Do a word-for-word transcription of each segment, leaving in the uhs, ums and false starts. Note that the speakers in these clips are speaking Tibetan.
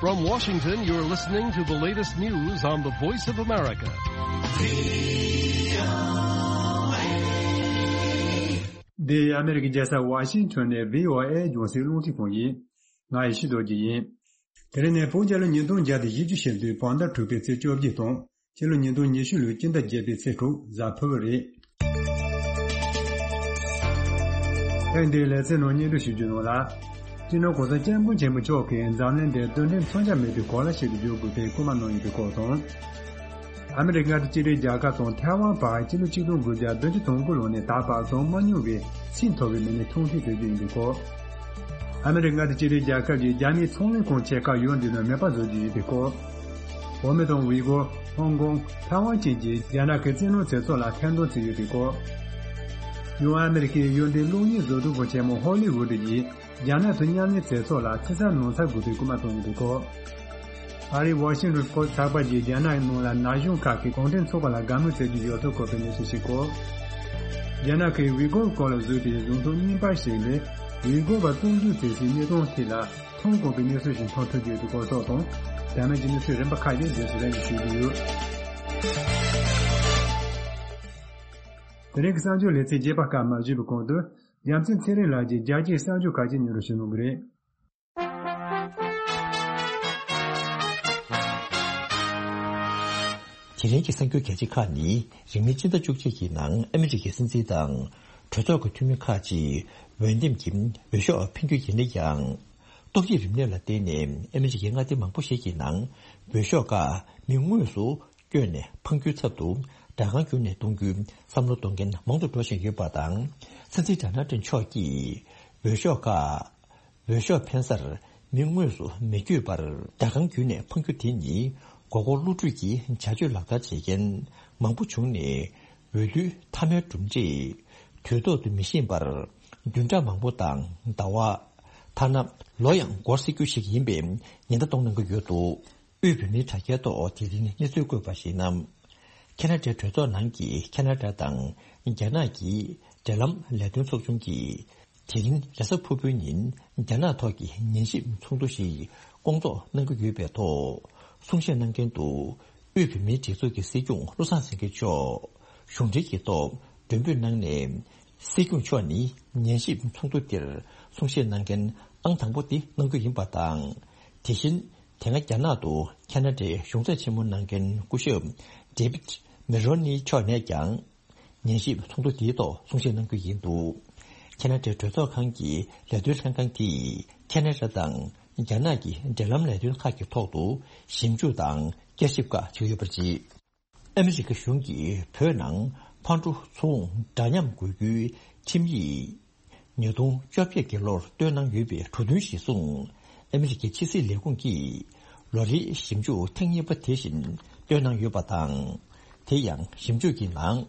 From Washington, you're listening to the latest news on the Voice of America. འདི་ཨ་མེ་རི་ཀའི་རྒྱལ་ས་ཝ་ཤིང་ཊོན་ནས་བྷི་ཨོ་ཨེ་རྒྱང་སྲིང་རླུང་འཕྲིན་ཁང་ཡིན། ང་ཡེ་ཤེས་རྡོ་རྗེ་ཡིན། དེ་རིང་ནི་བོད་རྒྱལ་ལོ་ཉིས་སྟོང་བརྒྱ་དང་བཞི་བཅུ་ཞེ་བདུན་བོད་ཟླ་དྲུག་པའི་ཚེས་བཅོ་བརྒྱད་དང་། ཕྱི་ལོ་ཉིས་སྟོང་ཉི་ཤུ་ལོའི་སྤྱི་ཟླ་བརྒྱད་པའི་ཚེས་དྲུག་གཟའ་ཕུར་བུ་རེད། ཐེངས་འདིའི་ལེ་ཚན་ནང་སྙན་སྒྲོན་ཞུ་རྒྱུ་ནང་ལ། སྤྱི་ནོར་གོང་ས་སྐྱབས་མགོན་ཆེན་པོ་མཆོག་གིས་འཛམ་གླིང་འདིར་རྡུལ་ཕྲན་མཚོན་ཆ་མེད་པའི་གོ་ལ་ཞིག་ཏུ་འགྱུར་དགོས་པའི་སྐུལ་མ་གནང་ཡོད་པའི་སྐོར་དང་། ཨ་མི་རི་ཀ་དང་ཅི་ལི་རྒྱལ་ཁབ་དང་ཐའེ་ཝན་བར་ཕྱི་ལོ་ཆིག་སྟོང་དགུ་བརྒྱ་བདུན་ཅུ་དོན་དགུ་ལོ་ནས་ད་བར་བྱུང་མ་མྱོང་བའི་ཆེས་མཐོ་བའི་མི་སྣའི་ཐུག་འཕྲད་བྱེད་རྒྱུ་ཡིན་པའི་སྐོར། ཨ་མི་རི་ཀ་དང་ཅི་ལི་རྒྱལ་ཁབ་ཀྱིས་རྒྱ་མིའི་ཚོང་ལས་ཁང་ཆེ་ཁག་ཡུལ་འདི་ནང་མེད་པ་བཟོ་རྒྱུ་ཡིན་པའི་སྐོར། བོད་མི་དང་ཝི་གོར། ཧོང་ཀོང་། ཐའེ་ཝན་བཅས་ཀྱིས་རྒྱ་ནག་གི་བཙན་གནོན་བྱེད་ཕྱོགས་ལ་ཐེར་འདོན་བྱས་ཡོད་པའི་སྐོར། ཡང་ཨ་མི་རི་ཀའི་ཡུལ་འདིའི་གློག་བརྙན་བཟོ་སྒྲིག་ཁང་ཆེན་མོ་ཧོ་ལི་ཝུད་ཀྱིས་རྒྱ་ནག་དང་མཉམ་ལས་བྱེད་ཕྱོགས་ལ་ཕྱི་གསལ་ནང་གསལ་དགོས་པའི་སྐུལ་མ་བཏང་ཡོད་པའི་སྐོར། ཨ་རིའི་ཝ་ཤིང་ཊོན་པོ་སི་ཊི་ཚགས་པར་གྱིས་རྒྱ་ནག་ནང་ལ་ན་གཞོན་ཁག་གིས་གུང་ཁྲན་ཚོགས་པ་ལ་དགའ་མོས་བྱེད་ཀྱི་ཡོད་ཚུལ་བཀོད་པའི་གནས་ཚུལ་ཞིག་གོ། རྒྱ་ནག་གིས་ཝི་གོར་སྐོར་ལ་བཟོས་པའི་གཞུང་ཚབ་རྙིང་པ་ཞིག་ལས་ཝི་གོར་བ་བཙོན་འཇུག་བྱས་སའི་གནས་སྟངས་ཐད་ལ་མཐོང་དཀོན་པའི་གནས་ཚུལ་ཞིག་མཐོང་ཐུབ་ཀྱི་ཡོད་པའི་སྐོར་སོགས་དང་། དེ་མིན་གྱི་གནས་ཚུལ་རིམ་པ་ཁག་ཅིག་རྗེས་སུ་ལན་ཞིག་ཞུ་རྒྱུ་ཡོད། དེ་རིང་གི་གསར་འགྱུར་ལེ་ཚན་རྒྱས་པ་སྐབས་མ་ཞུས་པའི་གོང་དུ། རྒྱལ་མཚན་ཚེ་རིང་ལགས་ཀྱིས་རྒྱལ་སྤྱིའི་གསར་འགྱུར་ཁག་ཅིག་སྙན་སྒྲོན་ཞུ་གནང་གི་རེད། དེ་རིང་གི་གསར་འགྱུར་གལ་ཆེ་ཁག་ནི། རིང་མིན་སྤྱི་ཟླ་བཅུ་གཅིག་གི་ནང་ཨ་མི་རི་ཀའི་སྲིད་འཛིན་དང་གྲོས་ཚོགས་ཀྱི་འཐུས་མི་ཁག་ཅིག་འོས་འདེམས་ཀྱི་འོས་ཤོག་འཕེན་རྒྱུ་ཡིན་ན་ཡང་། ཏོག་དབྱིབས་རིམས་ནད་ལ་བརྟེན་ནས་ཨ་མི་རི་ཀའི་མངའ་སྡེ་མང་པོ་ཞིག་གི་ནང་འོས་ཤོག་ཁག་མི་དངོས་སུ་བསྐྱོན་ནས་འཕང་རྒྱུའི་ཚབ་ཏུ་སྦྲག་ཁང་བརྒྱུད་ནས་གཏོང་རྒྱུའི་བསམ་བློ་གཏོང་མཁན་མང་དུ་འགྲོ་བཞིན་ཡོད་པ་དང་། སྲིད་འཛིན་ཌོ་ནལ་ཊམ་མཆོག་གིས་འོས་ཤོག་ཁག་འོས་ཤོག་འཕེན་སར་མི་དངོས་སུ་མི་བསྐྱོད་པར་སྦྲག་ཁང་བརྒྱུད་ནས་འཕང་རྒྱུ་དེ་ནི། མགོ་སྐོར་བསླུ་བྲིད་ཀྱི་བྱ་སྤྱོད་ལག་བསྟར་བྱེད་མཁན་མང་པོ་བྱུང་ནས། འོས་བསྡུའི་མཐའ་མའི་གྲུབ་འབྲས་དུས་ཐོག་ཏུ་མི་ཤེས་པར། བདུན་ཕྲག་མང་པོ་དང་ཟླ་བ། ཐ་ན་ལོ་ཡང་འགོར་སྲིད་རྒྱུ་ཞིག་ཡིན་པའི་ཉེན་བརྡ་གཏོང་གནང་གི་ཡོད་འདུག་དབུས་བོད་མིའི་དྲ་རྒྱའི་ཐོག་དེ་རིང་གནས་ཚུལ་བཀོད་པར་གཞིགས་ན། ཁེ་ན་ཌའི་གྲོས་ཚོགས་ནང་གི་ཁེ་ན་ཌ་དང་རྒྱ་ནག་གི་འབྲེལ་ལམ་ལས་དོན་ཚོགས་ཆུང་གིས། དེ་རིང་རེས་གཟའ་ཕུར་བུའི་ཉིན་རྒྱ་ནག་ཐོག་གི་ཉན་ཞིབ་ཚོགས་འདུ་ཞིག་སྐོང་ཚོགས་གནང་གི་ཡོད་པའི་ཐོག་གསུང་བཤད་གནང་མཁན་དུ། དབུས་བོད་མིའི་སྒྲིག་འཛུགས་ཀྱི་སྲིད་སྐྱོང་བློ་བཟང་སེང་གེ་མཆོག་གཞུང་འབྲེལ་གྱི་ཐོག་མགྲོན་འབོད་གནང་ནས། སྲིད་སྐྱོང་མཆོག་ནི་ཉན་ཞིབ་ཚོགས་འདུ་འདིར་གསུང་བཤད་གནང་མཁན་ཨང་དང་པོ་དེ་གནང་རྒྱུ་ཡིན་པ་དང་། དེ་བཞིན་དེ་སྔ་རྒྱ་ནག་ཏུ་ཁེ་ན་ཌའི་གཞུང་ཚབ་ཆེན་མོ་གནང་མཁན་སྐུ་ཞབས་ཌེ་བིད་མེ་རོ་ནི་མཆོག་ནས་ཀྱང་། ཉན་ཞིབ་ཚོགས་འདུ་དེའི་ཐོག་གསུང་བཤད་གནང་རྒྱུ་ཡིན་འདུག་ཁེ་ན་ཌའི་གྲོས་ཚོགས་ཁང་གི་ལས་དོན་ལྷན་ཁང་དེས་ཁེ་ན་ཌ་དང་རྒྱ་ནག་གི་འབྲེལ་ལམ་ལས་དོན་ཁག་གི་ཐོག་ཏུ་ཞིབ་འཇུག་དང་བསྐྱར་ཞིབ་ཁག་བྱེད་ཀྱི་ཡོད་པར་བརྩི། ཨ་མི་རི་ཀ་གཞུང་གིས་བོད་ནང་ཕར་འགྲོ་ཚུར་འོང་འདྲ་མཉམ་དགོས་རྒྱུའི་ཁྲིམས་ཡིག་ཉིས་སྟོང་བཅོ་བརྒྱད་ཀྱི་ལོར་བཏོན་གནང་ཡོད་པའི་གྲོས་མཐུན་གཞིར་བཟུང་། ཨ་མི་རི་ཀའི་ཕྱི་སྲིད་ལས་ཁུངས་ཀྱིས་ལོ་རེའི་ཞིབ་འཇུག་ཐེངས་གཉིས་པ་དེ་བཞིན་བཏོན་གནང་ཡོད་པ་དང་། དེ་ཡང་ཞིབ་འཇུག་གི་ནང་།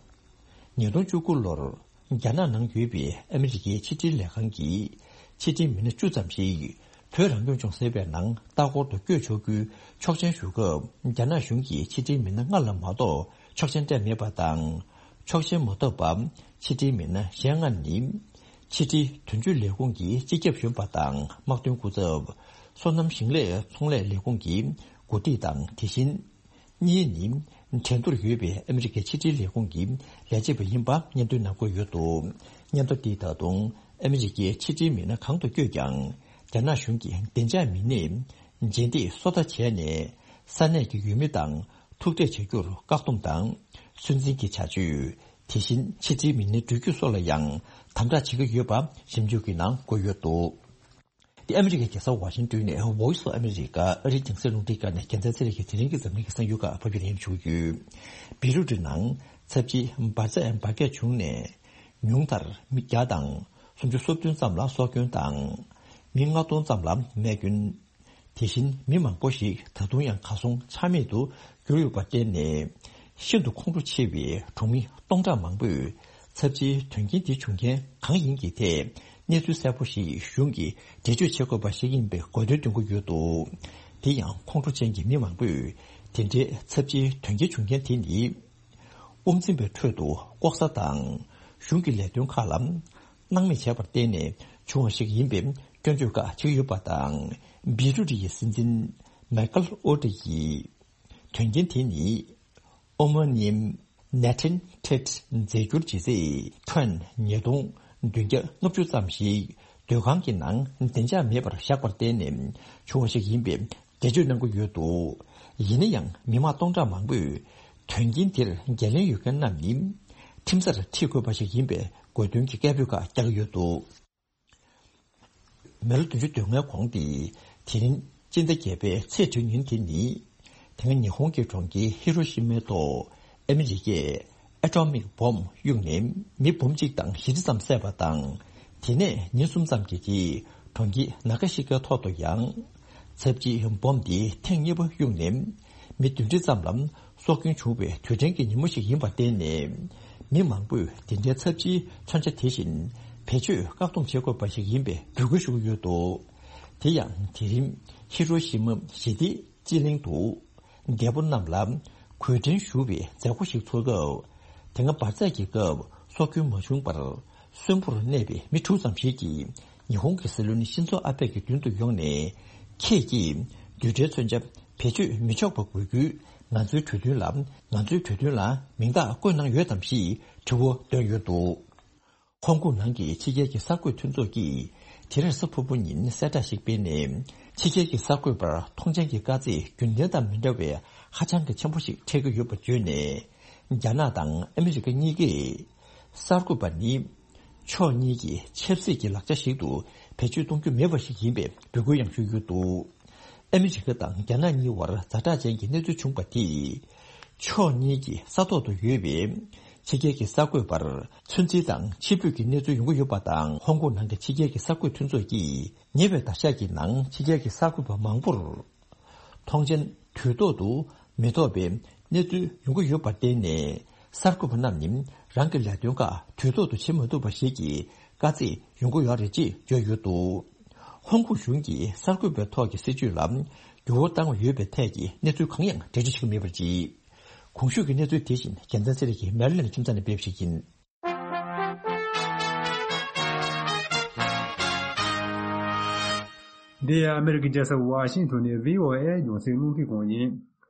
ཉིས་སྟོང་བཅུ་དགུ་ལོར་རྒྱ་ནག་ནང་ཡོད་པའི་ཨ་མི་རི་ཀའི་ཕྱི་དྲིལ་ལས་ཁང་གི་ཕྱི་དྲིལ་མི་སྣ་བཅུ་ཙམ་ཞིག་བོད་རང་སྐྱོང་ལྗོངས་ཟེར་བའི་ནང་ལྟ་སྐོར་དུ་བསྐྱོད་ཆོག་རྒྱུའི་ཆོག་མཆན་ཞུ་སྐབས། རྒྱ་ནག་གཞུང་གིས་ཕྱི་དྲིལ་མི་སྣ་ལྔ་ལ་མ་གཏོགས་ཆོག་མཆན་སྤྲད་མེད་པ་དང་། ཆོག་མཆན་མ་ཐོབ་པ་ཕྱི་དྲིལ་མི་སྣ་གཞན་ལྔ་ནི། ཕྱི་དྲིལ་དོན་གཅོད་ལས་ཁུངས་ཀྱི་སྤྱི་ཁྱབ་གཞོན་པ་དང་དམག་དོན་སྐུ་ཚབ། སོ་ནམ་ཞིང་ལས་ཚོང་ལས་ལས་ཁུངས་ཀྱི་འགོ་ཁྲིད་དང་། དེ་བཞིན། གཉིས་ནི། ཁྲེང་ཏུར་ཡོད་པའི་ཨ་མི་རི་ཀའི་ཕྱི་དྲིལ་ལས་ཁུངས་ཀྱི་ལས་བྱེད་པ་ཡིན་པ་སྙན་ཐོའི་ནང་འཁོད་ཡོད་འདུག་སྙན་ཐོ་འདིས་ད་དུང་ཨ་མི་རི་ཀའི་ཕྱི་དྲིལ་མི་སྣ་གང་དུ་བསྐྱོད་ཀྱང་། རྒྱ་ནག་གཞུང་གི་བདེ་འཇགས་མི་སྣས་རྗེས་འདེད་སོ་ལྟ་བྱས་ནས། ས་གནས་ཀྱི་ཡུལ་མི་དང་ཐུག་འཕྲད་བྱ་རྒྱུར་བཀག་སྡོམ་དང་། སུན་འབྱིན་གྱི་བྱ་སྤྱོད། དེ་བཞིན་ཕྱི་དྲིལ་མི་སྣའི་འགྲུལ་སྐྱོད་སོགས་ལ་ཡང་དམ་དྲག་བྱེད་ཀྱི་ཡོད་པ་ཞིབ་འཇུག་གི་ནང་འཁོད་ཡོད་འདུག་དེ་ཨ་མི་རི་ཀའི་རྒྱལ་ས་ཝ་ཤིང་ཏོན་ནས་Voice of America ཨ་རིའི་རྒྱང་སྲིང་རླུང་འཕྲིན་ཁང་ནས་རྒྱལ་མཚན་ཚེ་རིང་གིས་དེ་རིང་གི་འཛམ་གླིང་གི་གསར་འགྱུར་ཁག་ཕབ་སྒྱུར་ཡིན་ཞུ་གི་ཡོད། བེ་རུ་ཊི་ནང་ཚབས་ཆེའི་འབར་རྫས་འབར་གས་བྱུང་ནས་ཉུང་མཐར་མི་བརྒྱ་དང་སུམ་ཅུ་སོ་བདུན་ཙམ་ལ་སྲོག་སྐྱོན་དང་། མི་ལྔ་སྟོང་ཙམ་ལ་རྨས་སྐྱོན། དེ་བཞིན་མི་མང་པོ་ཞིག་ད་དུང་ཡང་གར་སོང་ཆ་མེད་དུ་གྱུར་ཡོད་པར་བརྟེན་ནས། ཤིན་ཏུ་ཁོང་ཁྲོ་ཆེ་བའི་གྲོང་མི་སྟོང་ཕྲག་མང་པོས་ཚབས་ཆེའི་དོན་རྐྱེན་དེ་བྱུང་རྐྱེན་གང་ཡིན་གྱི་ཐད་གནས་ཚུལ་གསལ་པོ་ཞིག་གཞུང་གིས་འགྲེལ་བརྗོད་བྱེད་དགོས་པ་ཞིག་ཡིན་པའི་དགོས་འདུན་འདོན་གྱི་ཡོད་འདུག་དེ་ཡང་ཁོང་ཁྲོ་ཅན་གྱི་མི་མང་པོས་དེ་འདྲའི་ཚབས་ཆེའི་དོན་རྐྱེན་བྱུང་རྐྱེན་དེ་ནི། དབུ་འཛིན་པའི་ཁྲོད་དུ་ལྐོག་ཟ་དང་གཞུང་གི་ལས་དོན་ཁག་ལ་སྣང་མེད་བྱས་པར་བརྟེན་ནས་བྱུང་བ་ཞིག་ཡིན་པའི་སྐྱོན་བརྗོད་ཁག་བྱེད་ཀྱི་ཡོད་པ་དང་། བེ་རུ་ཊི་ཡི་སྲིད་འཛིན་ མའི་ཀལ་ཨོ་ཏི་ཡིས། དོན་རྐྱེན་དེ་ནི་ཨོ་མོ་ནིམ་ནེ་ཊིན་ཊེཊ་རྫས་འགྱུར་ལྗིད་ཚད་ཊོན་ཉིས་སྟོང་བདུན་བརྒྱ་ལྔ་བཅུ་ཙམ་ཞིག་སྡོད་ཁང་གི་ནང་བདེ་འཇགས་མེད་པར་བཞག་པར་བརྟེན་ནས་བྱུང་བ་ཞིག་ཡིན་པའི་འགྲེལ་བརྗོད་གནང་གི་ཡོད་འདུག་ཡིན་ན་ཡང་མི་མང་སྟོང་ཕྲག་མང་པོས་དོན་རྐྱེན་དེར་འགན་ལེན་ཡོད་མཁན་རྣམས་ནི་ཁྲིམས་སར་ཁྲིད་དགོས་པ་ཞིག་ཡིན་པའི་དགོས་འདུན་གྱི་སྐད་འབོད་ཁག་རྒྱག་གི་ཡོད་འདུག་མི་ལོ་བདུན་ཅུ་དོན་ལྔའི་གོང་སྟེ། དེ་རིང་སྤྱི་ཟླ་བརྒྱད་པའི་ཚེས་དྲུག་ཉིན་དེ་ནི། དེ་སྔ་ཉི་ཧོང་གི་གྲོང་ཁྱེར་ཧི་རོ་ཤི་མའི་ཐོག་ཨ་མི་རི་ཀས་ཨེ་ཊོ་མིག་བོམ་གཡུགས་ནས་མི་འབུམ་གཅིག་དང་བཞི་བཅུ་ཙམ་བསད་པ་དང་། དེ་ནས་ཉིན་གསུམ་ཙམ་གྱི་རྗེས་གྲོང་ཁྱེར་ན་ག་ཤི་ཀའི་ཐོག་ཏུ་ཡང་། ཚབས་ཆེའི་བོམ་དེ་ཐེངས་གཉིས་པ་གཡུགས་ནས། མི་བདུན་ཁྲི་ཙམ་ལ་སྲོག་སྐྱོན་བྱུང་བའི་དུས་དྲན་གྱི་ཉིན་མོ་ཞིག་ཡིན་པར་བརྟེན་ནས། མི་མང་པོས་འདི་འདྲའི་ཚབས་ཆེའི་མཚོན་ཆ་དེ་བཞིན་བེད་སྤྱོད་བཀག་སྡོམ་བྱེད་དགོས་པ་ཞིག་ཡིན་པའི་འབོད་སྐུལ་ཞུ་གི་ཡོད་འདུག་དེ་ཡང་དེ་རིང་ཧི་རོ་ཤི་མ་ཞི་བདེའི་སྤྱི་གླིང་དུ། རྒད་པོ་རྣམས་ལ་གུས་དྲིན་ཞུ་བའི་མཛད་སྒོ་ཞིག་ཚོགས་སྐབས། དེ་སྔ་འབར་རྫས་ཀྱི་སྐབས་སྲོག་སྐྱོན་མ་བྱུང་བར། གསོན་པོར་གནས་པའི་མི་དྲུག་ཙམ་ཞིག་གིས། ཉི་ཧོང་གི་སྲིད་བློན་ཤིན་ཛོ་ཨ་བྷེ་ཡི་མདུན་དུ་ཡོང་ནས། ཁྱེད་ཀྱིས་རྡུལ་ཕྲན་མཚོན་ཆ་བེད་སྤྱོད་མི་ཆོག་པ་དགོས་རྒྱུའི་ང་ཚོའི་གྲོས་མཐུན་ལ། ང་ཚོའི་གྲོས་མཐུན་ལ་མིང་རྟགས་བཀོད་གནང་ཡོད་དམ་ཞེས་དྲི་བ་བཏོན་ཡོད་འདུག་ཧོང་ཀོང་ནང་གི་ཕྱི་རྒྱལ་གྱི་གསར་འགོད་མཐུན་ཚོགས་ཀྱིས་དེ་རེས་གཟའ་ཕུར་བུ་ཉིན་གསལ་བསྒྲགས་ཤིག་སྤེལ་ནས། ཕྱི་རྒྱལ་གྱི་གསར་འགོད་པར་མཐོང་མཆན་གྱི་དཀའ་ཚེགས་རྒྱུན་ལྡན་དང་མི་འདྲ་བའི་ཧ་ཅང་གི་ཆེན་པོ་ཞིག་འཕྲད་ཀྱི་ཡོད་པ་བརྗོད་ནས། རྒྱ་ནག་དང་ཨ་མི་རི་ཀ་གཉིས་ཀས་གསར་འགོད་པ་ནི། ཕྱོགས་གཉིས་ཀྱི་ཆབ་སྲིད་ཀྱི་ལག་ཆ་ཞིག་ཏུ་བེད་སྤྱོད་གཏོང་རྒྱུ་མེད་པ་ཞིག་ཡིན་པའི་འབོད་སྐུལ་ཡང་ཞུས་ཡོད་འདུག་ཨ་མི་རི་ཀ་དང་རྒྱ་ནག་གཉིས་བར་ཛ་དྲག་ཅན་གྱི་གནས་ཚུལ་བྱུང་བ་དེས། ཕྱོགས་གཉིས་ཀྱི་ས་ཐོག་ཏུ་ཡོད་པའི་ཕྱི་རྒྱལ་གྱི་གསར་འགོད་པར་ཚོད་འཛིན་དང་ཕྱིར་འབུད་ཀྱི་གནས་ཚུལ་ཡོང་གི་ཡོད་པ་དང་། ཧོང་ཀོང་ནང་གི་ཕྱི་རྒྱལ་གྱི་གསར་འགོད་མཐུན་ཚོགས་ཀྱིས་ཉེ་བའི་ཟླ་ཤས་ཀྱི་ནང་ཕྱི་རྒྱལ་གྱི་གསར་འགོད་པ་མང་པོར། མཐོང་མཆན་དུས་ཐོག་ཏུ་མི་ཐོབ་པའི་གནས་ཚུལ་ཡོང་གི་ཡོད་པར་བརྟེན་ནས། གསར་འགོད་པ་རྣམས་ནི་རང་གི་ལས་དོན་ཁག་དུས་ཐོག་ཏུ་བྱེད་མ་ཐུབ་པ་ཞིག་གི་དཀའ་ཚེགས་ཡོང་གི་ཡོད་རེད་ཅེས་བརྗོད་ཡོད་འདུག་ཧོང་ཀོང་གཞུང་གིས་གསར་འགོད་པའི་ཐོག་གི་སྲིད་བྱུས་ལ་འགྱུར་བ་བཏང་བ་ཡོད་པའི་ཐད་ཀྱི་གནས་ཚུལ་གང་ཡང་འགྲེལ་བརྗོད་བྱེད་ཀྱི་མེད་པར་བརྗོད། གོང་ཞུས་ཀྱི་གནས་ཚུལ་དེ་བཞིན་རྒྱལ་མཚན་ཚེ་རིང་གིས་མེ་རི་ལེན་ཁྱིམ་ཚང་ནས་སྤེལ་བ་ཞིག་ཡིན། འདི་ཨ་མེ་རི་ཀའི་རྒྱལ་ས་ཝ་ཤིང་ཊོན་ནས་བྷི་ཨོ་ཨེ་རྒྱང་སྲིང་རླུང་འཕྲིན་ཁང་ཡིན།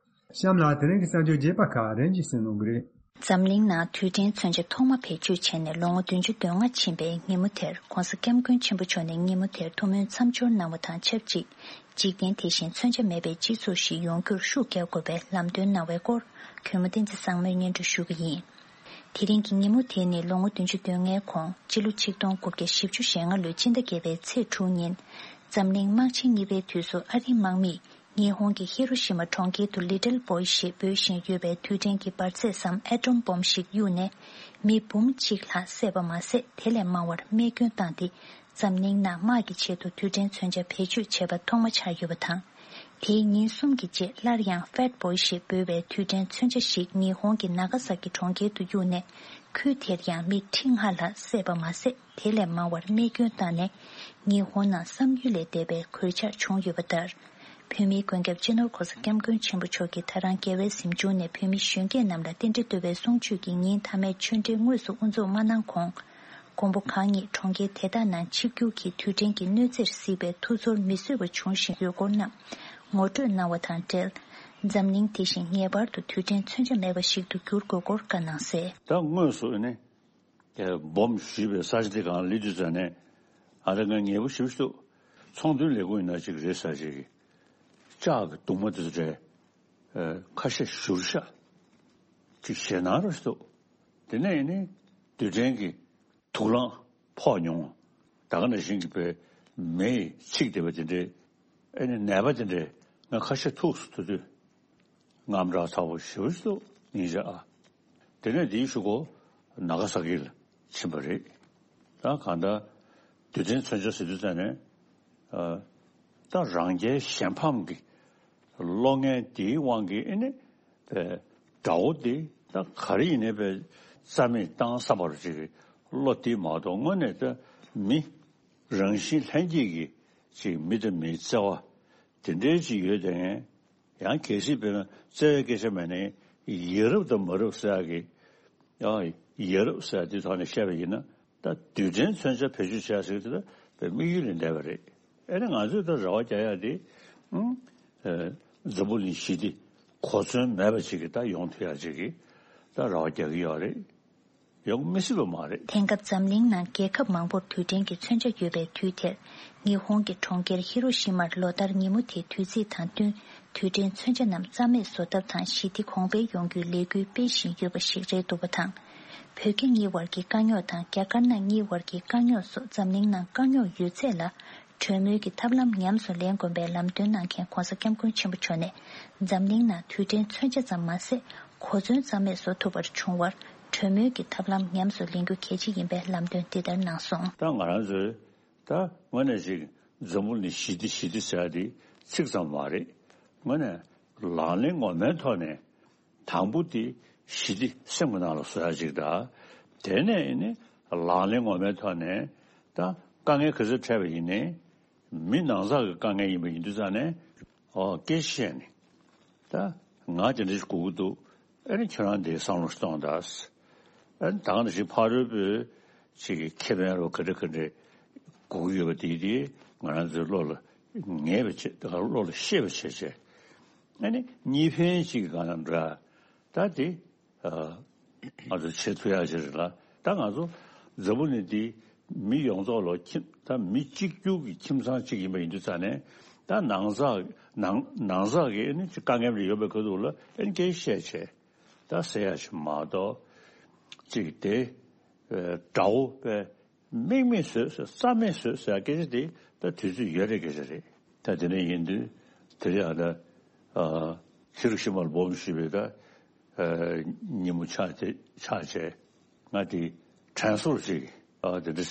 གཤམ་ལ་དེ་རིང་གི་གསར་འགྱུར་རྒྱས་པ་ཁག་རིམ་གྱིས་གསན་གནང་གི་རེད། འཛམ་གླིང་ནང་རྡུལ་ཕྲན་མཚོན་ཆ་ཐོག་མ་བེད་སྤྱོད་བྱས་ནས་ལོ་ངོ་བདུན་ཅུ་དོན་ལྔ་ཕྱིན་པའི་ཉིན་མོ་དེར། ྋགོང་ས་ྋསྐྱབས་མགོན་ཆེན་པོ་མཆོག་ནས་ཉིན་མོ་དེར་ཐུགས་སྨོན་མཚམས་སྦྱོར་གནང་བ་དང་ཆབས་ཅིག་འཇིག་རྟེན་དེ་བཞིན་མཚོན་ཆ་མེད་པའི་སྤྱི་ཚོགས་ཤིག་ཡོང་རྒྱུར་ཤུགས་རྒྱག་དགོས་པའི་ལམ་སྟོན་གནང་བའི་སྐོར། གུས་མོ་བསྟན་འཛིན་བཟང་མོས་སྙན་སྒྲོན་ཞུ་གི་ཡིན། དེ་རིང་གི་ཉིན་མོ་དེ་ནི་ལོ་ངོ་བདུན་ཅུ་དོན་ལྔའི་གོང་སྤྱི་ལོ་ཆིག་སྟོང་དགུ་བརྒྱ་བཞི་བཅུ་ཞེ་ལྔ་ལོའི་སྤྱི་ཟླ་བརྒྱད་པའི་ཚེས་དྲུག་ཉིན། འཛམ་གླིང་དམག་ཆེན་གཉིས་པའི་དུས་སུ་ཨ་རིའི་དམག་མིས་ཉི་ཧོང་གི་ཧི་རོ་ཤི་མ་གྲོང་ཁྱེར་དུ་ལི་ཏིལ་བོའི་ཞེས་འབོད་བཞིན་ཡོད་པའི་རྡུལ་ཕྲན་གྱི་འབར་རྫས་སམ་ཨེ་ཊོམ་བོམ་ཞིག་གཡུགས་ནས། མི་འབུམ་གཅིག་ལྷག་བསད་པ་མ་ཟད། དེ་ལས་མང་བར་རྨས་སྐྱོན་བཏང་སྟེ། འཛམ་གླིང་ནང་དམག་གི་ཆེད་དུ་རྡུལ་ཕྲན་མཚོན་ཆ་བེད་སྤྱོད་བྱས་པ་ཐོག་མ་ཆགས་ཡོད་པ་དང་། དེའི་ཉིན་གསུམ་གྱི་རྗེས་སླར་ཡང་ཧྥེད་བོའི་ཞེས་འབོད་པའི་རྡུལ་ཕྲན་མཚོན་ཆ་ཞིག་ཉི་ཧོང་གི་ནཱ་ག་ས་ཀི་གྲོང་ཁྱེར་དུ་གཡུགས་ནས། ཁུལ་དེར་ཡང་མི་ཁྲི་ལྔ་ལྷག་བསད་པ་མ་ཟད། དེ་ལས་མང་བར་རྨས་སྐྱོན་བཏང་ནས། ཉི་ཧོང་ནང་བསམ་ཡུལ་ལས་འདས་པའི་གོད་ཆག་བྱུང་ཡོད་པ་ལྟར། བོད་མིའི་མགོན་སྐྱབས་སྤྱི་ནོར་ྋགོང་ས་ྋསྐྱབས་མགོན་ཆེན་པོ་མཆོག་གིས་ད་རང་རྒྱལ་བའི་གཟིམ་ཆུང་ནས་བོད་མི་གཞོན་སྐྱེས་རྣམས་ལ་རྟེན་འབྲེལ་བསྟོད་པའི་གསུང་ཆོས་ཀྱི་ཉིན་མཐའ་མའི་ཆོས་འབྲེལ་དངོས་སུ་དབུ་འཛུགས་མ་གནང་གོང་། མགོན་པོ་གང་ཉིད་གྲོང་ཁྱེར་དེ་དག་ནང་ཆིབས་བསྒྱུར་གྱིས་རྡུལ་ཕྲན་གྱི་གནོད་འཚེར་གཟིགས་པའི་ཐུགས་ཚོར་མི་བཟོད་པ་བྱུང་བཞིན་ཡོད་སྐོར་རྣམས་ངོ་སྤྲོད་གནང་བ་དང་འབྲེལ། འཛམ་གླིང་དེ་བཞིན་ངེས་པར་དུ་རྡུལ་ཕྲན་མཚོན་ཆ་མེད་པ་ཞིག་ཏུ་འགྱུར་དགོས་སྐོར་བཀའ་གནང་གསལ། ད་དངོས་སུ་ནི་བོམ་ཞུས་པའི་ས་ཆ་དེ་གང་སླེབས་དུས་ཙམ་ནས། ཨ་རེ་ང་ངལ་པོ་ཞེ་པོ་ཞིག་འདུག་ཚོང་དོན་ལས་ཁུངས་ཡིན་ན་ཅིག་རེད་ཟེར་ཅིག་ལྕགས་ཀྱི་གདུང་མ་དེ་ཚོ་རེད། ཁ་ཤས་བཞུར་ཤག་ཅིག་ཞེད་སྣང་རུ་ཞིག་འདུག་དེ་ནས་ནི་རྡུལ་ཕྲན་གྱི་དུག་རླངས་ཕོག་མྱོང་། ད་ག་ནང་བཞིན་གྱི་པའི་མེ་ཡིས་འཚིག་བསྡད་པ་དེ་འདྲའི། ཨེ་ནི་ནད་པ་དེ་འདྲའི་ང་ཁ་ཤས་ཐུག་སོང་། དེ་དུས་དངངས་སྐྲག་ཚ་པོ་ཞེ་པོ་ཞིག་འདུག་སྙིང་རྗེ་ཨ། དེ་ནས་དེའི་གཞུག་གུ་ནཱ་ག་ས་ཀི་ལ་ཕྱིན་པ་རེད། ད་གང་ལྟར་རྡུལ་ཕྲན་མཚོན་ཆ་ཟེར་དུས་ཙམ་ནས། ཨ། ད་རང་རྒྱལ་གཞན་ཕམ་གྱི་བློ་ངན་དེའི་དབང་གིས་ཨེ་ནི་པའི་དགྲ་བོ་དེ་ད་ག་རེ་ཡིན་ནའི་པའི་རྩ་མེད་བཏང་བསམ་པར་ཅིག་གི་བློ་དེ་མ་གཏོགས་དངོས་གནས་ད་མི་རང་བཞིན་ལྷན་སྐྱེས་ཀྱི་ཅིག་མི་དང་མིའི་བརྩེ་བ་དེ་འདྲའི་ཅིག་ཡོད་དེ། ཡང་གལ་སྲིད་དཔེར་ན་བརྩེ་བའི་སྐད་ཆ་མེད་ན་ཡ་རབས་དང་མ་རབས་ཟེར་ཡག་གི། ཡང་ཡ་རབས་ཟེར་ཡག་དེའི་ཐོག་ནས་བཤད་པ་ཡིན་ན། ད་རྡུལ་ཕྲན་མཚོན་ཆ་བེད་སྤྱོད་བྱས་ཟེར་གྱི་དེ་ད་དམིགས་ཡུལ་ལས་འདས་པ་རེད། ཨེ་ནི་ང་ཚོས་ད་རེ་བ་རྒྱག་ཡག་དེ། ཨུམ། ཨེ། འཛམ་བུ་གླིང་ཞི་བདེ་གོ་མཚོན་མེད་པ་ཅིག་གི་ད་ཡོང་ཐུབ་ཡ་ཅིག་གི་ད་རེ་བ་རྒྱག་གི་ཡོད་རེད། ཡོང་མི་སྲིད་པ་མ་རེད། དེང་སྐབས་འཛམ་གླིང་ནང་རྒྱལ་ཁབ་མང་པོར་རྡུལ་ཕྲན་གྱི་མཚོན་ཆ་ཡོད་པའི་དུས་དེར། ཉི་ཧོང་གི་གྲོང་ཁྱེར་ཧི་རོ་ཤི་མར་ལོ་ལྟར་ཉིན་མོ་དེའི་དུས་ཚིགས་དང་བསྟུན། རྡུལ་ཕྲན་མཚོན་ཆ་རྣམས་རྩ་མེད་བཟོ་ཐབས་དང་ཞི་བདེ་གོང་འཕེལ་ཡོང་རྒྱུའི་ལས་འགུལ་སྤེལ་བཞིན་ཡོད་པ་ཞིག་རེད་འདུག་པ་དང་། བོད་རྒྱ་གཉིས་བར་གྱི་དཀའ་རྙོག་དང་རྒྱ་དཀར་ནག་གཉིས་བར་གྱི་དཀའ་རྙོག་སོགས་འཛམ་གླིང་ནང་དཀའ་རྙོག་ཡོད་ཚད་ལ། གྲོས་མོལ་གྱི་ཐབས་ལམ་ཉམས་སུ་ལེན་དགོས་པའི་ལམ་སྟོན་གནང་མཁན་༧གོང་ས་༧སྐྱབས་མགོན་ཆེན་པོ་མཆོག་ནས། འཛམ་གླིང་ནང་རྡུལ་ཕྲན་མཚོན་ཆ་ཙམ་མ་ཟད། གོ་མཚོན་རྩ་མེད་བཟོ་ཐུབ་པར་བྱུང་བར། གྲོས་མོལ་གྱི་ཐབས་ལམ་ཉམས་སུ་ལེན་རྒྱུ་གལ་ཆེ་ཡིན་པའི་ལམ་སྟོན་འདི་ལྟར་གནང་སོང་། ད་ང་རང་ཚོའི་ད་དངོས་གནས་ཅིག་འཛམ་བུ་གླིང་ཞི་བདེ་ཞི་བདེ་ཟེར་ཡ་དེ་ཚིག་ཙམ་མ་རེད། དངོས་གནས་ལག་ལེན་ངོ་མའི་ཐོག་ནས། དང་པོ་དེ་ཞི་བདེ་སེམས་ཀྱི་ནང་ལ་བཟོ་ཡ་ཅིག་དང་། དེ་ནས་ནི་ལག་ལེན་ངོ་མའི་ཐོག་ནས་ད་དཀའ་ངལ་ག་ཚོད་འཕྲད་པ་ཡིན་ནའི་མི་ནང་ཚགས་ཀྱི་དཀའ་ངལ་ཡིན་པ་ཡིན་དུས་ཙང་ནས་ཨོ་སྐད་ཆ་བཤད་ནས་ད་ང་དེ་འདྲ་ཞིག་དགོས་ཀྱི་འདུག་ཨེ་ནི་ཁྱོད་རང་དེ་བསམ་བློ་ཞིག་གཏོང་དང་། ཨེ་ནི་ད་ག་ནང་བཞིན་ཕ་རོལ་པོའི་ཅིག་གི་ཁེ་ཕན་རོ་ག་འདྲ་ག་འདྲ་དགོས་ཀྱི་ཡོད་པ་དེ་དེ་ང་རང་ཚོའི་བློ་ལ་ངེས་པ་བྱེད་ད་ག་བློ་ལ་ཤེས་པ་བྱེད་བྱས། ཨ་ནི་གཉིས་ཕན་གཅིག་གི་སྒང་ལ་འདྲ། ད་དེ་ཨ་ང་ཚོ་བྱེད་ཐུབ་ཡག་ཅིག་རེད་ལ། ད་ང་ཚོ་འཛམ་བུ་གླིང་འདི་མི་ཡོངས་རྫོགས་ལ་ཁྱིམ་ད་མི་གཅིག་གྱུར་གྱི་ཁྱིམ་ཚང་གཅིག་ཡིན་པ་ཡིན་དུས་ཙང་ནས། ད་ནང་ཚགས་ནང་ནང་ཚགས་ཀྱི་ཨ་ནི་ཅིག་དཀའ་ངལ་རེ་ཡོད་པའི་ཁ་ཐུག་ལ་ཨ་ནི་སྐད་ཆ་བཤད་བྱས་ད་ཟེར་ཡག་ཅིག་མ་གཏོགས་ཅིག་དེ་དགྲ་བོ་པས། དམིགས་མེད་བཟོས་ཟེར་རྩ་མེད་བཟོས་ཟེར་སྐད་ཆ་དེ་ད་དུས་ཚོད་ཡོལ་རེད་སྐད་ཆ་རེད། ད་དེ་འདྲ་ཡིན་དུས་དེ་རིང་ཨ་ད་ཨ་ཧི་རོ་ཤི་མ་ལ་སྦོམ་ཞིག་པའི་ད་ཨ་ཉིན་མོ་ཆགས་དེ་ཆགས་བྱས་ང་དེ་དྲན་གསོ་ཅིག་ཨ་དེ་འདྲ་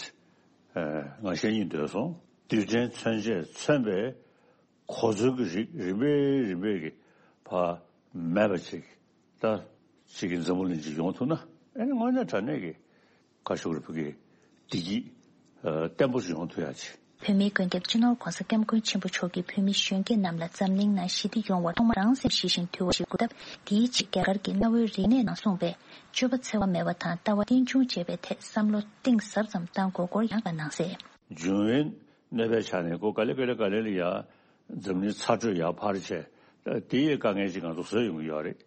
ཨ་ང་བཤད་སྙིང་འདོད་སོང་། རྡུལ་ཕྲན་མཚོན་ཆས་མཚོན་པའི་གོ་མཚོན་གྱི་རིགས་རིམ་པས་རིམ་པས་ཀྱི་བ་མེད་པ་ཅིག་ད་ཅིག་གི་འཛམ་བུ་གླིང་ཅིག་ཡོང་ཐུབ་ན་ཨེ་ནི་དངོས་གནས་དྲང་གནས་ཀྱི་བཀའ་ཤོག་རི་བུ་གི་བདེ་སྐྱིད་ཨ་བརྟན་པོ་ཞིག་ཡོང་ཐུབ་ཡག་ཅིག་བོད་མིའི་མགོན་སྐྱབས་སྤྱི་ནོར་༧གོང་ས་༧སྐྱབས་མགོན་ཆེན་པོ་མཆོག་གིས་བོད་མི་གཞོན་སྐྱེས་རྣམས་ལ་འཛམ་གླིང་ནང་ཞི་བདེ་ཡོང་བར་ཐོག་མར་རང་སེམས་ཞི་ཞིང་དུལ་བ་ཞིག་དགོས་སྟབས། དེའི་ཆེད་རྒྱ་གར་གྱི་གནའ་བོའི་རིག་གནས་ནང་གསུངས་པའི་སྤྱོད་པ་འཚེ་བ་མེད་པ་དང་ལྟ་བ་རྟེན་འབྱུང་བྱེད་པའི་ཐད་བསམ་བློ་གཏིང་ཟབ་ཙམ་བཏང་དགོས་སྐོར་ཡང་བཀའ་གནང་གསལ། འབྱུང་བའི་གནོད་པའི་ཆ་ནས་ཁོ་ག་ལེ་ག་ལེ་ག་ལེ་ལ་ཡ་འཛམ་གླིང་ཚ་དྲོད་ཡར་འཕར་བྱས་དེ་ཡི་དཀའ་ངལ་ཅིག་ང་ཚོ་བཟོས་ཡོང་གི་ཡོད་རེད།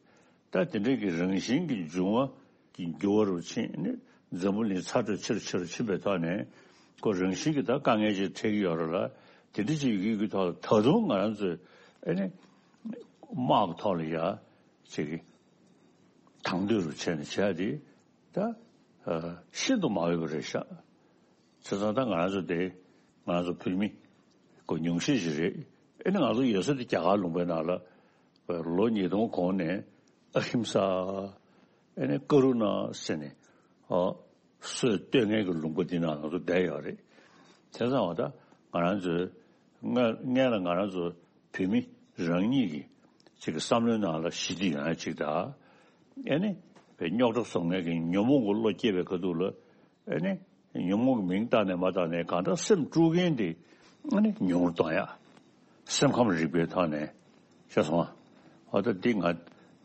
ད་དེ་འདྲའི་གི་རང་བཞིན་གྱི་འབྱུང་བ་གི་འགྱུར་བ་རུ་ཕྱིན་ནས་འཛམ་བུ་གླིང་ཚ་དྲོད་ཆེ་རུ་ཆེ་རུ་ཕྱིན་པའི་ཐོག་ནས་ཁོ་རང་བཞིན་གྱི་ད་དཀའ་ངལ་ཅིག་འཕྲད་ཀྱི་ཡོད་རེད་ལ། དེ་འདྲ་ཅིག་ཡོད་ཀྱི་ཐོག་ལ་ད་དུང་ང་རང་ཚོས་ཨེ་ནི་དམག་གི་ཐོག་ལ་ཡ་ཅིག་གི་དང་དོད་རུ་བྱས་ནས་བྱས་ཏེ་ད་ཤིན་ཏུ་མ་འོས་པ་རེད་ཤག་བྱས་ཙང་ད་ང་རང་ཚོ་དེ་ང་རང་ཚོ་བོད་མི་ཁོ་ཉུང་ཤས་ཤིག་རེད། ཨེ་ནི་ང་ཚོ་ཡོད་ས་དེ་རྒྱ་གར་ལུང་པའི་ནང་ལ་ལོ་ཉིས་སྟོང་གོང་ནས་ཨ་ཧིམ་ས་ཨེ་ནི་ཀ་རུ་ན་ཟེར་ནས་ཨ་སྲོལ་གཏོད་མཁན་གྱི་ལུང་པ་འདི་ནང་ང་ཚོ་བསྡད་ཡོད་རེད། བྱས་ཙང་བ་ད་ང་རང་ཚོའི་སྔ་སྔན་ལ་ང་རང་ཚོ་བོད་མི་རང་ཉིད་ཀྱི་ཅིག་གི་བསམ་བློའི་ནང་ལ་ཞི་བདེ་ཡོང་ཡ་ཅིག་དང་། ཨེ་ནི་བའི་རྙོག་དྲ་བཟོ་མཁན་གྱི་ཉོན་མོངས་ཀྱི་བློ་སྐྱེས་པའི་ཁ་ཐུག་ལ་ཨེ་ནི་ཉོན་མོངས་ཀྱི་མིང་བཏགས་ནས་མ་བཏགས་ནས་གང་ལྟར་སེམས་དཀྲུག་མཁན་དེ་ཨེ་ནི་ཉུང་རུ་གཏོང་ཡ། སེམས་ཁམས་རིག་པའི་ཐོག་ནས་ཤེས་སོང་ཨ། འོ་ད་འདི་ང་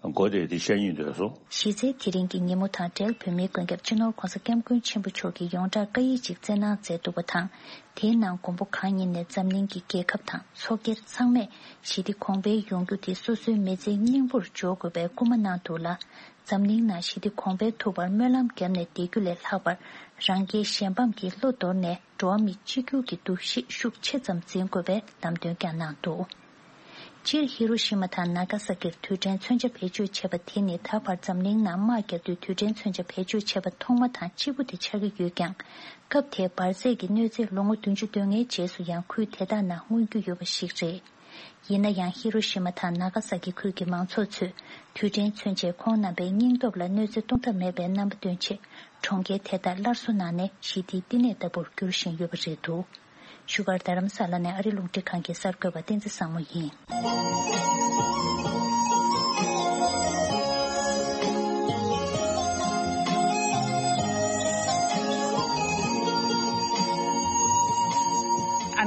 མགོ་དེ་འདི་བཤད་སྙིང་འདོད་སོང་། གཞི་རྩའི་དེ་རིང་གི་ཉིན་མོ་དང་འབྲེལ་བོད་མིའི་མགོན་སྐྱབས་སྤྱི་ནོར་༧གོང་ས་༧སྐྱབས་མགོན་ཆེན་པོ་མཆོག་གིས་ཡོངས་གྲགས་བཀའ་ཡིག་ཅིག་བསྩལ་གནང་མཛད་འདུག་པ་དང་། དེའི་ནང་མགོན་པོ་གང་ཉིད་ནས་འཛམ་གླིང་གི་རྒྱལ་ཁབ་དང་ཚོགས་སྒེར་ཚང་མས་ཞི་བདེ་གོང་འཕེལ་ཡོང་རྒྱུ་དེ་སོ་སོའི་མི་ཚེའི་སྙིང་པོར་འཇོག་དགོས་པའི་སྐུལ་མ་གནང་འདུག་ལ། འཛམ་གླིང་ནང་ཞི་བདེ་གོང་འཕེལ་ཐུབ་པར་སྨོན་ལམ་བརྒྱབ་ནས་བསྡད་རྒྱུ་ལས་ལྷག་པར། རང་རྒྱལ་གཞན་ཕམ་གྱི་བློ་དོར་ནས་འགྲོ་བ་མི་གཅིག་གྱུར་གྱི་འདུ་ཤེས་ཤུགས་ཆེ་ཙམ་འཛིན་དགོས་པའི་ལམ་སྟོན་ཀྱང་གནང་འདུག་སྤྱིར་ཧི་རོ་ཤི་མ་དང་ན་ག་ས་ཀིར་རྡུལ་ཕྲན་མཚོན་ཆ་བེད་སྤྱོད་བྱས་པ་དེ་ནི་ད་བར་འཛམ་གླིང་ནང་དམག་རྒྱག་དུས་རྡུལ་ཕྲན་མཚོན་ཆ་བེད་སྤྱོད་བྱས་པ་ཐོག་མ་དང་གཅིག་པུ་དེ་ཆགས་ཀྱི་ཡོད་ཀྱང་། སྐབས་དེའི་འབར་རྫས་ཀྱི་གནོད་འཚེ་ལོ་ངོ་བདུན་ཅུ་དོན་ལྔའི་རྗེས་སུ་ཡང་ཁུལ་དེ་དག་ནང་མངོན་རྒྱུ་ཡོད་པ་ཞིག་རེད། ཡིན་ན་ཡང་ཧི་རོ་ཤི་མ་དང་ན་ག་ས་ཀི་ཁུལ་གྱི་མང་ཚོགས་ཚོས་རྡུལ་ཕྲན་མཚོན་ཆས་ཁོང་རྣམ་པའི་སྙིང་སྟོབས་ལ་གནོད་འཚེ་གཏོང་ཐབས་མེད་པའི་རྣམ་པ་སྟོན་ཆེད། གྲོང་ཁྱེར་དེ་དག་སླར་གསོ་གནང་ནས་ཞི་བདེའི་བསྟི་གནས་ལྟ་བུར་འགྱུར་བཞིན་ཡོད་པ་རེད་འདུག་བཞུགས་སྒར་རྡ་རམ་ས་ལ་ནས་ཨ་རི་རླུང་འཕྲིན་ཁང་གི་གསར་འགོད་པ་བསྟན་འཛིན་བཟང་མོ་ཡིན།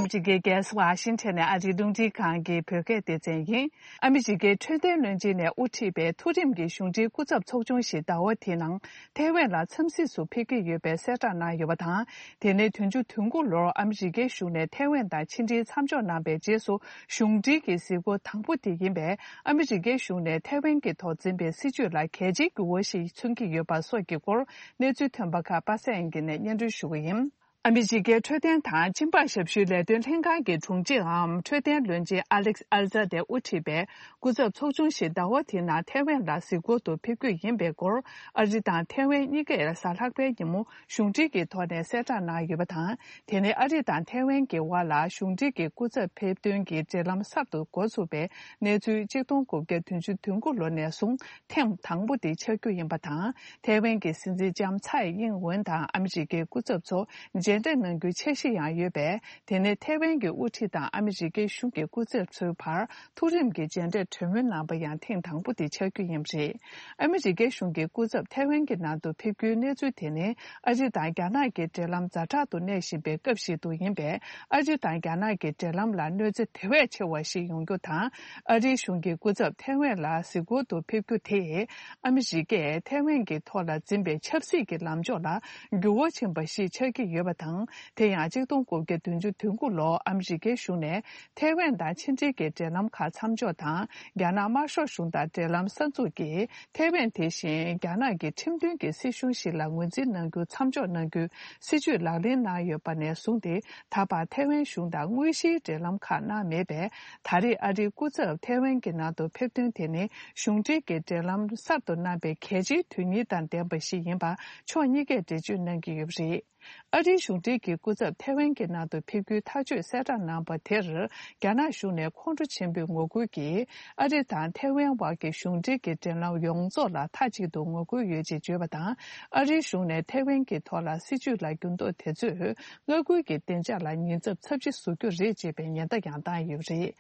ཨ་མི་རི་ཀའི་རྒྱལ་ས་ཝ་ཤིང་ཊོན་ནས་ཨ་རིའི་རླུང་འཕྲིན་ཁང་གི་བོད་སྐད་སྡེ་ཚན་ཡིན། ཨ་མི་རི་ཀའི་འཕྲོད་བསྟེན་བློན་ཆེན་ནས་དབུ་ཁྲིད་པའི་མཐོ་རིམ་གྱི་གཞུང་འབྲེལ་སྐུ་ཚབ་ཚོགས་ཆུང་ཞིག་ཟླ་བ་འདིའི་ནང་ཐའེ་ཝན་ལ་འཚམས་གཟིགས་སུ་ཕེབས་ཀྱི་ཡོད་པའི་གསལ་བསྒྲགས་གནང་ཡོད་པ་དང་། དེ་ནི་བདུན་ཅུ་དོན་དགུ་ལོར་ཨ་མི་རི་ཀའི་གཞུང་ནས་ཐའེ་ཝན་དང་ཕྱི་འབྲེལ་མཚམས་འཇོག་གནང་པའི་རྗེས་སུ་གཞུང་འབྲེལ་གྱི་གཟིགས་སྐོར་དང་པོ་དེ་ཡིན་པས། ཨ་མི་རི་ཀའི་གཞུང་ནས་ཐའེ་ཝན་གྱི་ཐོག་འཛིན་པའི་སྲིད་བྱུས་ལ་གལ་ཆེའི་འགྱུར་བ་ཞིག་མཚོན་གྱི་ཡོད་པ་སོགས་ཀྱི་སྐོར་གནས་ཚུལ་ཐོན་པ་ཁག་པ་སངས་དབྱངས་སྐྱིད་ནས་སྙན་སྒྲོན་ཞུ་གི་ཡིན། ཨ་མི་རི་ཀའི་འཕྲོད་བསྟེན་དང་སྦྱིན་པ་ཞབས་ཞུའི་ལས་དོན་ལྷན་ཁང་གི་དྲུང་ཆེའམ་འཕྲོད་བསྟེན་བློན་ཆེན་ཨ་ལེག་ཨལ་ཛ་དེ་དབུ་ཁྲིད་པའི་སྐུ་ཚབ་ཚོགས་ཆུང་ཞིག་ཟླ་བ་དེའི་ནང་ཐའེ་ཝན་ལ་གཟིགས་སྐོར་དུ་ཕེབས་རྒྱུ་ཡིན་པའི་སྐོར། ཨ་རི་དང་ཐའེ་ཝན་གཉིས་ཀས་གཟའ་ལྷག་པའི་ཉིན་མོ་གཞུང་འབྲེལ་གྱི་ཐོག་ནས་གསལ་བསྒྲགས་གནང་ཡོད་པ་དང་། དེ་ནི་ཨ་རི་དང་ཐའེ་ཝན་གྱི་དབར་ལ་གཞུང་འབྲེལ་གྱི་སྐུ་ཚབ་ཕེབས་ཐོན་གྱི་འབྲེལ་ལམ་གསར་དུ་འགོ་ཚུགས་པའི་གནས་ཚུལ་ཆིག་སྟོང་དགུ་བརྒྱ་བདུན་ཅུ་དོན་དགུ་ལོ་ནས་བཟུང་ཐེངས་དང་པོ་དེ་ཆགས་རྒྱུ་ཡིན་པ་དང་། ཐའེ་ཝན་གྱི་སྲིད་འཛིན་ལྕམ་ཚའེ་དབྱིན་ཝེན་དང་ཨ་མི་རི་ཀའི་སྐུ་ཚབ་ཚོ་མཇལ་འཕྲད་གནང་རྒྱུའི་འཆར་གཞི་ཡང་ཡོད་པས། དེ་ནི་ཐའེ་ཝན་གྱི་དབུ་ཁྲིད་དང་ཨ་མི་རི་ཀའི་གཞུང་གི་སྐུ་ཚབ་ཚོའི་བར་མཐོ་རིམ་གྱི་མཇལ་འཕྲད་གྲོས་མོལ་གནང་པ་ཡང་ཐེངས་དང་པོ་དེ་ཆགས་རྒྱུ་ཡིན་པ་རེད། ཨ་མི་རི་ཀའི་གཞུང་གི་སྐུ་ཚབ་ཐའེ་ཝན་གྱི་ནང་དུ་ཕེབས་རྒྱུའི་གནས་ཚུལ་དེ་ནི་ཨ་རི་དང་རྒྱ་ནག་གི་འབྲེལ་ལམ་ཛ་དྲག་ཏུ་གནས་བཞིན་པའི་སྐབས་ཤིག་ཏུ་ཡིན་པས། ཨ་རི་དང་རྒྱ་ནག་གི་འབྲེལ་ལམ་ལ་གནོད་འཚེ་དེ་བས་ཆེ་བ་ཞིག་ཡོང་རྒྱུ་དང་། ཨ་རིའི་གཞུང་གི་སྐུ་ཚབ་ཐའེ་ཝན་ལ་གཟིགས་སྐོར་དུ་ཕེབས་རྒྱུ་དེས། ཨ་མི་རི་ཀས་ཐའེ་ཝན་གྱི་ཐོག་ལ་འཛིན་པའི་ཆབ་སྲིད་ཀྱི་ལམ་ཕྱོགས་ལ་འགྱུར་བ་ཕྱིན་པ་ཞིག་ཆགས་ཀྱི་ཡོད་པ་དང་། དེ་ཡང་ཆིག་སྟོང་དགུ་བརྒྱ་བདུན་ཅུ་དོན་དགུ་ལོར་ཨ་མི་རི་ཀའི་གཞུང་ནས་ཐའེ་ཝན་དང་ཕྱི་འབྲེལ་གྱི་འབྲེལ་ལམ་ཁག་མཚམས་འཇོག་དང་། རྒྱ་ནག་དམར་ཤོག་གཞུང་དང་འབྲེལ་ལམ་གསར་འཛུགས་ཀྱིས། ཐའེ་ཝན་དེ་བཞིན་རྒྱ་ནག་གི་ཁྲིམས་མཐུན་གྱི་སྲིད་གཞུང་ཞིག་ལ་ངོས་འཛིན་གནང་རྒྱུ་མཚམས་འཇོག་གནང་རྒྱུའི་སྲིད་བྱུས་ལག་ལེན་གནང་ཡོད་པ་ནས་བཟུང་སྟེ། ད་བར་ཐའེ་ཝན་གཞུང་དང་དངོས་གཞིའི་འབྲེལ་ལམ་ཁག་གནང་མེད་པས། ད་རེས་ཨ་རིའི་སྐུ་ཚབ་ཐའེ་ཝན་གྱི་ནང་དུ་ཕེབས་ཐོན་དེ་ནི་གཞུང་འབྲེལ་གྱི་འབྲེལ་ལམ་གསར་དུ་གནང་པའི་གལ་ཆེའི་དོན་སྙིང་དང་ལྡན་པ་ཞིག་ཡིན་པ་ཕྱོགས་གཉིས་ཀས་འགྲེལ་བརྗོད་གནང་གི་ཡོད་པ་རེད། ཨ་རིའི་གཞུང་འབྲེལ་གྱི་སྐུ་ཚབ་ཐའེ་ཝན་གྱི་ནང་དུ་ཕེབས་རྒྱུའི་ཐག་གཅོད་གསལ་བསྒྲགས་གནང་པ་དེར། རྒྱ་ནག་གཞུང་ནས་ཁོང་ཁྲོ་ཆེན་པོས་ངོ་རྒོལ་གྱིས། ཨ་རི་དང་ཐའེ་ཝན་དབར་གྱི་གཞུང་འབྲེལ་གྱི་འབྲེལ་ལམ་ཡོངས་རྫོགས་ལ་མཐའ་གཅིག་ཏུ་ངོ་རྒོལ་ཡོད་ཅེས་བརྗོད་པ་དང་། ཨ་རིའི་གཞུང་ནས་ཐའེ་ཝན་གྱི་ཐོག་ལ་སྲིད་བྱུས་ལ་འགྱུར་ལྡོག་དེ་ཚོས། མངའ་ཁུལ་གྱི་བདེ་འཇགས་ལ་ཉེན་ཚབས་ཚབས་ཆེ་བཟོ་རྒྱུ་རེད་ཅེས་པའི་ཉེན་བརྡ་ཡང་བཏང་ཡོད་པ་རེད།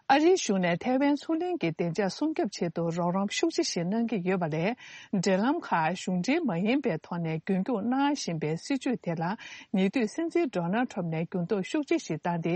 ཨ་རིའི་གཞུང་ནས་ཐའེ་ཝན་མཚོ་གླིང་གི་བདེ་འཇགས་སྲུང་སྐྱོབ་ཆེད་དུ་རོགས་རམ་ཤུགས་ཆེ་ཞིག་གནང་གི་ཡོད་པ་ལས། འབྲེལ་ལམ་ཁག་གཞུང་འབྲེལ་མ་ཡིན་པའི་ཐོག་ནས་རྒྱུན་སྐྱོང་གནང་བཞིན་པའི་སྲིད་བྱུས་དེ་ལ། ཉེ་དུས་སྲིད་འཛིན་ཌོ་ནལ་ཁྲམ་ནས་འགྱུར་ལྡོག་ཤུགས་ཆེ་ཞིག་བཏང་སྟེ།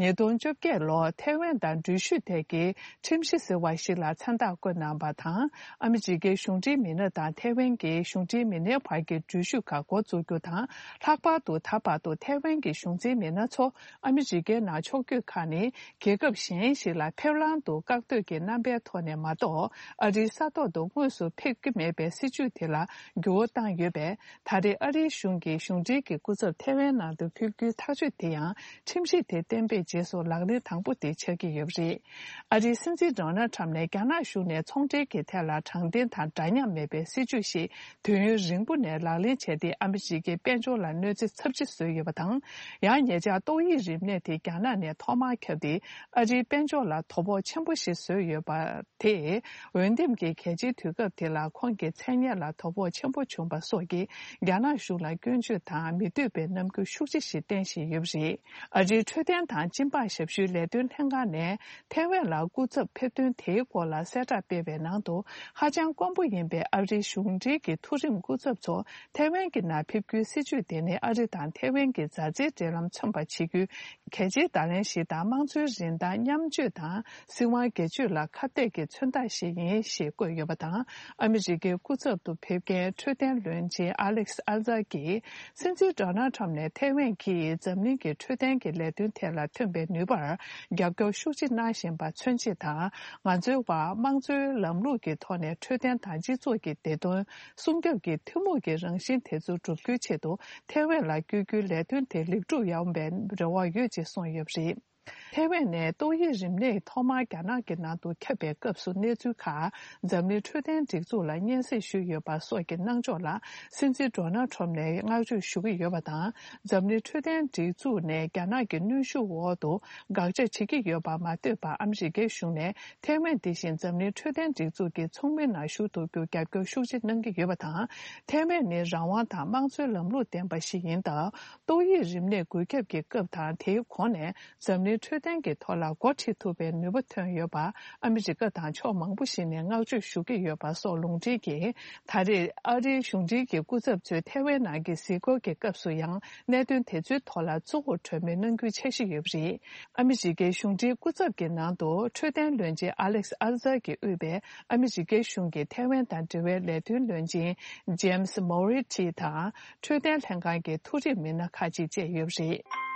ཉིས་སྟོང་བཅོ་བརྒྱད་ལོར་ཐའེ་ཝན་དང་འགྲུལ་བཞུད་ཐད་ཀྱི་ཁྲིམས་གཞི་ཟེར་བ་ཞིག་ལ་མཚན་རྟགས་བཀོད་གནང་པ་དང་། ཨ་མི་རི་ཀའི་གཞུང་འབྲེལ་མི་སྣ་དང་ཐའེ་ཝན་གྱི་གཞུང་འབྲེལ་མི་སྣའི་བར་གྱི་འགྲུལ་བཞུད་ཁག་འགོ་འཛུགས་རྒྱུ་དང་། ལྷག་པར་དུ་ད་བར་དུ་ཐའེ་ཝན་གྱི་གཞུང་འཛིན་མི་སྣ་ཚོ་ཨ་མི་རི་ཀའི་ནང་ཕྱོགས་བསྐྱོད་ཁག་ནི། རྒྱལ་ཁབ་གཞན་ཞིག་ལ་ཕེབས་ལམ་དུ་བཀག་སྡོད་ཀྱི་རྣམ་པའི་ཐོག་ནས་མ་གཏོགས། ཨ་རིའི་ས་ཐོག་ཏུ་དངོས་སུ་ཕེབས་ཀྱི་མེད་པའི་སྲིད་བྱུས་དེ་ལ་འགྱུར་བ་བཏང་ཡོད་པས། ད་རེས་ཨ་རིའི་གཞུང་གིས་གཞུང་འབྲེལ་གྱི་སྐུ་ཚབ་ཐའེ་ཝན་ནང་དུ་ཕེབས་རྒྱུའི་ཐག་གཅོད་དེ་ཡང་། ཁྲིམས་གཞི་དེ་གཏན་འབེབས་རྗེས་སུ་ལག་ལེན་དང་པོ་དེ་ཆགས་ཀྱི་ཡོད་པ་རེད། ཨ་རིའི་སྲིད་འཛིན་ཌོ་ནལ་ཁྲམ་ནས་རྒྱ་ནག་གཞུང་ནས་ཚོང་འབྲེལ་གྱི་ཐད་ལ་དྲང་བདེན་དང་འདྲ་མཉམ་མེད་པའི་སྲིད་བྱུས་ཤིག་དུས་ཡུན་རིང་པོ་ནས་ལག་ལེན་བྱས་ཏེ། ཨ་མི་རི་ཀའི་དཔལ་འབྱོར་ལ་གནོད་འཚེ་ཚབས་ཆེ་བཟོས་ཡོད་པ་དང་། ཡང་ཉེ་ཆར་ཏོག་དབྱིབས་རིམས་ནད་དེ་རྒྱ་ནག་ནས་ཐོག་མར་ཁྱབ་སྟེ། ཨ་རིའི་དཔལ་འབྱོར་ལ་དོ་ཕོག་ཆེན་པོ་ཞིག་བཟོས་ཡོད་པ། དེས་འོས་འདེམས་ཀྱི་གལ་ཆེའི་དུས་སྐབས་དེ་ལ་ཁོང་གི་མཚན་སྙན་ལ་དོ་ཕོག་ཆེན་པོ་བྱུང་པ་སོགས་ཀྱིས་རྒྱ་ནག་གཞུང་ལ་སྐྱོན་བརྗོད་དང་མི་འདོད་པའི་རྣམ་འགྱུར་ཤུགས་ཆེ་ཞིག་བསྟན་བཞིན་ཡོད་པ་རེད། ཨ་རིའི་འཕྲོད་བསྟེན་དང་སྦྱིན་པ་ཞབས་ཞུའི་ལས་དོན་ལྷན་ཁང་ནས་ཐའེ་ཝན་ལ་སྐུ་ཚབ་ཕེབས་ཐོན་དེའི་སྐོར་ལ་གསལ་བསྒྲགས་སྤེལ་བའི་ནང་དུ། ཧ་ཅང་དཀོན་པོ་ཡིན་པའི་ཨ་རིའི་གཞུང་འབྲེལ་གྱི་མཐོ་རིམ་སྐུ་ཚབ་ཚོ་ཐའེ་ཝན་གྱི་ནང་ཕེབས་རྒྱུའི་སྲིད་བྱུས་དེ་ནི་ཨ་རི་དང་ཐའེ་ཝན་གྱི་མཛའ་བརྩེའི་འབྲེལ་ལམ་མཚོན་པ་བྱེད་རྒྱུའི། གལ་ཆེའི་བརྡ་ལན་ཞིག་དང་། དམངས་གཙོའི་རིན་ཐང་མཉམ་སྤྱོད་དང་སྲིད་དབང་སྒེར་གཅོད་ལ་ཁ་གཏད་ཀྱི་མཚོན་རྟགས་ཤིག་ཡིན་ཞེས་བཀོད་ཡོད་པ་དང་། ཨ་མི་རི་ཀའི་སྐུ་ཚབ་ཏུ་ཕེབས་མཁན་འཕྲོད་བསྟེན་བློན་ཆེན་ཨ་ལེག་སི་ཨལ་ཛར་གྱིས། སྲིད་འཛིན་ཌོ་ནལ་ཁྲམ་ནས་ཐའེ་ཝན་གྱིས་འཛམ་གླིང་གི་འཕྲོད་བསྟེན་གྱི་ལས་དོན་ཐད་ལ་ཐོན་པའི་ནུས་པར་རྒྱབ་སྐྱོར་ཤུགས་ཆེ་གནང་བཞིན་པ་མཚོན་ཆེད་དང་། ང་ཚོའི་བར་དམངས་གཙོའི་ལམ་ལུགས་ཀྱི་ཐོག་ནས་འཕྲོད་བསྟེན་དང་སྤྱི་ཚོགས་ཀྱི་བདེ་དོན་སྲུང་སྐྱོབ་ཀྱི་ཐུན་མོང་གི་རང་བཞིན་དེ་ཚོ་བསྒྲུབ་རྒྱུའི་ཆེད་དུ། ཐའེ་ཝན་ལ་བསྐྱོད་རྒྱུའི་ལས་དོན་དེ་ལེགས་གྲུབ་ཡོང་བའི་རེ་བ་ཡོད་ཅེས་གསུངས་ཡོད་པ་རེད། ཐའེ་ཝན་ནས་ཏོག་དབྱིབས་རིམས་ནད་ཐོག་མར་རྒྱ་ནག་གི་ནང་དུ་ཁྱབ་པའི་སྐབས་སུ་གནས་ཚུལ་ཁག་འཛམ་གླིང་འཕྲོད་བསྟེན་སྒྲིག་འཛུགས་ལ་སྙན་སེང་ཞུས་ཡོད་པ་སོགས་ཀྱི་གནང་ཕྱོགས་ལ། སྲིད་འཛིན་ཌོ་ནལ་ཁྲམ་ནས་བསྔགས་བརྗོད་ཞུ་གི་ཡོད་པ་དང་། འཛམ་གླིང་འཕྲོད་བསྟེན་སྒྲིག་འཛུགས་ནས་རྒྱ་ནག་གི་གནོན་ཤུགས་འོག་ཏུ་དགག་བྱ་བྱེད་ཀྱི་ཡོད་པ་མ་ཐོས་པར། ཨ་མི་རི་ཀའི་གཞུང་ནས་ཐའེ་ཝན་དེ་བཞིན་འཛམ་གླིང་འཕྲོད་བསྟེན་སྒྲིག་འཛུགས་ཀྱི་ཚོགས་མི་ནང་ཞུགས་ཐུབ་རྒྱུར་རྒྱབ་སྐྱོར་ཤུགས་ཆེ་གནང་གི་ཡོད་པ་དང་། ཐའེ་ཝན་ནི་རང་དབང་དང་དམངས་གཙོའི་ལམ་ལུགས་ལྡན་པ་ཞིག་ཡིན་སྟབས། ཏོག་དབྱིབས་རིམས་ནད་འགོས་ཁྱབ་ཀྱི་སྐབས་དང་། དེའི་གོང་ནས་འཛམ་གླིང་ འཕྲོད་བསྟེན་གྱི་ཐོག་ལ་འགོ་ཁྲིད་ཐུབ་པའི་ནུས་པ་ཐོན་ཡོད་པ་ཨ་མི་རི་ཀ་དང་ཕྱོགས་མང་པོ་ཞིག་ནས་བསྔགས་བརྗོད་ཞུ་གི་ཡོད་པ་སོགས་ལུང་འདྲེན་གྱིས། ད་རེས་ཨ་རིའི་གཞུང་འབྲེལ་གྱི་སྐུ་ཚབ་ཚོས་ཐའེ་ཝན་ནང་གི་གཟིགས་སྐོར་གྱི་སྐབས་སུ་ཡང་གནད་དོན་དེ་ཚོའི་ཐོག་ལ་གཙོ་བོར་གྲོས་མོལ་གནང་རྒྱུའི་འཆར་གཞི་ཡོད་པ་རེད། ཨ་མི་རི་ཀའི་གཞུང་འབྲེལ་སྐུ་ཚབ་ཀྱི་ནང་དུ་འཕྲོད་བསྟེན་བློན་ཆེན་ཨ་ལེག་ཨར་ཛར་གྱིས་དབུས་པའི་ཨ་མི་རི་ཀའི་གཞུང་གི་ཐའེ་ཝན་དང་འབྲེལ་བའི་ལས་དོན་བློན་ཆེན་ཇེམ་སི་མོ་རི་ཊི་དང་། འཕྲོད་བསྟེན་ལྷན་ཁང་གི་ཐུགས་རེ་མི་སྣ་ཁག་ཅིག་བཅས་ཡོད་པ་རེད།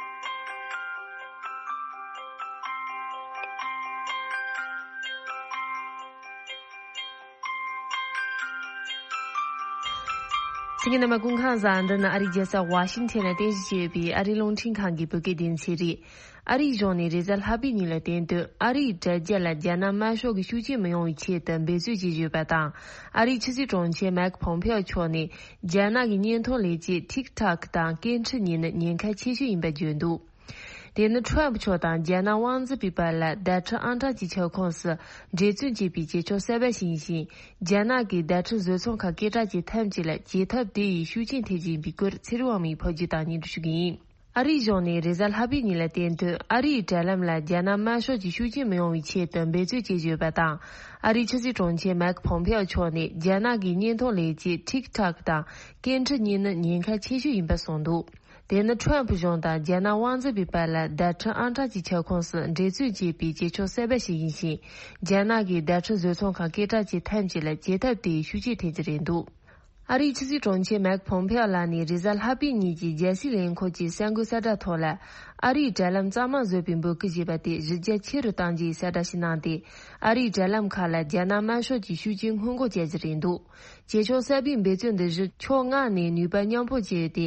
གསན་མཁན་རྣམ་པ་སྐུ་ཁམས་བཟང་། འདི་ནི་ཨ་རིའི་རྒྱལ་ས་ཝ་ཤིང་ཊོན་ལ་རྟེན་གཞི་བྱས་ཡོད་པའི་ཨ་རིའི་རླུང་འཕྲིན་ཁང་གི་བོད་སྐད་སྡེ་ཚན་རེད། ཨ་རིའི་གཞུང་ནས་རེས་གཟའ་ལྷག་པའི་ཉིན་ལ་བསྟན་དོན། ཨ་རིའི་དྲ་རྒྱ་ལ་རྒྱ་ནག་དམར་ཤོག་གི་ཤུགས་རྐྱེན་མི་ཡོང་བའི་ཆེད་དུ་འབད་རྩོལ་བྱེད་བཞིན་ཡོད་པ་དང་། ཨ་རིའི་ཕྱི་སྲིད་དྲུང་ཆེ་མེག་ཕོམ་ཕེའོ་མཆོག་ནས་རྒྱ་ནག་གི་བརྙན་ཐུང་ལས་བྱེད་ཐིག་ཐག་དང་སྐད་འཕྲིན་གཉིས་ནི་ཉེན་ཁ་ཆེ་ཤོས་ཡིན་པ་བརྗོད་འདུག་དེ་ནི་ཁྲོམ་ཕུ་མཆོག་དང་རྒྱ་ནག་དབང་འཛིན་པའི་བར་ལ་བརྡ་འཕྲིན་ཨང་གྲངས་ཀྱི་ཁྱབ་ཁོངས་སུ་འབྲེལ་མཐུད་བྱས་པའི་བྱེད་ཕྱོགས་གསར་པ་ཞིག་ཡིན་ཞིང་། རྒྱ་ནག་གིས་བརྡ་འཕྲིན་བཟོ་ཚོང་ཁང་སྐད་གྲགས་ཅན་ཐམས་ཅད་ལ་བྱེད་ཐབས་དེ་ཡི་ཤུགས་རྐྱེན་ཐེབས་བཞིན་པའི་སྐོར་ཚེ་རིང་དབང་མོས་ཕབ་སྒྱུར་དང་སྙན་སྒྲོན་ཞུ་གི་ཡིན། ཨ་རིའི་གཞུང་ནས་རེས་གཟའ་ལྷག་པའི་ཉིན་ལ་བསྟན་དོན། ཨ་རིའི་དྲ་ལམ་ལ་རྒྱ་ནག་དམར་ཤོག་གི་ཤུགས་རྐྱེན་མི་ཡོང་བའི་ཆེད་དུ་འབད་རྩོལ་བྱེད་བཞིན་ཡོད་པ་དང་། ཨ་རིའི་ཕྱི་སྲིད་དྲུང་ཆེ་མེག་ཕོམ་ཕེའོ་མཆོག་ནས་རྒྱ་ནག་གི་བརྙན་ཐུང་ལས་བྱེད་ཐིག་ཐག་དང་སྐད་འཕྲིན་གཉིས་ནི་ཉེན་ཁ་ཆེ་ཤོས་ཡིན་པ་གསུངས་འདུག་དེ་ནི་ཁྲོམ་ཕུ་གཞུང་དང་རྒྱ་ནག་དབང་འཛིན་པའི་བར་ལ་བརྡ་འཕྲིན་ཨང་གྲངས་ཀྱི་ཁྱབ་ཁོངས་སུ་འབྲེལ་མཐུད་བྱས་པའི་བྱེད་ཕྱོགས་གསར་པ་ཞིག་ཡིན་ཞིང་། རྒྱ་ནག་གིས་བརྡ་འཕྲིན་བཟོ་ཚོང་ཁང་སྐད་གྲགས་ཅན་ཐམས་ཅད་ལ་བྱེད་ཐབས་དེའི་ཤུགས་རྐྱེན་ཐེབས་ཀྱི་རེད་འདུག་ཨ་རིའི་ཕྱི་སྲིད་དྲུང་ཆེ་མེག་ཕོམ་ཕེའོ་ལགས་ནས་རེས་གཟའ་ལྷག་པའི་ཉིན་གྱི་རྒྱལ་སྲིད་ལས་ཁུངས་ཀྱི་གསར་འགོད་གསལ་བསྒྲགས་ཐོག་ལ། ཨ་རིའི་དྲ་ལམ་གཙང་མ་བཟོ་བའི་འབོད་སྐུལ་བྱས་པ་དེ་གཞི་རྒྱ་ཆེ་རུ་གཏང་རྒྱུའི་གསལ་བསྒྲགས་ཤིག་གནང་སྟེ། ཨ་རིའི་དྲ་ལམ་ཁག་ལ་རྒྱ་ནག་དམར་ཤོག་གི་ཤུགས་རྐྱེན་སྔོན་འགོག་བྱ་རྒྱུ་རེད་འདུག་བྱེད་ཕྱོགས་གསར་པའི་འབད་བརྩོན་འདི་བཞིན་ཕྱོགས་ལྔ་ནས་ནུས་པ་མཉམ་སྤུངས་བྱས་ཏེ།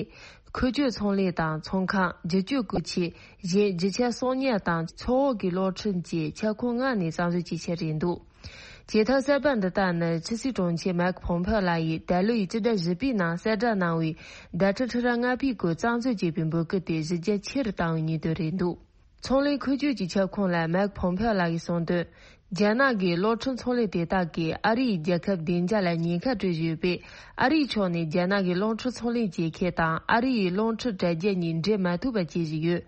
ཁུལ་སྐྱོད་ཚོང་ལས་དང་ཚོང་ཁང་། བསྒྱུར་བཅོས་སྐུལ་ཆས། གཞན་རྒྱུ་ཆ་གསོག་ཉར་དང་མཚོ་འོག་གི་གློག་འཕྲིན་བཅས་ཁྱབ་ཁོངས་ལྔ་ནས་གཙང་བཟོ་བྱེད་ཆེད་རེད་འདུག་བྱེད་ཐབས་གསར་པ་འདི་དག་ནི་ཕྱི་སྲིད་དྲུང་ཆེ་མེག་ཕོམ་ཕེའོ་ལགས་ཡིས་ད་ལོའི་སྤྱི་ཟླ་བཞི་པའི་ནང་གསལ་བསྒྲགས་གནང་བའི་བརྡ་འཕྲིན་ཁྲི་ཕྲག་ལྔ་པའི་སྐོར་གཙང་བཟོ་བྱེད་པའི་འབོད་སྐུལ་དེ་གཞི་རྒྱ་ཆེ་རུ་བཏང་བའི་ཉིན་དོན་རེད་འདུག་ཚོང་ལས་ཁུལ་སྐྱོད་ཀྱི་ཁྱབ་ཁོངས་ལ་མེག་ཕོམ་ཕེའོ་ལགས་ཀྱིས་གསུངས་དོན། རྒྱ་ནག་གི་གློག་འཕྲིན་ཚོང་ལས་དེ་དག་གིས་ཨ་རིའི་རྒྱལ་ཁབ་བདེ་འཇགས་ལ་ཉེན་ཁ་སྤྲོད་བཞིན་ཡོད་པས། ཨ་རིའི་ཕྱོགས་ནས་རྒྱ་ནག་གི་གློག་འཕྲིན་ཚོང་ལས་བྱེད་མཁན་དང་ཨ་རིའི་གློག་འཕྲིན་དྲ་རྒྱ་གཉིས་འབྲེལ་མ་ཐུབ་པ་བྱེད་བཞིན་ཡོད།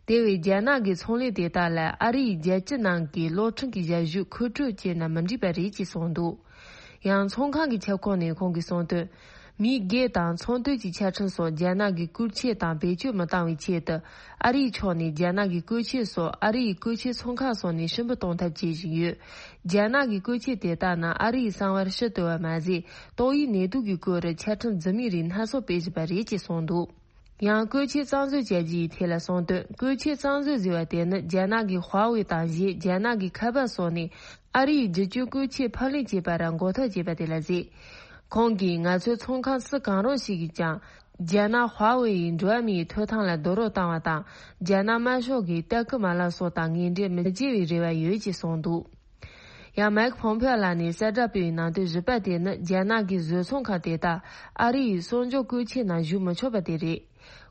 དེ་བས་རྒྱ་ནག་གི་ཚོང་ལས་དེ་དག་ལ་ཨ་རིའི་རྒྱལ་སྤྱི་ནང་གི་གློག་འཕྲིན་གྱི་ཞབས་ཞུ་མཁོ་སྤྲོད་བྱས་ན་མི་འགྲིག་པ་རེད་ཅེས་གསུངས་འདུག་ཡང་ཚོང་ཁང་གི་ཁྱབ་ཁོངས་ནས་ཁོང་གིས་གསུངས་དོན། མི་སྒེར་དང་ཚོང་དོན་གྱི་ཆ་འཕྲིན་སོགས་རྒྱ་ནག་གིས་བཀོལ་ཆས་དང་བེད་སྤྱོད་མི་བཏང་བའི་ཆེད་དུ། ཨ་རིའི་ཕྱོགས་ནས་རྒྱ་ནག་གི་བཀོལ་ཆས་སོགས་ཨ་རིའི་བཀོལ་ཆས་ཚོང་ཁང་སོགས་ནས་ཧྲིལ་པོ་གཏོང་ཐབས་བྱེད་བཞིན་ཡོད། རྒྱ་ནག་གི་བཀོལ་ཆས་དེ་དག་ནི་ཨ་རིའི་གསང་བར་ཕྱི་བསྡུ་བ་མ་ཟད། ཏོག་དབྱིབས་ནད་དུག་གི་སྐོར་ཆ་འཕྲིན་རྫུན་མའི་རིགས་སྣ་ཚོགས་སྤེལ་བཞིན་པ་རེད་ཅེས་གསུངས་འདུག་ཡང་བཀོལ་ཆས་གཙང་བཟོ་བྱ་རྒྱུའི་ཐད་ལ་གསུངས་དོན། བཀོལ་ཆས་གཙང་བཟོ་ཟེར་བ་དེ་ནི་རྒྱ་ནག་གི་ཧྭ་ཝེ་དང་གཞན་རྒྱ་ནག་གི་ཁ་པར་སོགས་ནས་ཨ་རིའི་བསྒྱུར་བཅོས་བཀོལ་ཆས་ཕབ་ལེན་བྱེད་པར་འགོག་ཐབས་བྱས་པ་དེ་ལ་ཟེར། ཁོང་གིས་ང་ཚོའི་ཚོང་ཁང་སུ་གང་རུང་ཞིག་གིས་ཀྱང་རྒྱ་ནག་ཧྭ་ཝེ་ཡི་འགྲོ་བ་མིའི་ཐོབ་ཐང་ལ་རྡོག་རོལ་བཏང་བ་དང་། རྒྱ་ནག་དམར་ཤོག་གི་ལྟ་སྐུལ་མ་ལག་སོགས་དང་ངན་འབྲེལ་མི་བྱེད་པའི་རེ་བ་ཡོད་ཅེས་གསུངས་འདུག་ཡང་མེག་ཕོམ་ཕེའོ་ལགས་ནས་གསལ་བསྒྲགས་སྤེལ་བའི་ནང་དོན་བཞི་པ་དེ་ནི་རྒྱ་ནག་གི་བཟོ་ཚོང་ཁང་དེ་དག་ཨ་རི་ཡི་གསོག་འཇོག་བཀོལ་ཆས་ནང་ཞུགས་མི་ཆོག་པ་དེ་རེད།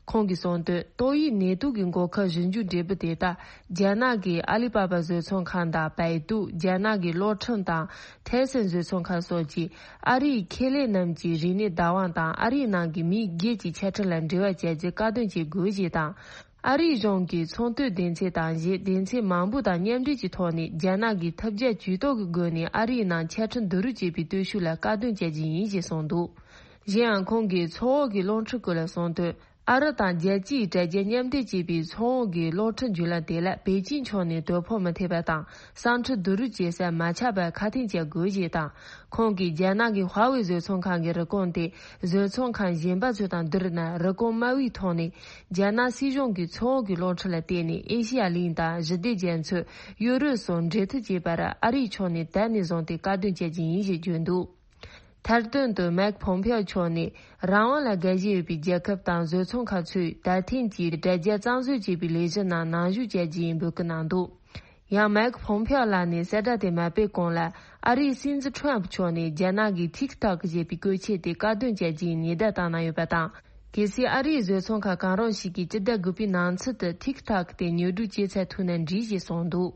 ཁོང་གིས་གསུངས་དོན། ཏོག་དབྱིབས་ནད་དུག་གི་འགོག་ཁབ་ཞིབ་འཇུག་འབྲས་བུ་དེ་དག་རྒྱ་ནག་གི་ཨ་ལི་པ་པ་བཟོ་ཚོང་ཁང་དང་བའེ་ཏུ། རྒྱ་ནག་གི་གློག་འཕྲིན་དང་ཐེ་སན་བཟོ་ཚོང་ཁང་སོགས་ཀྱིས་ཨ་རིའི་ཁེ་ལས་རྣམས་ཀྱི་རིག་གནས་བདག་དབང་དང་ཨ་རིའི་ནང་གི་མི་སྒེར་གྱི་ཆ་འཕྲིན་ལ་འབྲེལ་བ་བྱ་རྒྱུ་བཀག་སྡོམ་བྱེད་དགོས་ཞེས་དང་། ཨ་རིའི་གཞུང་གིས་ཚོང་དོན་སྡེ་ཚན་དང་གཞན་སྡེ་ཚན་མང་པོ་དང་མཉམ་འབྲེལ་གྱི་ཐོག་ནས་རྒྱ་ནག་གིས་ཐབས་བརྒྱ་ཇུས་གཏོགས་ཀྱི་སྒོ་ནས་ཨ་རིའི་ནང་ཆ་འཕྲིན་བསྡུ་རུབ་བྱེད་པའི་སྟོབས་ཤུགས་ལ་བཀག་སྡོམ་བྱ་རྒྱུ་ཡིན་ཞེས་གསུངས་འདུག་གཞན་ཡང་ཁོང་གིས་མཚོ་འོག་གི་གློག་འཕྲིན་སྐོར་ལ་གསུངས་དོན། ཨ་རི་དང་རྒྱལ་སྤྱིའི་དྲ་རྒྱ་མཉམ་འབྲེལ་བྱས་པའི་མཚོ་འོག་གི་གློག་འཕྲིན་བརྒྱུད་ལམ་དེ་ལ་པེ་ཅིན་ཕྱོགས་ནས་དོ་ཕོག་མི་ཐེབས་པ་དང་། ས་འཕྲུལ་བསྡུ་རུབ་བྱེད་ས་མ་ཆག་པར་ཁ་གཏད་གཅོག་དགོས་ཞེས་དང་། ཁོང་གིས་རྒྱ་ནག་གི་ཧྭ་ཝེ་བཟོ་ཚོང་ཁང་གི་རིན་གོང་དེ་བཟོ་ཚོང་ཁང་གཞན་པ་ཚོ་དང་བསྡུར་ན་རིན་གོང་དམའ་བའི་ཐོག་ནས། རྒྱ་ནག་སྲིད་གཞུང་གིས་མཚོ་འོག་གི་གློག་འཕྲིན་ལ་བརྟེན་ནས་ཨེ་ཤི་ཡ་གླིང་དང་ཞི་བདེ་རྒྱ་མཚོ། ཡུ་རོབ་སོགས་འབྲེལ་མཐུད་བྱེད་པར་ཨ་རིའི་ཕྱོགས་ནས་ད་ནས་བཟུང་སྟེ་བཀག་སྡོམ་བྱ་རྒྱུ་ཡིན་ཞེས་བརྗོད་འདུག་མཐར་དོན་དུ་མེག་ཕོམ་ཕེའོ་མཆོག་ནས་རང་དབང་ལ་དགའ་ཞེན་ཡོད་པའི་རྒྱལ་ཁབ་དང་བཟོ་ཚོང་ཁང་ཚོས་ད་ཐེངས་ཀྱི་དྲ་རྒྱ་གཙང་བཟོ་བྱེད་པའི་ལས་གཞི་ནང་ནང་ཞུགས་བྱ་རྒྱུ་ཡིན་འབོད་སྐུལ་གནང་འདུག་ཡང་མེག་ཕོམ་ཕེའོ་ལགས་ནས་གསལ་བསྒྲགས་དེ་མ་སྤེལ་གོང་ལ་ཨ་རིའི་སྲིད་འཛིན་ཁྲོམ་མཆོག་ནས་རྒྱ་ནག་གི་ཐིག་ཐོག་ཞེས་པའི་བཀོལ་ཆས་དེ་བཀག་སྡོམ་བྱ་རྒྱུའི་ཉེན་བརྡ་བཏང་གནང་ཡོད་པ་དང་། གལ་སྲིད་ཨ་རིའི་བཟོ་ཚོང་ཁང་གང་རུང་ཞིག་གིས་སྤྱི་ཟླ་དགུ་པའི་ནང་ཚུད་དུ་ཐིག་ཐོག་དེ་ཉོ་སྒྲུབ་བྱེད་ཚར་ཐུབ་ན་འགྲིག་ཞེས་གསུངས་འདུག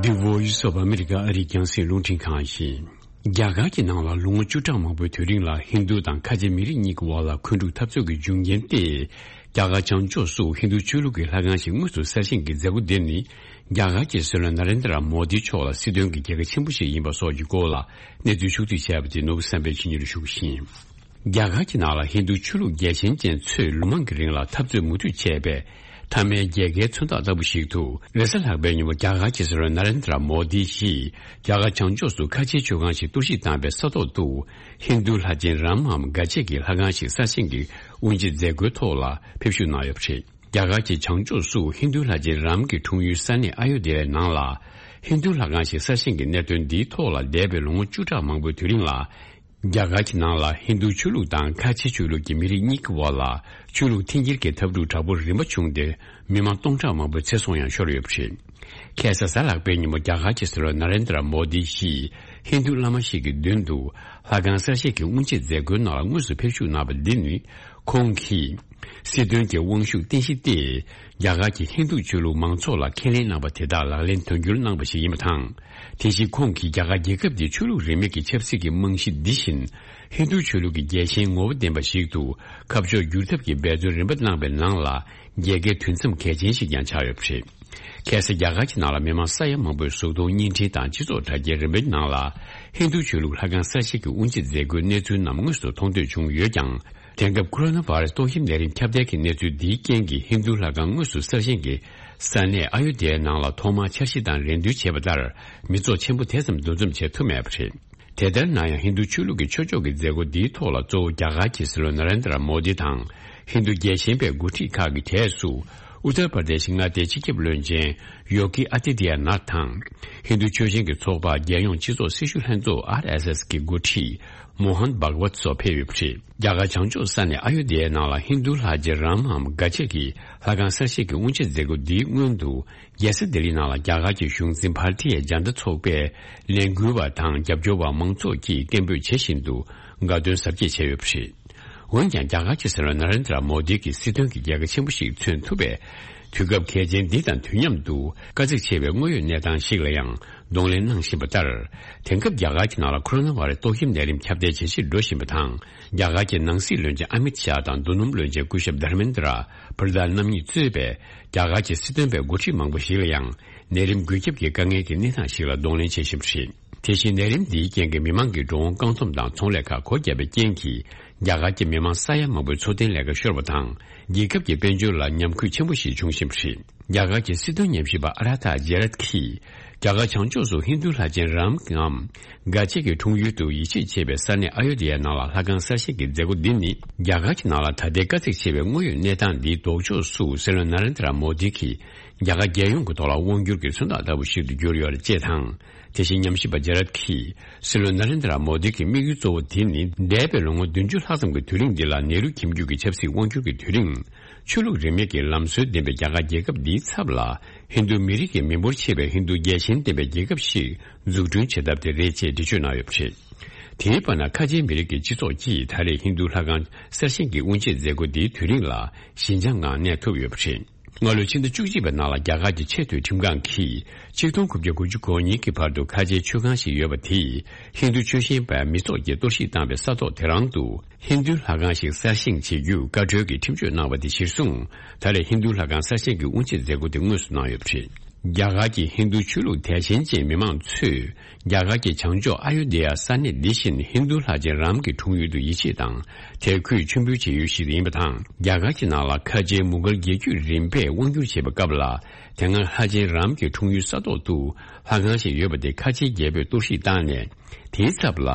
The Voice of America ཨ་རིའི་རྒྱང་སྲིང་རླུང་འཕྲིན་ཁང་ཡིན། རྒྱ་གར་གྱི་ནང་ལ་ལོ་ངོ་བཅུ་ཕྲག་མང་པོའི་དུས་རིང་ལ་ཧིན་རྡུ་དང་ཁ་ཆེ་མི་རིགས་གཉིས་ཀྱི་དབར་ལ་འཁོན་འཁྲུག་འཐབ་རྩོད་ཀྱི་འབྱུང་རྐྱེན་ཏེ། རྒྱ་གར་བྱང་ཕྱོགས་སུ་ཧིན་རྡུ་ཆོས་ལུགས་ཀྱི་ལྷ་ཁང་ཞིག་དངོས་སུ་གསར་བཞེངས་ཀྱི་མཛད་སྒོ་འདི་ནི། རྒྱ་གར་གྱི་སྲིད་བློན་ན་རེན་དྲ་མོ་དི་མཆོག་ལ་སྲིད་དོན་གྱི་རྒྱལ་ཁ་ཆེན་པོ་ཞིག་ཡིན་པ་སོགས་ཀྱི་སྐོར་ལ་གནས་ཚུལ་ཕྱོགས་བསྡུས་བྱས་པ་དེ་ནོར་བུ་བསམ་འཕེལ་གྱིས་སྙན་སྒྲོན་ཞུ་གི་ཡིན། རྒྱ་གར་གྱི་ནང་ལ་ཧིན་རྡུ་ཆོས་ལུགས་རྒྱལ་ཞེན་ཅན་ཚོས་ལོ་མང་གི་རིང་ལ་འཐབ་རྩོད་མུ་མཐུད་བྱས་པའི་མཐའ་མའི་རྒྱལ་ཁའི་མཚོན་རྟགས་ལྟ་བུ་ཞིག་ཏུ། རེས་གཟའ་ལྷག་པའི་ཉིན་མོ་རྒྱ་གར་གྱི་སྲིད་བློན་ན་རེན་དྲ་མོ་དི་ཡིས་རྒྱ་གར་བྱང་ཕྱོགས་སུ་ཁ་ཆེའི་མཆོད་ཁང་ཞིག་གཏོར་བཤིག་བཏང་པའི་ས་ཐོག་ཏུ། ཧིན་རྡུ་ལྷ་ཆེན་རམ་འམ་དགའ་ཆེ་གི་ལྷ་ཁང་ཞིག་གསར་བཞེངས་ཀྱི་དབུ་འབྱེད་མཛད་སྒོའི་ཐོག་ལ་ཕེབས་བཞུགས་གནང་ཡོད་པ་རེད། རྒྱ་གར་གྱི་བྱང་ཕྱོགས་སུ་ཧིན་རྡུ་ལྷ་ཆེན་རམ་གྱི་འཁྲུངས་ཡུལ་ས་གནས་ཨ་ཡོ་དྷ་ཡའི་ནང་ལ། ཧིན་རྡུ་ལྷ་ཁང་ཞིག་གསར་བཞེངས་ཀྱི་གནད་དོན་འདིའི་ཐོག་ལ་འདས་པའི་ལོ་ངོ་བཅུ་ཕྲག་མང་པོའི་དུས་རིང་ལ། རྒྱ་གར་གྱི་ནང་ལ་ཧིན་རྡུ་ཆོས་ལུགས་དང་ཁ་ཆེ་ཆོས་ལུགས་ཀྱི་མི་རིགས་གཉིས་ཀྱི་དབར་ལ་ཆོས་ལུགས་འཐེན་འཁྱེར་གྱི་འཐབ་འཁྲུག་དྲག་པོ་རིམ་པ་བྱུང་སྟེ། མི་མང་སྟོང་ཕྲག་མང་པོའི་ཚེ་སྲོག་ཡང་ཤོར་ཡོད་པ་རེད། ཁ་སང་གཟའ་ལྷག་པའི་ཉིན་མོ་རྒྱ་གར་གྱི་སྲིད་བློན་ན་རེན་དྲ་མོ་དི་ཡིས་ཧིན་རྡུ་བླ་མ་ཞིག་གི་མདུན་དུ་ལྷ་ཁང་གསར་བཞེངས་ཀྱི་དབུ་འབྱེད་མཛད་སྒོའི་ནང་ལ་དངོས་སུ་ཕེབས་བཞུགས་གནང་བ་འདི་ནི། ཁོང་གིས་སྲིད་དོན་གྱི་དབང་ཤུགས་བརྟན་གཞི་སྟེ། རྒྱ་གར་གྱི་ཧིན་རྡུ་ཆོས་ལུགས་མང་ཚོགས་ལ་ཁས་ལེན་གནང་བ་དེ་དག་ལག་ལེན་དོན་འཁྱོལ་གནང་བ་ཞིག་ཡིན་པ་དང་། དེ་བཞིན་ཁོང་གིས་རྒྱ་གར་རྒྱལ་ཁབ་འདི་ཆོས་ལུགས་རིས་མེད་ཀྱི་ཆབ་སྲིད་ཀྱི་རྨང་གཞི་འདི་བཞིན་ཧིན་རྡུ་ཆོས་ལུགས་ཀྱི་རྒྱལ་ཞེན་ངོ་བོ་ལྡན་པ་ཞིག་ཏུ་ཁ་ཕྱོགས་བསྒྱུར་ཐབས་ཀྱི་འབད་བརྩོན་རིམ་པ་གནང་བའི་ནང་ལ། རྒྱལ་ཁའི་དུས་མཚམས་གལ་ཆེན་ཞིག་ཀྱང་ཆགས་ཡོད་པ་རེད། ཁ་སང་རྒྱ་གར་གྱི་ནང་ལ་མི་མང་ས་ཡ་མང་པོའི་གཟུགས་མཐོང་བརྙན་འཕྲིན་དང་སྤྱི་ཚོགས་དྲ་རྒྱའི་རིམ་པའི་ནང་ལ། ཧིན་རྡུ་ཆོས་ལུགས་ལྷ་ཁང་གསར་བཞེངས་ཀྱི་དབུ་འབྱེད་མཛད་སྒོའི་གནས་ཚུལ་རྣམས་དངོས་སུ་མཐོང་ཐོས་བྱུང་ཡོད་ཀྱང་། དེང་སྐབས་ཀོ་རོ་ན་བྷ་ར་སི་ཏོག་དབྱིབས་ནད་རིམས་ཁྱབ་གདལ་གྱི་གནས་ཚུལ་འདིའི་རྐྱེན་གྱིས་ཧིན་རྡུ་ལྷ་ཁང་དངོས་སུ་གསར་བཞེངས་ཀྱི་ས་གནས་ཨ་ཡོ་དྷ་ཡའི་ནང་ལ་ཐོག་མར་འཆར་གཞི་དང་རེ་འདུན་བྱས་པ་ལྟར་མི་ཚོགས་ཆེན་པོ་དེ་ཙམ་འདུ་འཛོམས་བྱེད་ཐུབ་མེད་པ་རེད། དེ་ལྟར་ན་ཡང་ཧིན་རྡུ་ཆོས་ལུགས་ཀྱི་ཆོས་ཕྱོགས་ཀྱི་མཛད་སྒོ་འདིའི་ཐོག་ལ་གཙོ་བོ་རྒྱ་གར་གྱི་སྲིད་བློན་ན་རེན་དྲ་མོ་དི་དང་ཧིན་རྡུ་རྒྱལ་ཞེན་པའི་འགོ་ཁྲིད་ཁག་གི་གྲས་སུ་ཨུ་ཏར་པར་དེ་ཤི་མངའ་སྡེའི་སྤྱི་ཁྱབ་བློན་ཆེན་ཡོ་གི་ཨ་ཏི་ཏི་ཡ་ནཱཐ་དང་། ཧིན་རྡུ་ཆོས་ཞེན་གྱི་ཚོགས་པ་རྒྱལ་ཡོངས་སྤྱི་ཚོགས་སྲི་ཞུ་ལྷན་ཚོགས་ཨར་ཨེས་ཨེས་ཀྱི་འགོ་ཁྲིད་མོ་ཧན་བྷག་ཝད་སོགས་ཕེབས་ཡོད་པ་རེད། རྒྱ་གར་བྱང་ཕྱོགས་ས་གནས་ཨ་ཡོ་དྷ་ཡའི་ནང་ལ་ཧིན་རྡུ་ལྷ་རྗེ་རམ་འམ་དགའ་ཆེ་གི་ལྷ་ཁང་གསར་བཞེངས་ཀྱི་དབུ་འབྱེད་མཛད་སྒོ་འདིའི་སྔོན་དུ། རྒྱལ་ས་ལྡི་ལི་ནང་ལ་རྒྱ་གར་གྱི་གཞུང་འཛིན་བྷར་ཏི་ཡ་ཇན་ད་ཚོགས་པའི་ལས་འགུལ་བ་དང་རྒྱབ་སྐྱོར་བ་མང་ཚོགས་ཀྱིས་སྐད་འབོད་བྱེད་བཞིན་དུ་དགའ་སྟོན་གཟབ་རྒྱས་བྱས་ཡོད་པ་རེད། འོན་ཀྱང་རྒྱ་གར་གྱི་སྲིད་བློན་ན་རེན་དྲ་མོ་དི་གིས་སྲིད་དོན་གྱི་རྒྱལ་ཁ་ཆེན་པོ་ཞིག་མཚོན་ཐུབ་པའི་དུས་སྐབས་གལ་ཆེན་འདི་དང་དུས་མཉམ་དུ་དཀའ་ཚེགས་ཆེ་བའི་དངོས་ཡོད་གནས་སྟངས་ཤིག་ལ་ཡང་གདོང་ལེན་གནང་བཞིན་པ་ལྟར། དེང་སྐབས་རྒྱ་གར་གྱི་ནང་ལ་ཁོ་རོ་ན་བྷ་ར་སི་ཏོག་དབྱིབས་ནད་རིམས་ཁྱབ་གདལ་ཇེ་ཆེར་འགྲོ་བཞིན་པ་དང་། རྒྱ་གར་གྱི་ནང་སྲིད་བློན་ཆེན་ཨ་མིད་ཤཱ་དང་རྡོ་སྣུམ་བློན་ཆེན་སྐུ་ཞབས་དྷར་མེན་དྲ་པྲ་དྷཱན་རྣམ་གཉིས་གཙོས་པའི་རྒྱ་གར་གྱི་སྲིད་དོན་པའི་འགོ་ཁྲིད་མང་པོ་ཞིག་ལ་ཡང་ནད་རིམས་འགོས་ཁྱབ་ཀྱི་དཀའ་ངལ་གྱི་གནས་སྟངས་ཤིག་ལ་གདོང་ལེན་བྱེད་བཞིན་པ་རེད། དེ་བཞིན་ནད་རིམས་འདིའི་རྐྱེན་གྱིས་མི་མང་གི་འགྲོ་འོང་བཀག་སྡོམ་དང་ཚོང་ལས་ཁག་སྒོ་བརྒྱབ་པའི་རྐྱེན་གྱིས་རྒྱ་གར་གྱི་མི་མང་ས་ཡ་མང་པོའི་འཚོ་རྟེན་ལས་ཀ་ཤོར་བ་དང་། རྒྱལ་ཁབ་ཀྱི་དཔལ་འབྱོར་ལ་ཉམས་རྒུད་ཆེན་པོ་ཞིག་བྱུང་བཞིན་པ་རེད། རྒྱ་གར་གྱི་སྲིད་དོན་ཉམས་ཞིབ་པ་ཨ་ར་ཐ་ཇེ་རད་ཀྱིས་རྒྱ་གར་བྱང་ཕྱོགས་སུ་ཧིན་རྡུ་ལྷ་ཆེན་རམ་འམ་དགའ་ཆེ་གི་འཁྲུངས་ཡུལ་དུ་ཡིད་ཆེས་བྱེད་པའི་ས་གནས་ཨ་ཡོ་དྷ་ཡའི་ནང་ལ་ལྷ་ཁང་གསར་བཞེངས་ཀྱི་མཛད་སྒོ་འདི་ནི་རྒྱ་གར་གྱི་ནང་ལ་ད་ལྟའི་དཀའ་ཚེགས་ཆེ་བའི་དངོས་ཡོད་གནས་སྟངས་འདིའི་ལྡོག་ཕྱོགས་སུ་སྲིད་བློན་ན་རེན་དྲ་མོ་དི་གིས་རྒྱ་གར་རྒྱལ་ཡོངས་ཀྱི་ཐོག་ལ་དབང་བསྒྱུར་གྱི་མཚོན་རྟགས་ལྟ་བུ་ཞིག་ཏུ་གྱུར་ཡོད་པ་བཅས་དང་། དེ་བཞིན་ཉམས་ཞིབ་པ་ཇེ་རད་ཀྱིས་སྲིད་བློན་ན་རེན་དྲ་མོ་དི་གི་དམིགས་ཡུལ་གཙོ་བོ་དེ་ནི་འདས་པའི་ལོ་ངོ་བདུན་ཅུ་ལྷག་ཙམ་གྱི་དུས་རིང་འདི་ལ་ནེ་རུ་ཁྱིམ་རྒྱུད་ཀྱི་ཆབ་སྲིད་དབང་བསྒྱུར་གྱི་དུས་རིང་། ཆོས་ལུགས་རིས་མེད་ཀྱི་ལམ་སྲོལ་ལྡན་པའི་རྒྱ་གར་རྒྱལ་ཁབ་འདིའི་ཚབ་ལ་ཧིན་རྡུ་མི་རིགས་ཀྱི་མི་འབོར་ཆེ་བའི་ཧིན་རྡུ་རྒྱལ་ཞེན་ལྡན་པའི་རྒྱལ་ཁབ་ཞིག་འཛུགས་སྐྲུན་བྱེད་ཐབས་དེ་རེད་ཅེས་འགྲེལ་བརྗོད་གནང་ཡོད་པ་རེད། དེའི་བར་ན་ཁ་ཆེའི་མི་རིགས་ཀྱི་སྤྱི་ཚོགས་ཀྱིས་ད་རེས་ཧིན་རྡུ་ལྷ་ཁང་གསར་བཞེངས་ཀྱི་དབུ་འབྱེད་མཛད་སྒོ་འདིའི་དུས་རིང་ལ་ཞི་འཇགས་ངང་གནས་ཐུབ་ཡོད་པ་རེད། སྔ་ལོའི་ཕྱི་ཟླ་བཅུ་གཅིག་པའི་ནང་ལ་རྒྱ་གར་གྱི་ཆེས་མཐོའི་ཁྲིམས་ཁང་གིས་ཆིག་སྟོང་དགུ་བརྒྱ་དགུ་བཅུ་གོ་གཉིས་ཀྱི་བར་དུ་ཁ་ཆེའི་མཆོད་ཁང་ཞིག་ཡོད་པ་དེས་ཧིན་རྡུ་ཆོས་ཞེན་པ་མི་ཚོགས་ཀྱིས་གཏོར་བཤིག་བཏང་བའི་ས་ཐོག་དེ་རང་དུ་ཧིན་རྡུའི་ལྷ་ཁང་ཞིག་གསར་བཞེངས་བྱེད་རྒྱུའི་བཀའ་འཁྲོལ་གྱི་ཁྲིམས་གཅོད་གནང་བ་དེ་གཞིར་བཟུང་། ད་རེས་ཧིན་རྡུའི་ལྷ་ཁང་གསར་བཞེངས་ཀྱི་དབུ་འབྱེད་མཛད་སྒོ་དེ་དངོས་སུ་གནང་ཡོད་པ་རེད། རྒྱ་གར་གྱི་ཧིན་རྡུ་ཆོས་ལུགས་དད་ཞེན་ཅན་མི་མང་ཚོས་རྒྱ་གར་གྱི་བྱང་ཕྱོགས་ཨ་ཡོ་དྷ་ཡ་ས་གནས་འདི་བཞིན་ཧིན་རྡུ་ལྷ་ཆེན་རམ་གྱི་འཁྲུངས་ཡུལ་དུ་ཡིད་ཆེས་དང་དད་གུས་མཆོད་འབུལ་བྱེད་ཡུལ་ཞིག་ཡིན་པ་དང་། རྒྱ་གར་གྱི་ནང་ལ་ཁ་ཆེའི་མུ་གལ་རྒྱལ་རྒྱུད་རིམ་པས་དབང་བསྒྱུར་བྱེད་པའི་སྐབས་ལ། དེ་སྔར་ལྷ་ཆེན་རམ་གྱི་འཁྲུངས་ཡུལ་ས་ཐོག་ཏུ་ལྷ་ཁང་ཞིག་ཡོད་པ་དེ་ཁ་ཆེའི་རྒྱལ་པོས་གཏོར་བཤིག་བཏང་ནས། དེའི་ཚབ་ལ་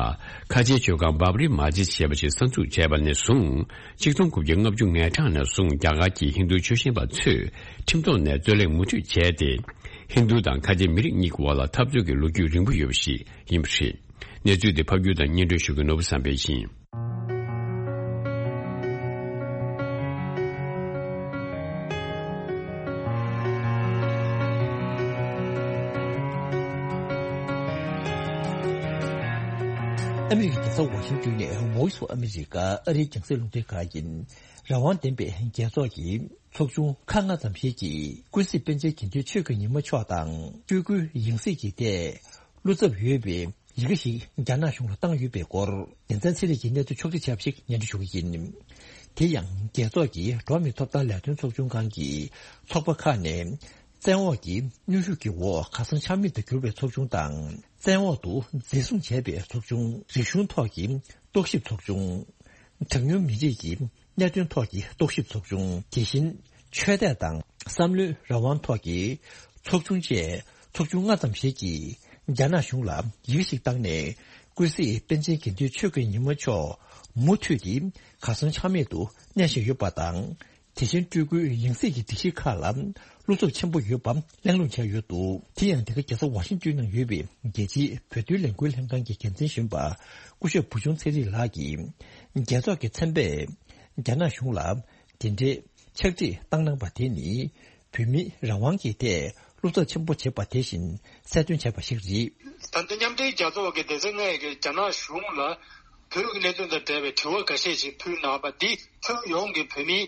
ཁ་ཆེའི་མཆོད་ཁང་བྷབ་རི་མ་ཇིད་ཞེས་པ་ཞིག་གསར་འཛུགས་བྱས་པ་ནས་བཟུང་། ཆིག་སྟོང་དགུ་བརྒྱ་ལྔ་བཅུ་ང་གྲངས་ནས་བཟུང་རྒྱ་གར་གྱི་ཧིན་རྡུ་ཆོས་ཞེན་པ་ཚོས་ཁྲིམས་ཐོག་ནས་རྩོད་ལེན་མུ་མཐུད་བྱས་ཏེ། ཧིན་རྡུ་དང་ཁ་ཆེ་མི་རིགས་གཉིས་ཀྱི་དབར་ལ་འཐབ་རྩོད་ཀྱི་ལོ་རྒྱུས་རིང་པོ་ཡོད་པ་ཞིག་ཡིན་པ་རེད། གནས་ཚུལ་འདི་ཕབ་སྒྱུར་དང་སྙན་སྒྲོན་ཞུ་མཁན་ནོར་བུ་བསམ་འཕེལ་ཡིན། ཨ་མི་རི་ཀའི་རྒྱལ་ས་ཝ་ཤིང་ཏོན་ནས་Voice of America ཨ་རིའི་རྒྱང་སྲིང་རླུང་འཕྲིན་ཁང་ཡིན། རང་དབང་ལྡན་པའི་རྒྱལ་ཚོགས་ཀྱིས། ཚོགས་ཆུང་ཁག་ལྔ་ཙམ་ཞིག་གིས་ཀུན་གཟིགས་པཎ་ཆེན་དགེ་འདུན་ཆོས་ཀྱི་ཉི་མ་མཆོག་དང་སྤྲུལ་སྐུའི་ཡང་སྲིད་ཀྱི་ཐད་བློ་འཚབ་ཡོད་པའི་ཡི་གེ་ཞིག་རྒྱ་ནག་གཞུང་ལ་བཏང་ཡོད་པའི་སྐོར། རྒྱལ་མཚན་ཚེ་རིང་གིས་གནས་ཚུལ་ཕྱོགས་སྒྲིག་བྱས་པ་ཞིག་སྙན་སྒྲོན་ཞུ་གི་ཡིན། དེ་ཡང་རྒྱལ་ཚོགས་ཀྱི་འགྲོ་བ་མིའི་ཐོབ་ཐང་ལས་དོན་ཚོགས་ཆུང་ཁང་གི་ཚོགས་པ་ཁག་ནས་བཙན་འོག་གི་གནོན་ཤུགས་ཀྱི་འོག་ཁ་སང་ཆགས་མེད་དུ་གྱུར་པའི་ཚོགས་ཆུང་དང་། བཙན་འོག་ཏུ་འཛིན་བཟུང་བྱས་པའི་ཚོགས་ཆུང་། རིག་གཞུང་ཐོག་གི་རྟོག་ཞིབ་ཚོགས་ཆུང་། གྲངས་ཉུང་མི་རིགས་ཀྱི་གནད་དོན་ཐོག་གི་རྟོག་ཞིབ་ཚོགས་ཆུང་། དེ་བཞིན་ཆོས་དད་དང་བསམ་བློའི་རང་དབང་ཐོག་གི་ཚོགས་ཆུང་བཅས་ཚོགས་ཆུང་ལྔ་ཙམ་ཞིག་གིས་རྒྱ་ནག་གཞུང་ལ་ཡི་གེ་ཞིག་བཏང་ནས། ཀུན་གཟིགས་པཎ་ཆེན་དགེ་འདུན་ཆོས་ཀྱི་ཉི་མ་མཆོག་མུ་མཐུད་དེ་ཁ་སང་ཆགས་མེད་དུ་གནས་བཞིན་ཡོད་པ་དང་། དེ་བཞིན་སྤྲུལ་སྐུའི་ཡང་སྲིད་ཀྱི་སྒྲིག་གཞི་ཁག་ལ་བློ་འཚབ་ཆེན་པོ་ཡོད་པ་གླེང་སློང་བྱས་ཡོད་འདུག་དེ་ཡང་འདི་ག་རྒྱལ་ས་ཝ་ཤིང་ཏོན་ནང་ཡོད་པའི་རྒྱལ་སྤྱིའི་བོད་དོན་ལས་འགུལ་ལྷན་ཁང་གི་འགན་འཛིན་གཞོན་པ་སྐུ་ཞབས་བུ་ཆུང་ཚེ་རིང་ལགས་ཀྱིས། རྒྱལ་ཚོགས་ཀྱི་ཚན་པས་རྒྱ་ནག་གཞུང་ལ་དེ་འདྲའི་ཕྱག་བྲིས་བཏང་གནང་པ་དེ་ནི། བོད་མིའི་རང་དབང་གི་ཐད་བློ་འཚབ་ཆེན་པོ་བྱེད་པ་དེ་བཞིན་གསལ་སྟོན་བྱས་པ་ཞིག་རེད། ད་ལྟ་མཉམ་འབྲེལ་རྒྱལ་ཚོགས་ཀྱི་སྡེ་ཚན་ལྔ་ཡི་རྒྱ་ནག་གཞུང་ལ་བོད་ཀྱི་གནད་དོན་དང་འབྲེལ་བའི་དྲི་བ་འགའ་ཤས་ཤིག་ཕུལ་གནང་བ་འདི་ཁྱོན་ཡོངས་ཀྱི་བོད་མིའི་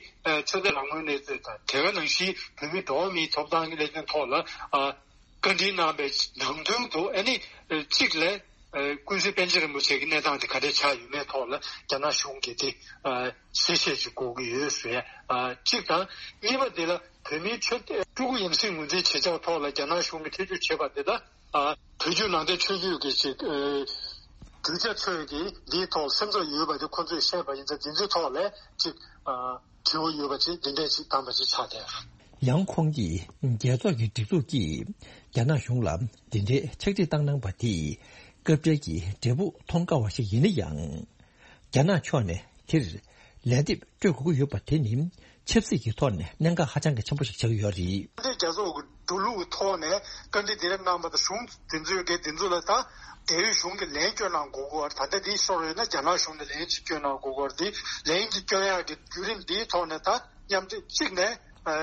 ཆོས་དད་རང་མོས་གནས་ཚུལ་དང་། དེ་ག་ནང་བཞིན་བོད་མིའི་འགྲོ་བ་མིའི་ཐོབ་ཐང་གི་གནད་དོན་ཐོག་ལ་བཀའ་འདྲི་གནང་བའི་ནང་དོན་དུ། ཨ་ནི་གཅིག་ལ། ཀུན་གཟིགས་པཎ་ཆེན་རིན་པོ་ཆེ་གི་གནས་སྟངས་དེ་ག་འདྲས་ཆགས་ཡོད་མེད་ཐོག་ལ་རྒྱ་ནག་གཞུང་གིས་དེ་གསལ་བཤད་ཅིག་དགོས་ཀྱི་ཡོད་ཟེར་ཡ་གཅིག་དང་། གཉིས་པ་དེ་ལ་བོད་མིའི་ཆོས་སྤྲུལ་སྐུ་ཡང་སྲིད་ངོས་འཛིན་བྱེད་ཕྱོགས་ཐོག་ལ་རྒྱ་ནག་གཞུང་གིས་ཐེ་བྱུས་བྱས་པ་དེ་ལ་བོད་བརྒྱུད་ནང་བསྟན་ཆོས་བརྒྱུད་ཀྱི་ཅིག་གྲུབ་ཆ་ཚོས་ཀྱིས་འདིའི་ཐོག་སེམས་འཚབ་ཡོད་པ་དེ་ཁོང་ཚོས་བཤད་པ་ཡིན་ཙང་། འདི་ཚོའི་ཐོག་ལ་ཅིག་དྲི་བ་ཡོད་པ་ཅིག་འདི་འདྲས་ཅིག་བཏང་པ་ཅིག་ཆགས་བསྡད། ཡང་ཁོང་གིས་རྒྱལ་ཚོགས་ཀྱི་སྒྲིག་འཛུགས་ཀྱིས་རྒྱ་ནག་གཞུང་ལ་འདི་འདྲའི་ཕྱག་བྲིས་བཏང་གནང་པ་དེས་སྐབས་འབྲེལ་གྱི་འབྲས་བུ་མཐོང་དཀའ་བ་ཞིག་ཡིན་ན་ཡང་། རྒྱ་ནག་ཕྱོགས་ནས་དེར་ལན་འདེབས་སྤྲོད་དགོས་ཀྱི་ཡོད་པ་དེ་ནི་ཆབ་སྲིད་ཀྱི་ཐོག་ནས་གནད་འགག་ཧ་ཅང་གི་ཆེན་པོ་ཞིག་ཆགས་ཀྱི་ཡོད་རེད། འདི་རྒྱལ་ཚོགས་ཀྱི་འགྲོ་ལུགས་ཀྱི་ཐོག་ནས་བཀའ་འདྲི་དེ་རིགས་གནང་པ་དང་། གཞུང་དེ་ཚོའི་གི་དེ་ཚོ་ལ་ད་རྒྱལ་ཡོངས་གཞུང་གིས་ལན་བསྐྱོན་གནང་དགོས་ཀྱི་ཡོད་རེད། ད་ལྟ་འདི་ཤོར་ཡོད་ན་རྒྱ་ནག་གཞུང་ནས་ལན་ཅིག་བསྐྱོན་གནང་དགོས་ཀྱི་ཡོད་རེད། འདི་ལན་གྱི་བསྐྱོན་ཡག་གི་བརྒྱུད་རིམ་འདིའི་ཐོག་ནས་ད་མཉམ་འབྲེལ་གཅིག་ནས་ཨ་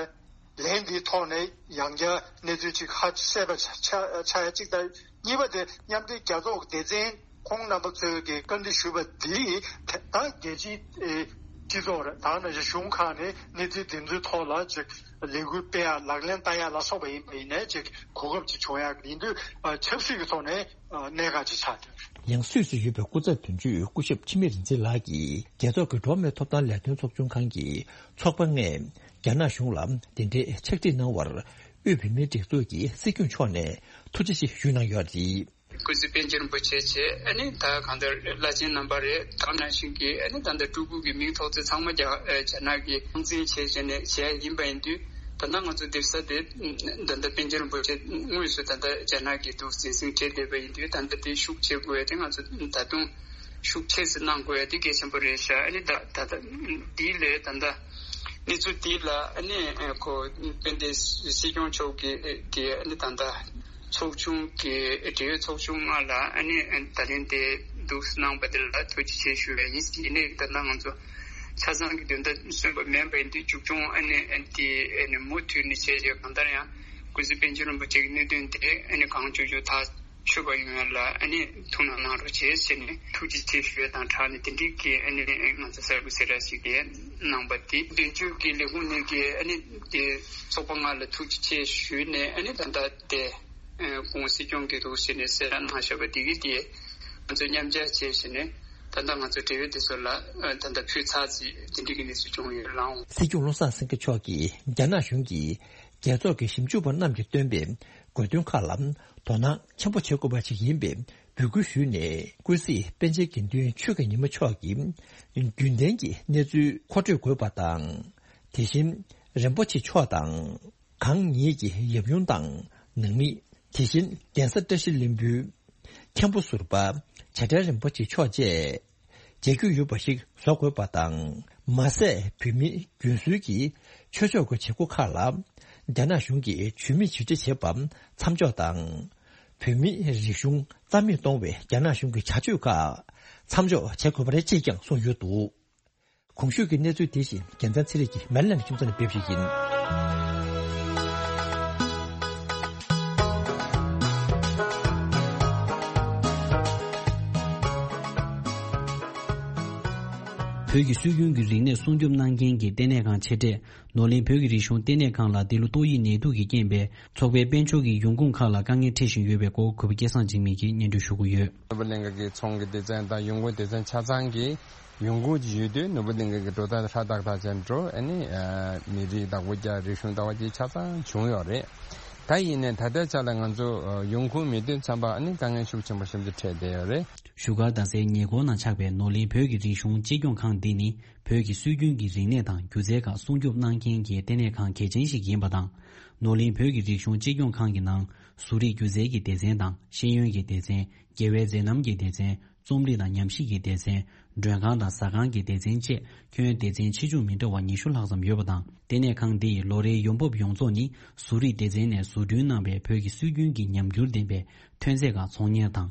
ལན་འདིའི་ཐོག་ནས་ཡང་བསྐྱར་གནས་ཚུལ་ཅིག་ཧ་བཤད་པ་ཆ་ཆ་ཆ་ཡ་གཅིག་དང་། གཉིས་པ་དེ་མཉམ་འབྲེལ་རྒྱལ་ཚོགས་ཀྱི་སྡེ་ཚན་ཁོང་རྣམ་པ་ཚོས་ཀྱི་བཀའ་འདྲི་ཞུས་པ་འདི་ད་རྒྱལ་སྤྱིའི་ཨེ་སྤྱི་ཚོགས་རེད། ད་ནང་བཞིན་གཞུང་ཁག་ནས་གནས་ཚུལ་དེ་ཚོའི་ཐོག་ལ་ཅིག་ལས་འགུལ་སྤེལ་ཡག་ལག་ལེན་བསྟར་ཡག་ལ་སོགས་པ་ཡིན་པ་ཡིན་ནའི་ཅིག་གོ་སྐབས་ཅིག་བྱུང་ཡག་ཡིན་དུས། ཨ་ཆབ་སྲིད་ཀྱི་ཐོག་ནས་ཨ་གནད་འགག་ཅིག་ཆགས་འདུག་ཡང་སུད་སི་ཡོད་པའི་སྐུ་ཚབ་དོན་གཅོད་སྐུ་ཞབས་འཆི་མེད་རིག་འཛིན་ལགས་ཀྱིས་རྒྱལ་ཚོགས་ཀྱི་འགྲོ་བ་མིའི་ཐོབ་ཐང་ལས་དོན་ཚོགས་ཆུང་ཁང་གི་ཚོགས་པ་ལྔས་རྒྱ་ནག་གཞུང་ལ་དེ་འདྲའི་ཕྱག་བྲིས་གནང་བར་དབུས་བོད་མིའི་སྒྲིག་འཛུགས་ཀྱི་སྲིད་སྐྱོང་མཆོག་ནས་ཐུགས་རྗེ་ཆེ་ཞུས་གནང་ཡོད་རེད། སྐུ་ཚེ་པཎ་ཆེན་རིན་པོ་ཆེ་བཅས། ཨ་ནི་ད་གང་ལྟར་བླ་ཆེན་རྣམ་པ་རེད། ད་ནང་བཞིན་གྱི་ཨ་ནི་ད་ལྟ་སྤྲུལ་སྐུ་གི་མིང་ཐོགས་ཚད་ཚང་མ་རྒྱ་ཨ་རྒྱ་ནག་གི་སྲུང་འཛིན་བྱས་བྱས་ནས་བྱས་ཡིན་པ་ཡིན་དུས། ད་ལྟ་ང་ཚོ་སྡོད་ས་དེ་ད་ལྟ་པཎ་ཆེན་རིན་པོ་ཆེ་དངོས་སུ་ད་ལྟ་རྒྱ་ནག་གིས་འདུག་འཛིན་བཟུང་བྱས་བསྡད་པ་ཡིན་དུས། ད་ལྟ་དེ་ཤུགས་ཆེ་དགོས་ཡ་དེ་ང་ཚོ་ད་དུང་ཤུགས་ཆེ་ཙམ་གནང་དགོས་ཡ་དེ་གལ་ཆེན་པོ་རེད་ཤག་ཨ་ནི་ད་ད་ལྟ་འདི་ལས་ད་ལྟ་གནས་ཚུལ་འདི་ལ་ཨ་ནི་ཁོ་དཔལ་ལྡན་སྲིད་སྐྱོང་མཆོག་གིས་གིས་ཨ་ནི་ད་ལྟ། ཚོགས་ཆུང་གི་འབྲེལ་ཡོད་ཚོགས་ཆུང་ལྔ་ལ་ཨ་ནི་ད་ལན་དེ་འདུག་གནང་པ་དེ་ལ་ཐུགས་རྗེ་ཆེ་ཞུ་བ་ཡིན། ཡིན་ནའི་ད་ལྟ་ང་ཚོ་ཆ་ཚང་གི་དོན་དག་སོན་པ་མིན་པ་ཡིན་དུས། མཇུག་སྐྱོང་ཨ་ནི་ཨ་ནི་དེ་ཨ་ནི་མུ་མཐུད་ནས་བྱས་རྗེས་གང་ལྟར་ཡང་ཀུན་གཟིགས་པཎ་ཆེན་རིན་པོ་ཆེ་གི་གནད་དོན་དེ་ཨ་ནི་གང་བྱུང་བྱུང་ཐག་ཆོད་པ་ཡོང་ཡ་ལ་ཨ་ནི་ཐུགས་སྣང་གནང་རོགས་བྱེད་ཟེར་ནས་ཐུགས་རྗེ་ཆེ་ཞུ་ཡ་དང་སྦྲགས་ནས། དེ་འགྲིག་གི་ཨ་ནི་ང་ཚོ་གསར་འགོད་གསལ་བསྒྲགས་ཤིག་དེ་གནང་པ་དེ། དོན་གཅོད་ཀྱི་ལས་ཁུངས་ནས་ཀྱི་ཨ་ནི་དེ་ཚོགས་པ་ལྔ་ལ་ཐུགས་རྗེ་ཆེ་ཞུས་ནས། ཨ་ནི་ད་ལྟ་དེ། ཨ་ཁོང་སྲིད་སྐྱོང་གི་འདུག་ཟེར་ནས་གསལ་བསྒྲགས་གནང་བཞག་པ་དེ་གི་དེ་ང་ཚོས་མཉམ་སྦྱར་བྱས་བྱས་ནས། ད་ལྟ་ང་ཚོ་འབྲེལ་ཡོད་དེ་ཚོ་ལ་ཨ་ད་ལྟ་ཕུལ་ཚར་རྗེས་དེ་འགྲིག་གི་གནས་ཚུལ་བྱུང་ཡོད་ལགས། སྲིད་སྐྱོང་བློ་བཟང་སེང་གེ་མཆོག་གིས་རྒྱ་ནག་གཞུང་གིས་རྒྱལ་ཚོགས་ཀྱི་ཞིབ་འཇུག་པ་རྣམས་ཀྱིས་བཏོན་པའི་དགོས་འདུན་ཁག་ལ་དོ་སྣང་ཆེན་པོ་བྱེད་དགོས་པ་ཞིག་ཡིན་པའི་འབོད་སྐུལ་ཞུས་ནས། ཀུན་གཟིགས་པཎ་ཆེན་དགེ་འདུན་ཆོས་ཀྱི་ཉི་མ་མཆོག་གིས་རྒྱུན་ལྡན་གྱི་གནས་ཚུལ་མཁོ་སྤྲོད་དགོས་པ་དང་། དེ་བཞིན་རིན་པོ་ཆེ་མཆོག་དང་། གང་ཉིད་ཀྱི་ཡབ་ཡུམ་དང་ནང་མི། དེ་བཞིན་གདན་ས་བཀྲ་ཤིས་ལྷུན་པོའི་མཁན་པོ་ཟུར་པ་བྱ་བྲལ་རིན་པོ་ཆེ་མཆོག་བཅས་མཇལ་རྒྱུ་ཡོད་པ་ཞིག་བཟོ་དགོས་པ་དང་། མ་ཟད་བོད་མིའི་རྒྱུན་སྲོལ་གྱི་ཆོས་ཕྱོགས་ཀྱི་བྱེད་སྒོ་ཁག་ལ་རྒྱ་ནག་གཞུང་གིས་ཇུས་མེད་ཇུས་འབྲས་བྱེད་པ་མཚམས་འཇོག་དང་། བོད་མིའི་རིག་གཞུང་རྩ་མེད་གཏོང་བའི་རྒྱ་ནག་གཞུང་གི་བྱ་སྤྱོད་ཁག་མཚམས་འཇོག་བྱེད་དགོས་པ་རེད་ཅེས་ཀྱང་གསུངས་ཡོད་འདུག་གོང་ཞུས་ཀྱི་གནས་ཚུལ་དེ་བཞིན་རྒྱལ་མཚན་ཚེ་རིང་གིས་མེ་ལན་ཁྱིམ་ཚང་ནས་སྤེལ་བ་ཞིག་ཡིན། བོད་ཀྱི་སྲོལ་རྒྱུན་གྱི་རིག་གནས་སྲུང་སྐྱོབ་གནང་མཁན་གྱི་ལྟེ་གནས་ཁང་ཆེ་གྲས་ནོར་གླིང་བོད་ཀྱི་རིག་གཞུང་ལྟེ་གནས་ཁང་ལ་འདི་ལོ་ཏོག་དབྱིབས་ནད་དུག་གི་རྐྱེན་པས་ཚོགས་པའི་དཔལ་འབྱོར་གྱི་ཡོང་ཁུངས་ཁག་ལ་དཀའ་ངལ་འཕྲད་བཞིན་ཡོད་པའི་སྐོར་གུས་པ་སྐལ་བཟང་འཇིགས་མེད་ཀྱིས་སྙན་སྒྲོན་ཞུ་གི་ཡོད། ནོར་བུ་གླིང་ག་གི་ཚོང་གི་སྡེ་ཚན་དང་ཡོང་སྒོ་སྡེ་ཚན་ཆ་ཚང་གི་ཡོང་སྒོ་ཡོད་དུས་ནོར་བུ་གླིང་ག་གི་འགྲོ་སྟངས་ཧྲ་ཏག་ཏག་ཅན་འགྲོ། ཨ་ནི་མི་རིགས་བདག་པོ་རྒྱག་རིག་གཞུང་ལྟ་བ་དེ་ཆ་ཚང་བྱུང་ཡོད་རེད། ད་ཡིན་ནའི་ད་ལྟའི་ཆ་ལ་ང་ཚོ་ཡོང་ཁུངས་མེད་དུས་ཙམ་པ་ཨ་ནི་དཀའ་ངལ་ཤུགས་ཆེན་པོ་ཞིག་འཕྲད་བསྡད་ཡོད་རེད། བཞུགས་སྒར་རྡ་སའི་ཉེ་འཁོར་ན་ཆགས་པའི་ནོར་གླིང་བོད་ཀྱི་རིག་གཞུང་གཅེས་སྐྱོང་ཁང་འདི་ནི་བོད་ཀྱི་སྲོལ་རྒྱུན་གྱི་རིག་གནས་དང་སྒྱུ་རྩལ་ཁག་སྲུང་སྐྱོབ་གནང་མཁན་གྱི་ལྟེ་གནས་ཁང་གལ་ཆེན་ཞིག་ཡིན་པ་དང་། ནོར་གླིང་བོད་ཀྱི་རིག་གཞུང་གཅེས་སྐྱོང་ཁང་གི་ནང་བཟོ་རིག་སྒྱུ་རྩལ་གྱི་སྡེ་ཚན་དང་ཤེས་ཡོན་གྱི་སྡེ་ཚན། རྒྱལ་བའི་མཛད་རྣམ་གྱི་སྡེ་ཚན། རྩོམ་རིག་དང་ཉམས་ཞིབ་ཀྱི་སྡེ་ཚན། མགྲོན་ཁང་དང་ཟ་ཁང་གི་སྡེ་ཚན་བཅས་ཁྱོན་སྡེ་ཚན་ཆེ་ཆུང་མི་འདྲ་བ་ཉི་ཤུ་ལྷག་ཙམ་ཡོད་པ་དང་། ལྟེ་གནས་ཁང་འདི་ཡིས་ལོ་རེའི་ཡོང་འབབ་ཡོངས་རྫོགས་ནི་བཟོ་རིག་སྡེ་ཚན་ནས་བཟོ་སྐྲུན་གནང་བའི་བོད་ཀྱི་སྲོལ་རྒྱུན་གྱི་ཉམས་འགྱུར་ལྡན་པའི་ཐོན་རྫས་ཁག་ཚོང་གཉེར་དང་།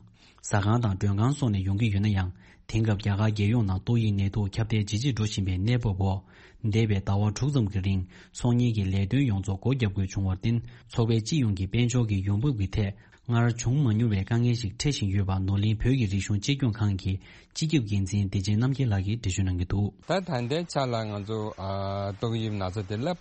ཟ་ཁང་དང་མགྲོན་ཁང་སོགས་ནས་ཡོང་གི་ཡོད་ན་ཡང་། དེང་སྐབས་རྒྱ་གར་རྒྱལ་ཡོངས་ནང་ཏོག་དབྱིབས་ནད་དུག་ཁྱབ་གདལ་ཇེ་ཆེར་འགྲོ་བཞིན་པའི་གནས་བབ་འོག་འདས་པའི་ཟླ་བ་དྲུག་ཙམ་གྱི་རིང་ཚོང་གཉེར་གྱི་ལས་དོན་ཡོངས་རྫོགས་སྒོ་བརྒྱབ་དགོས་བྱུང་བར་བརྟེན། ཚོགས་པའི་སྤྱི་ཡོངས་ཀྱི་དཔལ་འབྱོར་གྱི་ཡོང་འབབ་ཀྱི་ཐད་སྔར་བྱུང་མ་མྱོང་བའི་དཀའ་ངལ་ཞིག་འཕྲད་བཞིན་ཡོད་པ་ནོར་གླིང་བོད་ཀྱི་རིག་གཞུང་གཅེས་སྐྱོང་ཁང་གི་སྤྱི་ཁྱབ་འགན་འཛིན་བདེ་ཆེན་རྣམ་རྒྱལ་ལགས་ཀྱིས་འགྲེལ་བརྗོད་གནང་གི་འདུག། ད་ད་ལྟའི་ཆ་ལ་ང་ཚོ་ཨ་ཏོག་དབྱིབས་ན་ཚ་དེ་བསླབ།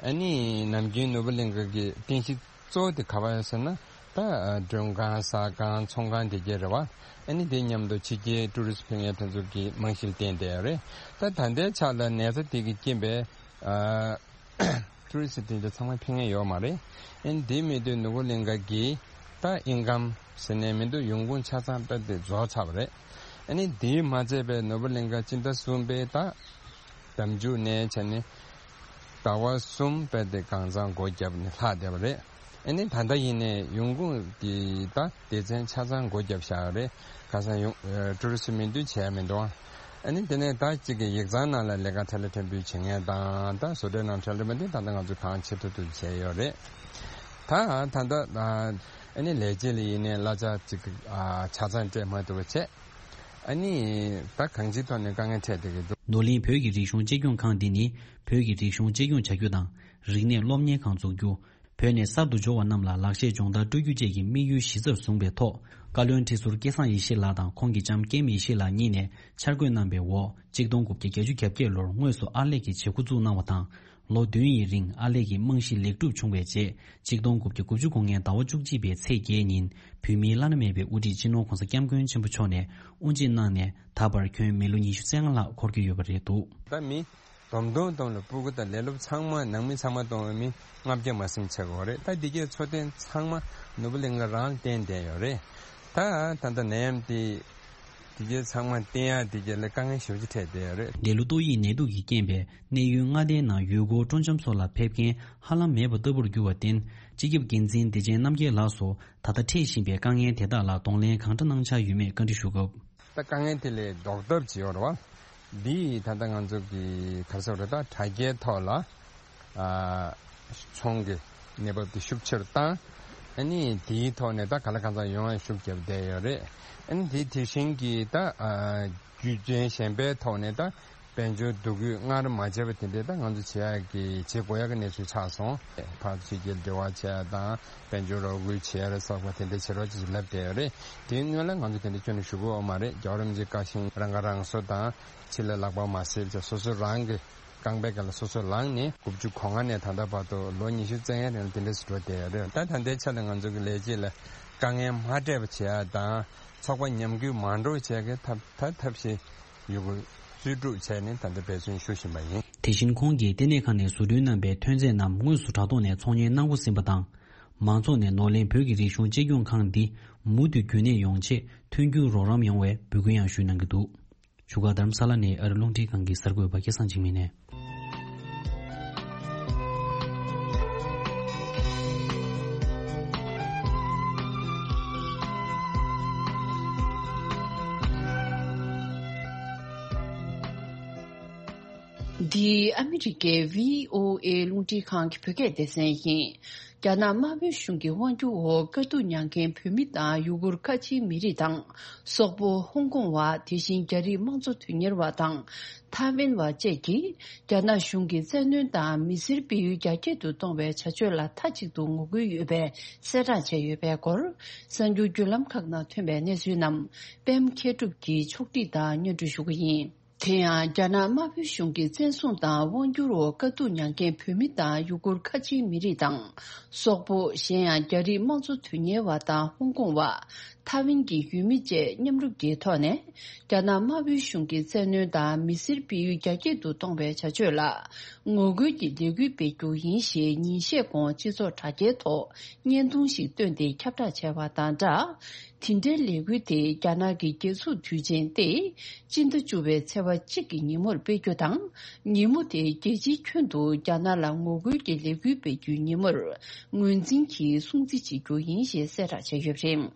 ཨ་ནི་ནམ་རྒྱུན་ནོར་བུ་གླིང་ག་གི་རྟེན་གཞི་གཙོ་བོ་དེ་ག་པར་ཡོད་ཟེར་ན། ད་མགྲོན་ཁང་ཟ་ཁང་ཚོང་ཁང་དེ་གས་རེད་བ། ཨ་ནི་དེ་མཉམ་དུ་ཕྱི་རྒྱལ་ཊུ་རི་སི་ཕེབས་མཁན་དེ་ཚོ་གི་རྨང་གཞི་ལ་བརྟེན་བསྡད་ཡོད་རེད། ད་ད་ལྟའི་ཆ་ལ་ནད་ཚ་དེ་གི་རྐྱེན་པས་ཨ་ཊུ་རི་སི་དེ་འདྲ་ཚང་མ་ཕེབས་མཁན་ཡོད་མ་རེད། ཨ་ནི་དེ་མེད་དུས་ནོར་བུ་གླིང་ག་གི་ད་ཨིན་ཀམ་ཟེར་ནས་མི་འདུག། ཡོང་ཁུངས་ཆ་ཚང་དཔེ་དེ་རྫོགས་ཚར་བ་རེད། ཨ་ནི་དེས་མ་ཚད་པའི་ནོར་བུ་གླིང་ག་སྤྱི་ཟླ་གསུམ་པའི་ད་ཟླ་མཇུག་ནས་བྱས་ནས་ཟླ་བ་གསུམ་དཔེ་དེ་གང་ཚང་སྒོ་བརྒྱབ་ནས་ལྷག་བསྡད་པ་རེད། ཨ་ནི་ད་ལྟ་ཡིན་ནའི་ཡོང་ཁུངས་ཀྱི་ད་སྡེ་ཚན་ཆ་ཚང་སྒོ་བརྒྱབ་བཞག་ཡོད་རེད། ཁ་སང་ཡོང་ཨ་ཊུ་རི་སི་མི་འདུག་བྱས་མི་འདུག། ཨ་ནི་དེ་ནས་ད་གཅིག་གི་ཡིག་ཚང་ནང་ལ་ལས་ཀ་ཐད་ལ་ཐད་འབུལ་བྱེད་མཁན་དང་ད་བཟོ་གྲྭའི་ནང་ཐད་ལ་མི་འདུག། ད་ལྟ་ང་ཚོ་གང་བྱེད་ཐུབ་ཐུབ་བྱས་ཡོད་རེད། ད་ད་ལྟ་ཨ་ནི་ལས་བྱེད་ལ་ཡིན་ནའི་གླ་ཆ་གཅིག་ཨ་ཆ་ཚང་སྤྲད་མ་ཐུབ་པ་བྱས། ཨ་ནི་ད་གང་ཅིའི་ཐོག་ནས་དཀའ་ངལ་འཕྲད་བསྡད་ཀྱི་འདུག། ནོར་གླིང་བོད་ཀྱི་རིག་གཞུང་གཅེས་སྐྱོང་ཁང་འདི་ནི་བོད་ཀྱི་རིག་གཞུང་གཅེས་སྐྱོང་བྱ་རྒྱུ་དང་རིག་གནས་སློབ་གཉེར་ཁང་འཛུགས་རྒྱུ། བོད་ནས་གསར་དུ་འབྱོར་བ་རྣམས་ལ་ལག་ཤེས་སྦྱོང་བརྡར་སྤྲོད་རྒྱུ་བཅས་ཀྱི་དམིགས་ཡུལ་གཞི་རྩར་བཟུང་བའི་ཐོག་བཀའ་བློན་ཁྲི་ཟུར་སྐལ་བཟང་ཡེ་ཤེས་ལགས་དང་ཁོང་གི་ལྕམ་ཀེམ་ཡེ་ཤེས་ལགས་གཉིས་ནས་འཆར་འགོད་གནང་བའི་འོག་གཅིག་སྟོང་དགུ་བརྒྱ་བརྒྱད་ཅུ་གྱ་བརྒྱད་ལོར་དངོས་སུ་ཨར་ལས་ཀྱི་བྱེད་འགོ་བཙུགས་གནང་བ་དང་། ལོ་བདུན་ཡི་རིང་ཨར་ལས་ཀྱི་རྨང་གཞི་ལེགས་གྲུབ་བྱུང་བའི་རྗེས་གཅིག་སྟོང་དགུ་བརྒྱ་དགུ་བཅུ་གོ་ལྔའི་ཟླ་བ་བཅུ་གཅིག་པའི་ཚེས་བརྒྱད་ཉིན་བོད་མིའི་བླ་ན་མེད་པའི་དབུ་ཁྲིད་སྤྱི་ནོར་༧གོང་ས་༧སྐྱབས་མགོན་ཆེན་པོ་མཆོག་ནས་དབུ་འབྱེད་གནང་ནས་ད་བར་ཁྱོན་མི་ལོ་ཉི་ཤུ་རྩ་ལྔ་ལྷག་འཁོར་གྱི་ཡོད་པ་རེད་འདུག། ད་མི་བསྡོམས་བསྡོམས་བསྡོམས་ལ་སྤུ་གུ་དང་ལས་སློབ་ཚང་མ་ནང་མི་ཚང་མ་གཏོང་བའི་མི་ལྔ་བརྒྱ་མ་ཟིན་ཆགས་ཀྱི་ཡོད་རེད། ད་འདི་གའི་འཚོ་རྟེན་ཚང་མ་ནོར་བུ་གླིང་ག་རང་ལ་བརྟེན་བསྡད་ཡོད་རེད། ད་ད་ལྟ་ནད་ཡམས་དེ་འདི་གའི་ཚང་མ་བརྟེན་ཡག་འདི་གའི་ལ་དཀའ་ངལ་ཞེ་པོ་ཅིག་འཕྲད་བསྡད་ཡོད་རེད། འདས་ལོ་ཏོག་དབྱིབས་ནད་དུག་གི་རྐྱེན་པས་གནས་ཡུལ་མངའ་སྡེའི་ནང་ཡུལ་སྐོར་སྤྲོ་འཆམ་སོགས་ལ་ཕེབས་མཁན་ཧ་ལམ་མེད་པ་ལྟ་བུར་གྱུར་བར་བརྟེན་སྤྱི་ཁྱབ་འགན་འཛིན་བདེ་ཆེན་རྣམ་རྒྱལ་ལགས་སུ་ད་ལྟ་འཕྲད་བཞིན་པའི་དཀའ་ངལ་དེ་དག་ལ་གདོང་ལེན་གང་འདྲ་གནང་འཆར་ཡོད་མེད་བཀའ་འདྲི་ཞུ་སྐབས། ད་དཀའ་ངལ་དེ་ལས་ལྡོག་ཐབས་ཅིག་ཡོད་རེད་བ། འདི་ད་ལྟ་ང་ཚོ་གི་ག་རེ་ཟེར་དགོས་རེད། ད་དྲ་རྒྱའི་ཐོག་ལ་ཨ་ཚོང་གི་གནས་བབ་དེ་ཤུགས་ཆེ་རུ་བཏང་། ཨ་ནི་དེའི་ཐོག་ནས་ད་ག་ལ་གང་འཚམ་ཡོང་ཡ་ཤུགས་རྒྱབ་བསྡད་ཡོད་རེད། ཨ་ནི་དེ་དེ་བཞིན་གྱི་ད་ཨ་རྒྱུ་རྐྱེན་གཞན་པའི་ཐོག་ནས་ད་དཔལ་འབྱོར་འདུ་འགོད་སྔར་མ་བྱས་པ་དེ་འདྲའི་ད་ང་ཚོ་བྱེད་ཡག་གི་བྱེད་དགོས་ཡག་གི་གནས་ཚུལ་ཆགས་སོང་། ཕར་ཕྱི་རྒྱལ་འབྲེལ་བ་བྱེད་ཡག་དང་དཔལ་འབྱོར་རོགས་སྐྱོར་བྱེད་ཡག་ལ་སོགས་པ་དེ་འདྲའི་བྱེད་རོགས་ཅིག་ལབ་བསྡད་ཡོད་རེད། དེའི་སྔོན་ལ་ང་ཚོ་དེ་འདྲ་ཁྱོན་ནས་ཞུ་གི་ཡོད་མ་རེད། རྒྱལ་བ་རིན་པོ་ཆེ་བཀའ་བཞིན་རང་ཁ་རང་གསོ་དང་ཕྱི་ལ་ལག་པ་མ་བསྲེགས་བྱས་སོ་སོ་རང་གི་རྐང་པའི་སྒང་ལ་སོ་སོ་ལངས་ནས་དགུ་བཅུ་གོ་ལྔ་ནས་ད་ལྟ་བར་དུ་ལོ་ཉི་ཤུ་རྩ་ལྔའི་རིང་ལ་དེ་འདྲ་ཞིག་འགྲོ་བསྡད་ཡོད་རེད། ད་ད་ལྟའི་ཆ་ལ་ང་ཚོ་གི་ལས་བྱེད་ལ་དཀའ་ངལ་མ་སྤྲད་པ་བྱེད་ཡག་དང་ཚོགས་པ་ཉམས་རྒུད་མ་འགྲོ་བྱེད་ཡག་གི་ཐབས་ད་ཐབས་ཤེས་ཡོད་དགུ་རྩལ་སྤྲུགས་བྱས་ནས་ད་ལྟ་འབད་བརྩོན་ཞུ་བཞིན་པ་ཡིན། དེ་བཞིན་ཁོང་གིས་ལྟེ་གནས་ཁང་ནས་བཟོ་སྐྲུན་གནང་པའི་ཐོན་རྫས་རྣམས་དངོས་སུ་དྲ་ཐོག་ནས་ཚོང་གཉེར་གནང་འགོ་ཟིན་པ་དང་། མང་ཚོགས་ནས་ནོར་གླིང་བོད་ཀྱི་རིག་གཞུང་གཅེས་སྐྱོང་ཁང་འདི་མུ་མཐུད་རྒྱུན་གནས་ཡོང་ཆེད་མཐུན་འགྱུར་རོགས་རམ་ཡོང་བའི་འབོད་སྐུལ་ཡང་ཞུས་གནང་གི་འདུག། བཞུགས་སྒར་རྡ་རམ་ས་ལ་ནས་ཨ་རི་རླུང་འཕྲིན་ཁང་གི་གསར་འགོད་པ་སྐལ་བཟང་འཇིགས་མེད་ནས། འདི་ཨ་མི་རི་ཀའི་བྷི་ཨོ་ཨེ་རླུང་འཕྲིན་ཁང་གི་བོད་སྐད་སྡེ་ཚན་ཡིན། རྒྱ་ནག་དམར་པོའི་གཞུང་གི་དབང་སྒྱུར་འོག་དཀའ་སྡུག་མྱངས་མཁན་བོད་མི་དང་ཡུ་གུར་ཁ་ཆེའི་མི་རིགས་དང་། སོག་པོ། ཧོང་ཀོང་བ། དེ་བཞིན་རྒྱ་རིགས་དམངས་གཙོ་དོན་གཉེར་བ་དང་། ཐའེ་ཝན་བ་བཅས་ཀྱིས་རྒྱ་ནག་གཞུང་གིས་བཙན་གནོན་དང་མི་སེར་སྤེལ་ཡུལ་རྒྱ་སྐྱེད་དུ་གཏོང་བའི་བྱ་སྤྱོད་ལ་མཐའ་གཅིག་ཏུ་ངོ་རྒོལ་ཡོད་པའི་གསལ་བསྒྲགས་བྱས་ཡོད་པའི་སྐོར། གསར་འགྱུར་བརྒྱུད་ལམ་ཁག་ནང་ཐོན་པའི་གནས་ཚུལ་རྣམས་པད་མ་མཁས་གྲུབ་ཀྱིས་ཕྱོགས་སྒྲིག་དང་སྙན་སྒྲོན་ཞུ་གི་ཡིན། དེ་ཡང་རྒྱ་ནག་དམར་པོའི་གཞུང་གི་བཙན་བཟུང་དང་དབང་བསྒྱུར་འོག་དཀའ་སྡུག་མྱངས་མཁན་བོད་མི་དང་ཡུ་གུར་ཁ་ཆེའི་མི་རིགས་དང་། སོག་པོ། གཞན་ཡང་རྒྱ་རིགས་དམངས་གཙོ་དོན་གཉེར་བ་དང་ཧོང་ཀོང་བ། ཐའེ་ཝན་གྱི་ཡུལ་མི་བཅས་མཉམ་རུབ་ཀྱི་ཐོག་ནས། རྒྱ་ནག་དམར་པོའི་གཞུང་གི་བཙན་གནོན་དང་མི་སེར་སྤེལ་ཡུལ་རྒྱ་སྐྱེད་དུ་གཏོང་བའི་བྱ་སྤྱོད་ལ། ངོ་རྒོལ་གྱི་ལས་འགུལ་སྤེལ་རྒྱུ་ཡིན་ཞེས་ཉིན་ཤས་གོང་སྤྱི་ཚོགས་དྲ་རྒྱའི་ཐོག་བརྙན་ཐུང་ཞིག་བཏོན་ཏེ་ཁྱབ་བསྒྲགས་བྱས་པ་དང་སྦྲགས། དེ་འབྲེལ་ལས་འགུལ་དེ་རྒྱ་ནག་གི་རྒྱལ་འཛུགས་དུས་ཆེན་ཏེ། སྤྱི་ཟླ་བཅུ་པའི་ཚེས་པ་གཅིག་གི་ཉིན་མོར་སྤེལ་རྒྱུ་དང་། ཉིན་མོ་དེ་རྒྱལ་སྤྱིའི་ཁྱོན་དུ་རྒྱ་ནག་ལ་ངོ་རྒོལ་གྱི་ལས་འགུལ་སྤེལ་རྒྱུའི་ཉིན་མོར་ངོས་འཛིན་གྱིས་སྲུང་བརྩི་བྱེད་རྒྱུ་ཡིན་ཞེས་གསལ་བསྒྲགས་བྱས་ཡོད་པ་རེད།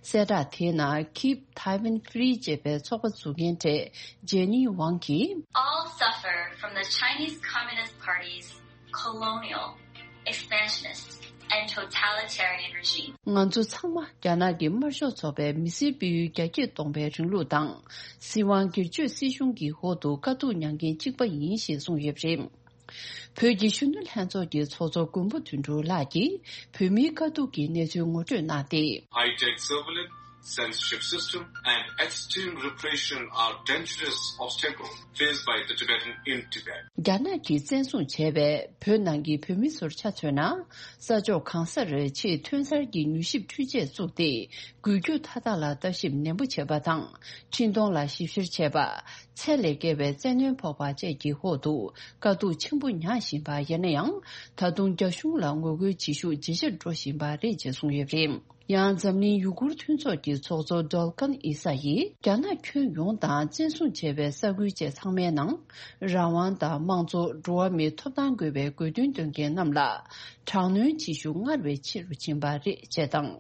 གསལ་བསྒྲགས་དེའི་ནང་Keep Taiwan Free ཅེས་པའི་ཚོགས་པ་འཛུགས་མཁན་གྲས་ཇེ་ནི་ཝང་གིས། All suffer from the Chinese Communist Party's colonial, expansionist, and totalitarian regime. ང་ཚོ་ཚང་མ་རྒྱ་ནག་གི་དམར་ཤོག་ཚོགས་པའི་མི་སེར་སྤེལ་ཡུལ་རྒྱ་སྐྱེད་གཏོང་བའི་རིང་ལུགས་དང་། སྲིད་དབང་སྒེར་གཅོད་སྲིད་གཞུང་གི་འོག་ཏུ་དཀའ་སྡུག་མྱངས་མཁན་གཅིག་པ་ཡིན་ཞེས་གསུངས་ཡོད་པ་རེད། བོད་ཀྱི་གཞོན་ནུ་ལྷན་ཚོགས་ཀྱི་ཚོགས་གཙོ་མགོན་པོ་དོན་གྲུབ་ལགས་ཀྱིས་བོད་མིའི་དཀའ་སྡུག་གི་གནས་ཚུལ་ངོ་སྤྲོད་གནང་སྟེ། High-tech surveillance, censorship system, and extreme repression are dangerous obstacles faced by the Tibetan in Tibet. རྒྱ་ནག་གིས་བཙན་བཟུང་བྱས་པའི་བོད་ནང་གི་བོད་མི་ཚོར་ཆ་མཚོན་ན། ས་ཕྱོགས་གང་སར་ཆེས་ཐོན་གསར་གྱི་མྱུལ་ཞིབ་འཕྲུལ་ཆས་བཙུགས་ཏེ། འགུལ་སྐྱོད་མཐའ་དག་ལ་ལྟ་ཞིབ་ནན་པོ་བྱས་པ་དང་། འཕྲིན་གཏོང་ལ་ཞིབ་བཤེར་བྱས་པ། ཚད་ལས་བརྒལ་བའི་བཙན་གནོན་ཕོག་པ་བཅས་ཀྱི་འོག་ཏུ་དཀའ་སྡུག་ཆེན་པོ་མྱངས་བཞིན་པ། ཡིན་ན་ཡང་། ད་དུང་རྒྱ་གཞུང་ལ་ངོ་རྒོལ་བྱེད་ཤུགས་ཇེ་ཆེར་འགྲོ་བཞིན་པ་རེད་ཅེས་གསུངས་ཡོད་པ་རེད། ཡང་འཛམ་གླིང་ཡུ་གུར་མཐུན་ཚོགས་ཀྱི་ཚོགས་གཙོ་ཌོལ་ཀན་ཨི་ས་ཡིས། རྒྱ་ནག་ཁྱོན་ཡོངས་དང་བཙན་བཟུང་བྱས་པའི་ས་ཁུལ་བཅས་ཚང་མའི་ནང་། རང་དབང་དང་དམངས་གཙོ། འགྲོ་བ་མིའི་ཐོབ་ཐང་དགོས་པའི་དགོས་འདུན་འདོན་མཁན་རྣམས་ལ། དྲག་གནོན་བྱེད་ཤུགས་སྔར་བས་ཆེ་རུ་ཕྱིན་པ་རེད་ཅེས་དང་།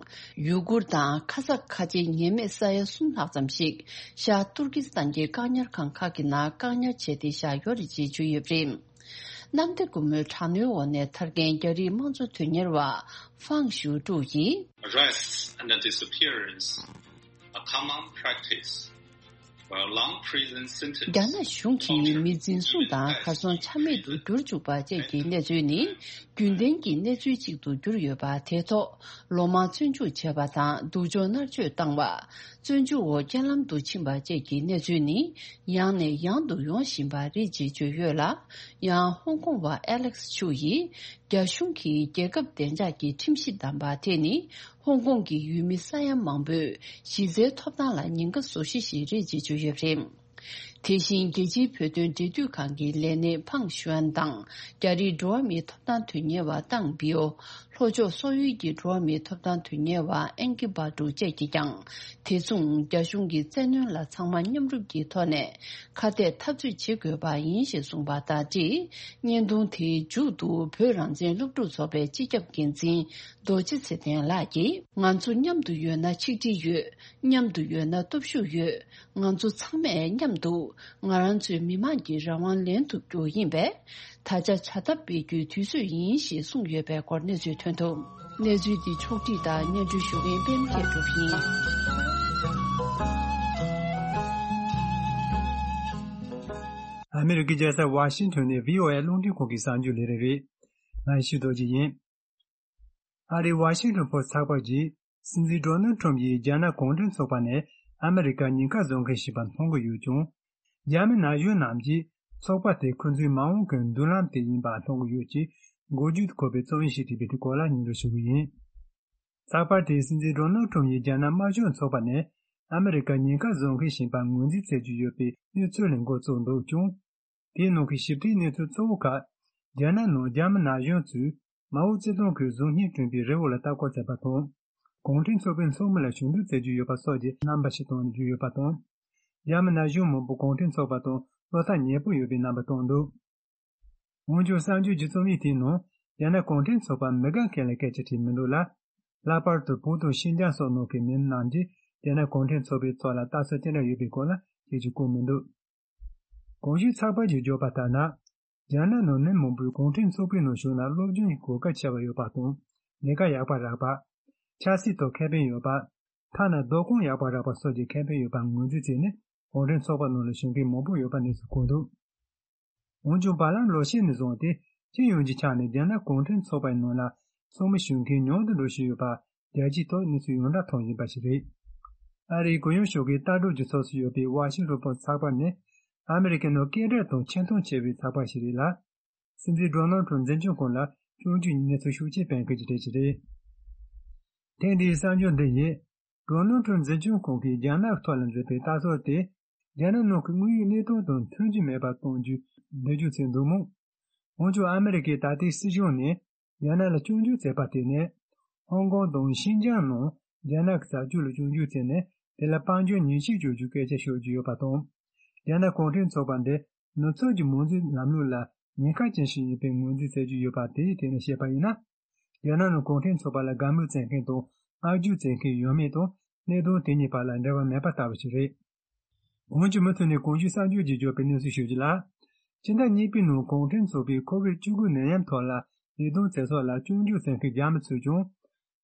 ཡུ་གུར་དང་ཁ་ས་ཁ་ཆེའི་ཉེས་མེད་ས་ཡ་གསུམ་ལྷག་ཙམ་ཞིག་ཤར་ཏུར་ཀི་སི་ཐན་གྱི་བཀག་ཉར་ཁང་ཁག་གི་ནང་བཀག་ཉར་བྱས་ཏེ་བཞག་ཡོད་རེད་ཅེས་བརྗོད་ཡོད་པ་རེད། གནམ་བདེ་སྒོ་མོའི་དྲག་གནོན་འོག་ནས་ཐར་མཁན་རྒྱ་རིགས་དམངས་གཙོ་དོན་གཉེར་བ་ཧྥང་ཞུ་ཀྲུའུ་ཡིས། Arrests and the disappearance are common practice, while long prison sentences རྒྱ་ནག་གཞུང་གིས་མི་འཛིན་བཟུང་དང་གར་སོང་ཆ་མེད་དུ་གྱུར་བཅུག་པ་བཅས་ཀྱི་གནས་ཚུལ་ནི། རྒྱུན་ལྡན་གྱི་གནས་ཚུལ་ཅིག་ཏུ་གྱུར་ཡོད་པ། དེ་ཐོག་ལོ་མང་བཙོན་འཇུག་བྱས་པ་དང་། སྡུག་སྦྱོང་མནར་གཅོད་བཏང་བ། བཙོན་འཇུག་འོག་རྐྱེན་ལམ་དུ་ཕྱིན་པ་བཅས་ཀྱི་གནས་ཚུལ་ནི། ཡང་ནས་ཡང་དུ་ཡོང་བཞིན་པ་རེད་ཅེས་བརྗོད་ཡོད་ལ། ཡང་ཧོང་ཀོང་བ་ཨེ་ལེག་སི་ཆུ་ཡིས། རྒྱ་གཞུང་གིས་རྒྱལ་ཁབ་བདེ་འཇགས་ཀྱི་ཁྲིམས་གཞི་བསྡམས་པ་དེ་ནི། ཧོང་ཀོང་གི་ཡུལ་མི་ས་ཡ་མང་པོས་གཞི་རྩའི་ཐོབ་ཐང་ལ་ཉེན་ཁ་བཟོ་གཞི་ཞིག་རེད་ཅེས་བརྗོད་ཡོད་པ་རེད། དེ་བཞིན་རྒྱལ་སྤྱིའི་བོད་དོན་འབྲེལ་མཐུད་ཁང་གི་ལས་སྣེ་ཕང་ཞུའན་དང་། རྒྱ་རིགས་འགྲོ་བ་མིའི་ཐོབ་ཐང་དོན་གཉེར་བ་ཏང་བི་ཨོ། ལྷོ་ཕྱོགས་སོག་ཡུལ་གྱི་འགྲོ་བ་མིའི་ཐོབ་ཐང་དོན་གཉེར་བ་ཨེན་ཀི་བྷ་ཀྲུ་བཅས་ཀྱིས་ཀྱང་། དེ་མཚུངས་རྒྱ་གཞུང་གི་བཙན་གནོན་ལ་ཚང་མ་མཉམ་རུབ་ཀྱི་ཐོག་ནས་ཁ་གཏད་འཐབ་རྩོད་བྱེད་དགོས་པ་ཡིན་ཞེས་གསུངས་པ་དང་འབྲེལ། བརྙན་ཐུང་དེའི་མཇུག་ཏུ་བོད་རང་བཙན་སློབ་ཕྲུག་ཚོགས་པའི་སྤྱི་ཁྱབ་འགན་འཛིན་རྡོ་རྗེ་ཚེ་བརྟན་ལགས་ཀྱིས། ང་ཚོ་མཉམ་དུ་ཡོད་ན་ཆིག་སྒྲིལ་ཡོད། མཉམ་དུ་ཡོད་ན་སྟོབས་ཤུགས་ཡོད། ང་ཚོ་ཚང་མས་མཉམ་དུ་ང་རང་ཚོའི་མི་དམངས་ཀྱི་རང་དབང་ལེན་ཐུབ་རྒྱུ་ཡིན་པས། ད་ཆ་བྱ་ཐབས་སྤེལ་རྒྱུའི་དུས་ཚོད་ཡིན་ཞེས་གསུངས་ཡོད་པའི་སྐོར་གནས་ཚུལ་ཐོན་འདུག་གནས་ཚུལ་འདི་ཕྱོགས་བསྒྲིགས་དང་སྙན་སྒྲོན་ཞུ་མཁན་པད་མ་མཁས་གྲུབ་ཡིན། ཨ་མི་རི་ཀའི་རྒྱལ་ས་ཝ་ཤིང་ཊོན་ནས་བྷི་ཨོ་ཨེ་རླུང་འཕྲིན་ཁང་གི་གསར་འགྱུར་ལས་རིམ་རེད། ང་ཡེ་ཤེས་རྡོ་རྗེ་ཡིན། ཨ་རིའི་ཝ་ཤིང་ཊོན་ཕོ་སི་ཚགས་པར་གྱིས། སྲིད་འཛིན་ཌོ་ནལ་ཊམ་ཡིས་རྒྱ་ནག་གུང་ཁྲན་ཚོགས་པ་ནས་ཨ་མི་རི་ཀར་ཉེན་ཁ་བཟོ་མཁན་ཞིག་པ་མཐོང་གི་ཡོད་ཀྱང་། རྒྱ་མི་ན་གཞོན་རྣམས་ཀྱིས་ཚོགས་པ་དེ་ཁོ་ཚོའི་མ་འོངས་ཀྱི་མདུན་ལམ་དེ་ཡིན་པ་མཐོང་གི་ཡོད་ཅེས་འགོ་བརྗོད་དུ་འཁོད་པའི་རྩོམ་ཡིག་ཞིག་བྲིས་པའི་དེ་སྐོར་ལ་སྙན་སྒྲོན་ཞུ་གི་ཡིན། ཚགས་པར་དེས་སྲིད་འཛིན་ཌོ་ནལ་ཊམ་ཡིས་རྒྱ་ནག་དམར་གཞུང་ཚོགས་པ་ནས་ཨ་མི་རི་ཀར་ཉེན་ཁ་བཟོ་མཁན་ཞིག་པ་ངོས་འཛིན་མཛད་ཀྱི་ཡོད་པའི་གནས་ཚུལ་ལས་འགོ་བཙུགས་འདུག་ཀྱང་། དེའི་ནང་གི་ཞིབ་ཕྲའི་གནས་ཚུལ་གཙོ་བོ་ཁག་རྒྱ་ནག་ནང་རྒྱ་མི་ན་གཞོན་ཚོས་མའོ་ཙེ་ཏུང་གིས་གཟུགས་བརྙན་བསྐྲུན་པའི་རི་བོ་ལ་ལྟ་སྐོར་མཛད་པ་དང་། གུང་ཁྲན་ཚོགས་པའི་ཚོགས་མི་ལ་ཞུ་གཏུག་མཛད་ཀྱི་ཡོད་པ་སོགས་ཀྱི་རྣམ་པ་ཞིག་བཏོན་ཡོད་པ་དང་། རྒྱ་མི་ན་གཞོན་མང་པོ་གུང་ཁྲན་ཚོགས་པ་དང་བློ་ཐག་ཉེ་པོ་ཡོད་པའི་རྣམ་པ་བཏོན་འདུག་འོན་ཀྱང་གསར་འགྱུར་གྱི་རྩོམ་ཡིག་དེའི་ནང་རྒྱ་ནག་གུང་ཁྲན་ཚོགས་པ་མི་དགའ་མཁན་ལ་སྐད་ཆ་དྲིས་མི་འདུག་ལ། ལྷག་པར་དུ་བོད་དང་ཤིན་ཅང་སོགས་ནང་གི་མི་རྣམས་ཀྱིས་རྒྱ་ནག་གུང་ཁྲན་ཚོགས་པའི་ཐོག་ལ་ལྟ་ཚུལ་ཅི་འདྲ་ཡོད་པའི་སྐོར་ལ་སྐད་ཆ་བཀོད་མི་འདུག་གོང་ཞུས་ཚགས་པར་གྱིས་བརྗོད་པ་ལྟར་ན། རྒྱ་ནག་ནང་མི་མང་པོས་གུང་ཁྲན་ཚོགས་པའི་ནང་ཞུགས་ན་སློབ་སྦྱོང་གི་གོ་སྐབས་ཆེ་བ་ཡོད་པ་དང་། ལས་ཀ་ཡག་པ་རག་པ། ཆབ་སྲིད་ཐོག་ཁེ་ཕན་ཡོད་པ། ཐ་ན་སྡོད་ཁང་ཡག་པ་རག་པ་སོགས་ཀྱི་ཁེ་ཕན་ཡོད་པ་ངོས་འཛིན་བྱས་ནས་གུང་ཁྲན་ཚོགས་པ་ནང་ལ་ཞུགས་མཁན་མང་པོ་ཡོད་པ་གནས་ཚུལ་གོ་འདུག་འོན་ཀྱང་། བར་ལམ་ལོ་ཤས་ནས་བཟུང་སྟེ་སྤྱི་ཡོངས་ཀྱི་ཆ་ནས་རྒྱ་ནག་གུང་ཁྲན་ཚོགས་པའི་ནང་ལ་ཚོགས་མི་ཞུགས་མཁན་ཉུང་དུ་འགྲོ་བཞིན་ཡོད་པ་རྒྱལ་སྤྱིའི་ཐོག་གནས་ཚུལ་ཡོངས་གྲགས་ཐོན་བཞིན་པ་ཞིག་རེད། ཨ་རིའི་གུ་ཡངས་ཤོག་གི་ལྟ་གྲུབ་ཀྱི་ཚོགས་སུ་ཡོད་པའི་ཝ་ཤིང་ཊོན་པོ་སི་ཚགས་པར་ནས། ཨ་མི་རི་ཀའི་ནང་སྐད་གྲགས་དང་ཆེ་མཐོང་ཆེ་བའི་ཚགས་པར་ཞིག་རེད་ལ། སྲིད་འཛིན་ཌོ་ནལ་ཊམ་འཛིན་སྐྱོང་ཁང་ལ་སྐྱོན་བརྗོད་ཀྱི་གནས་ཚུལ་ཤུགས་ཆེ་སྤེལ་མཁན་ཞིག་རེད་ཅེས་རེད། ཐེངས་འདིའི་གསར་འགྱུར་འདི་ཡིས། ཌོ་ནལ་ཊམ་འཛིན་སྐྱོང་ཁང་གིས་རྒྱ་ནག་ཐོག་ལ་མཛད་པའི་ལྟ་ཚུལ་དེ། རྒྱ་ནག་ནང་གི་དངོས་ཡོད་གནས་སྟངས་དང་མཐུན་གྱི་མེད་པ་གཏོང་རྒྱུའི་འགྲེལ་བརྗོད་བྱས་འདུག་མོད། འོན་ཀྱང་ཨ་མི་རི་ཀའི་ད་ལྟའི་སྲིད་གཞུང་ནས་རྒྱ་ནག་ལ་སྐྱོན་བརྗོད་བྱས་པ་དེ་ནི། ཧོང་ཀོང་དང་ཤིན་ཅང་ནང་རྒྱ་ནག་གི་བྱ་སྤྱོད་ལ་སྐྱོན་བརྗོད་བྱས་ནས་དེ་ལ་དཔལ་འབྱོར་ཉེས་ཆད་གཅོད་རྒྱུའི་སྐད་ཆ་ཤོད་ཀྱི་ཡོད་པ་དང་། རྒྱ་ནག་གུང་ཁྲན་ཚོགས་པ་འདི་ནུབ་ཕྱོགས་ཀྱི་མང་གཙོའི་ལམ་ལུགས་ལ་ཉེན་ཁ་ཅན་ཞིག་ཡིན་པའི་ངོས་འཛིན་བྱེད་ཀྱི་ཡོད་པ་དེའི་ཐད་ནས་བཤད་པ་ཡིན་ན། རྒྱ་ནག་ནང་གུང་ཁྲན་ཚོགས་པ་ལ་དགའ་མོས་བྱེད་མཁན་དང་བསྔགས་བརྗོད་བྱེད་མཁན་ཡོད་མེད་དང་། གནད་དོན་དེ་གཉིས་བར་ལ་འབྲེལ་བ་མེད་པ་ལྟ་བུ་ཞིག་རེད། འོན་ཀྱང་མུ་མཐུད་ནས་གོང་ཞུས་གསར་འགྱུར་གྱིས་བརྗོད་པའི་གནས་ཚུལ་ཞིག་ལ། ཕྱི་ཟླ་གཉིས་པའི་ནང་གུང་ཁྲན་ཚོགས་པའི་ཁོ་བིཌ་བཅུ་དགུ་ནད་ཡམས་ཐོག་ལ་ལས་དོན་བྱེད་ཕྱོགས་ལ་སྐྱོན་བརྗོད་བྱེད་མཁན་རྒྱ་མི་ཚོས་ཀྱང་།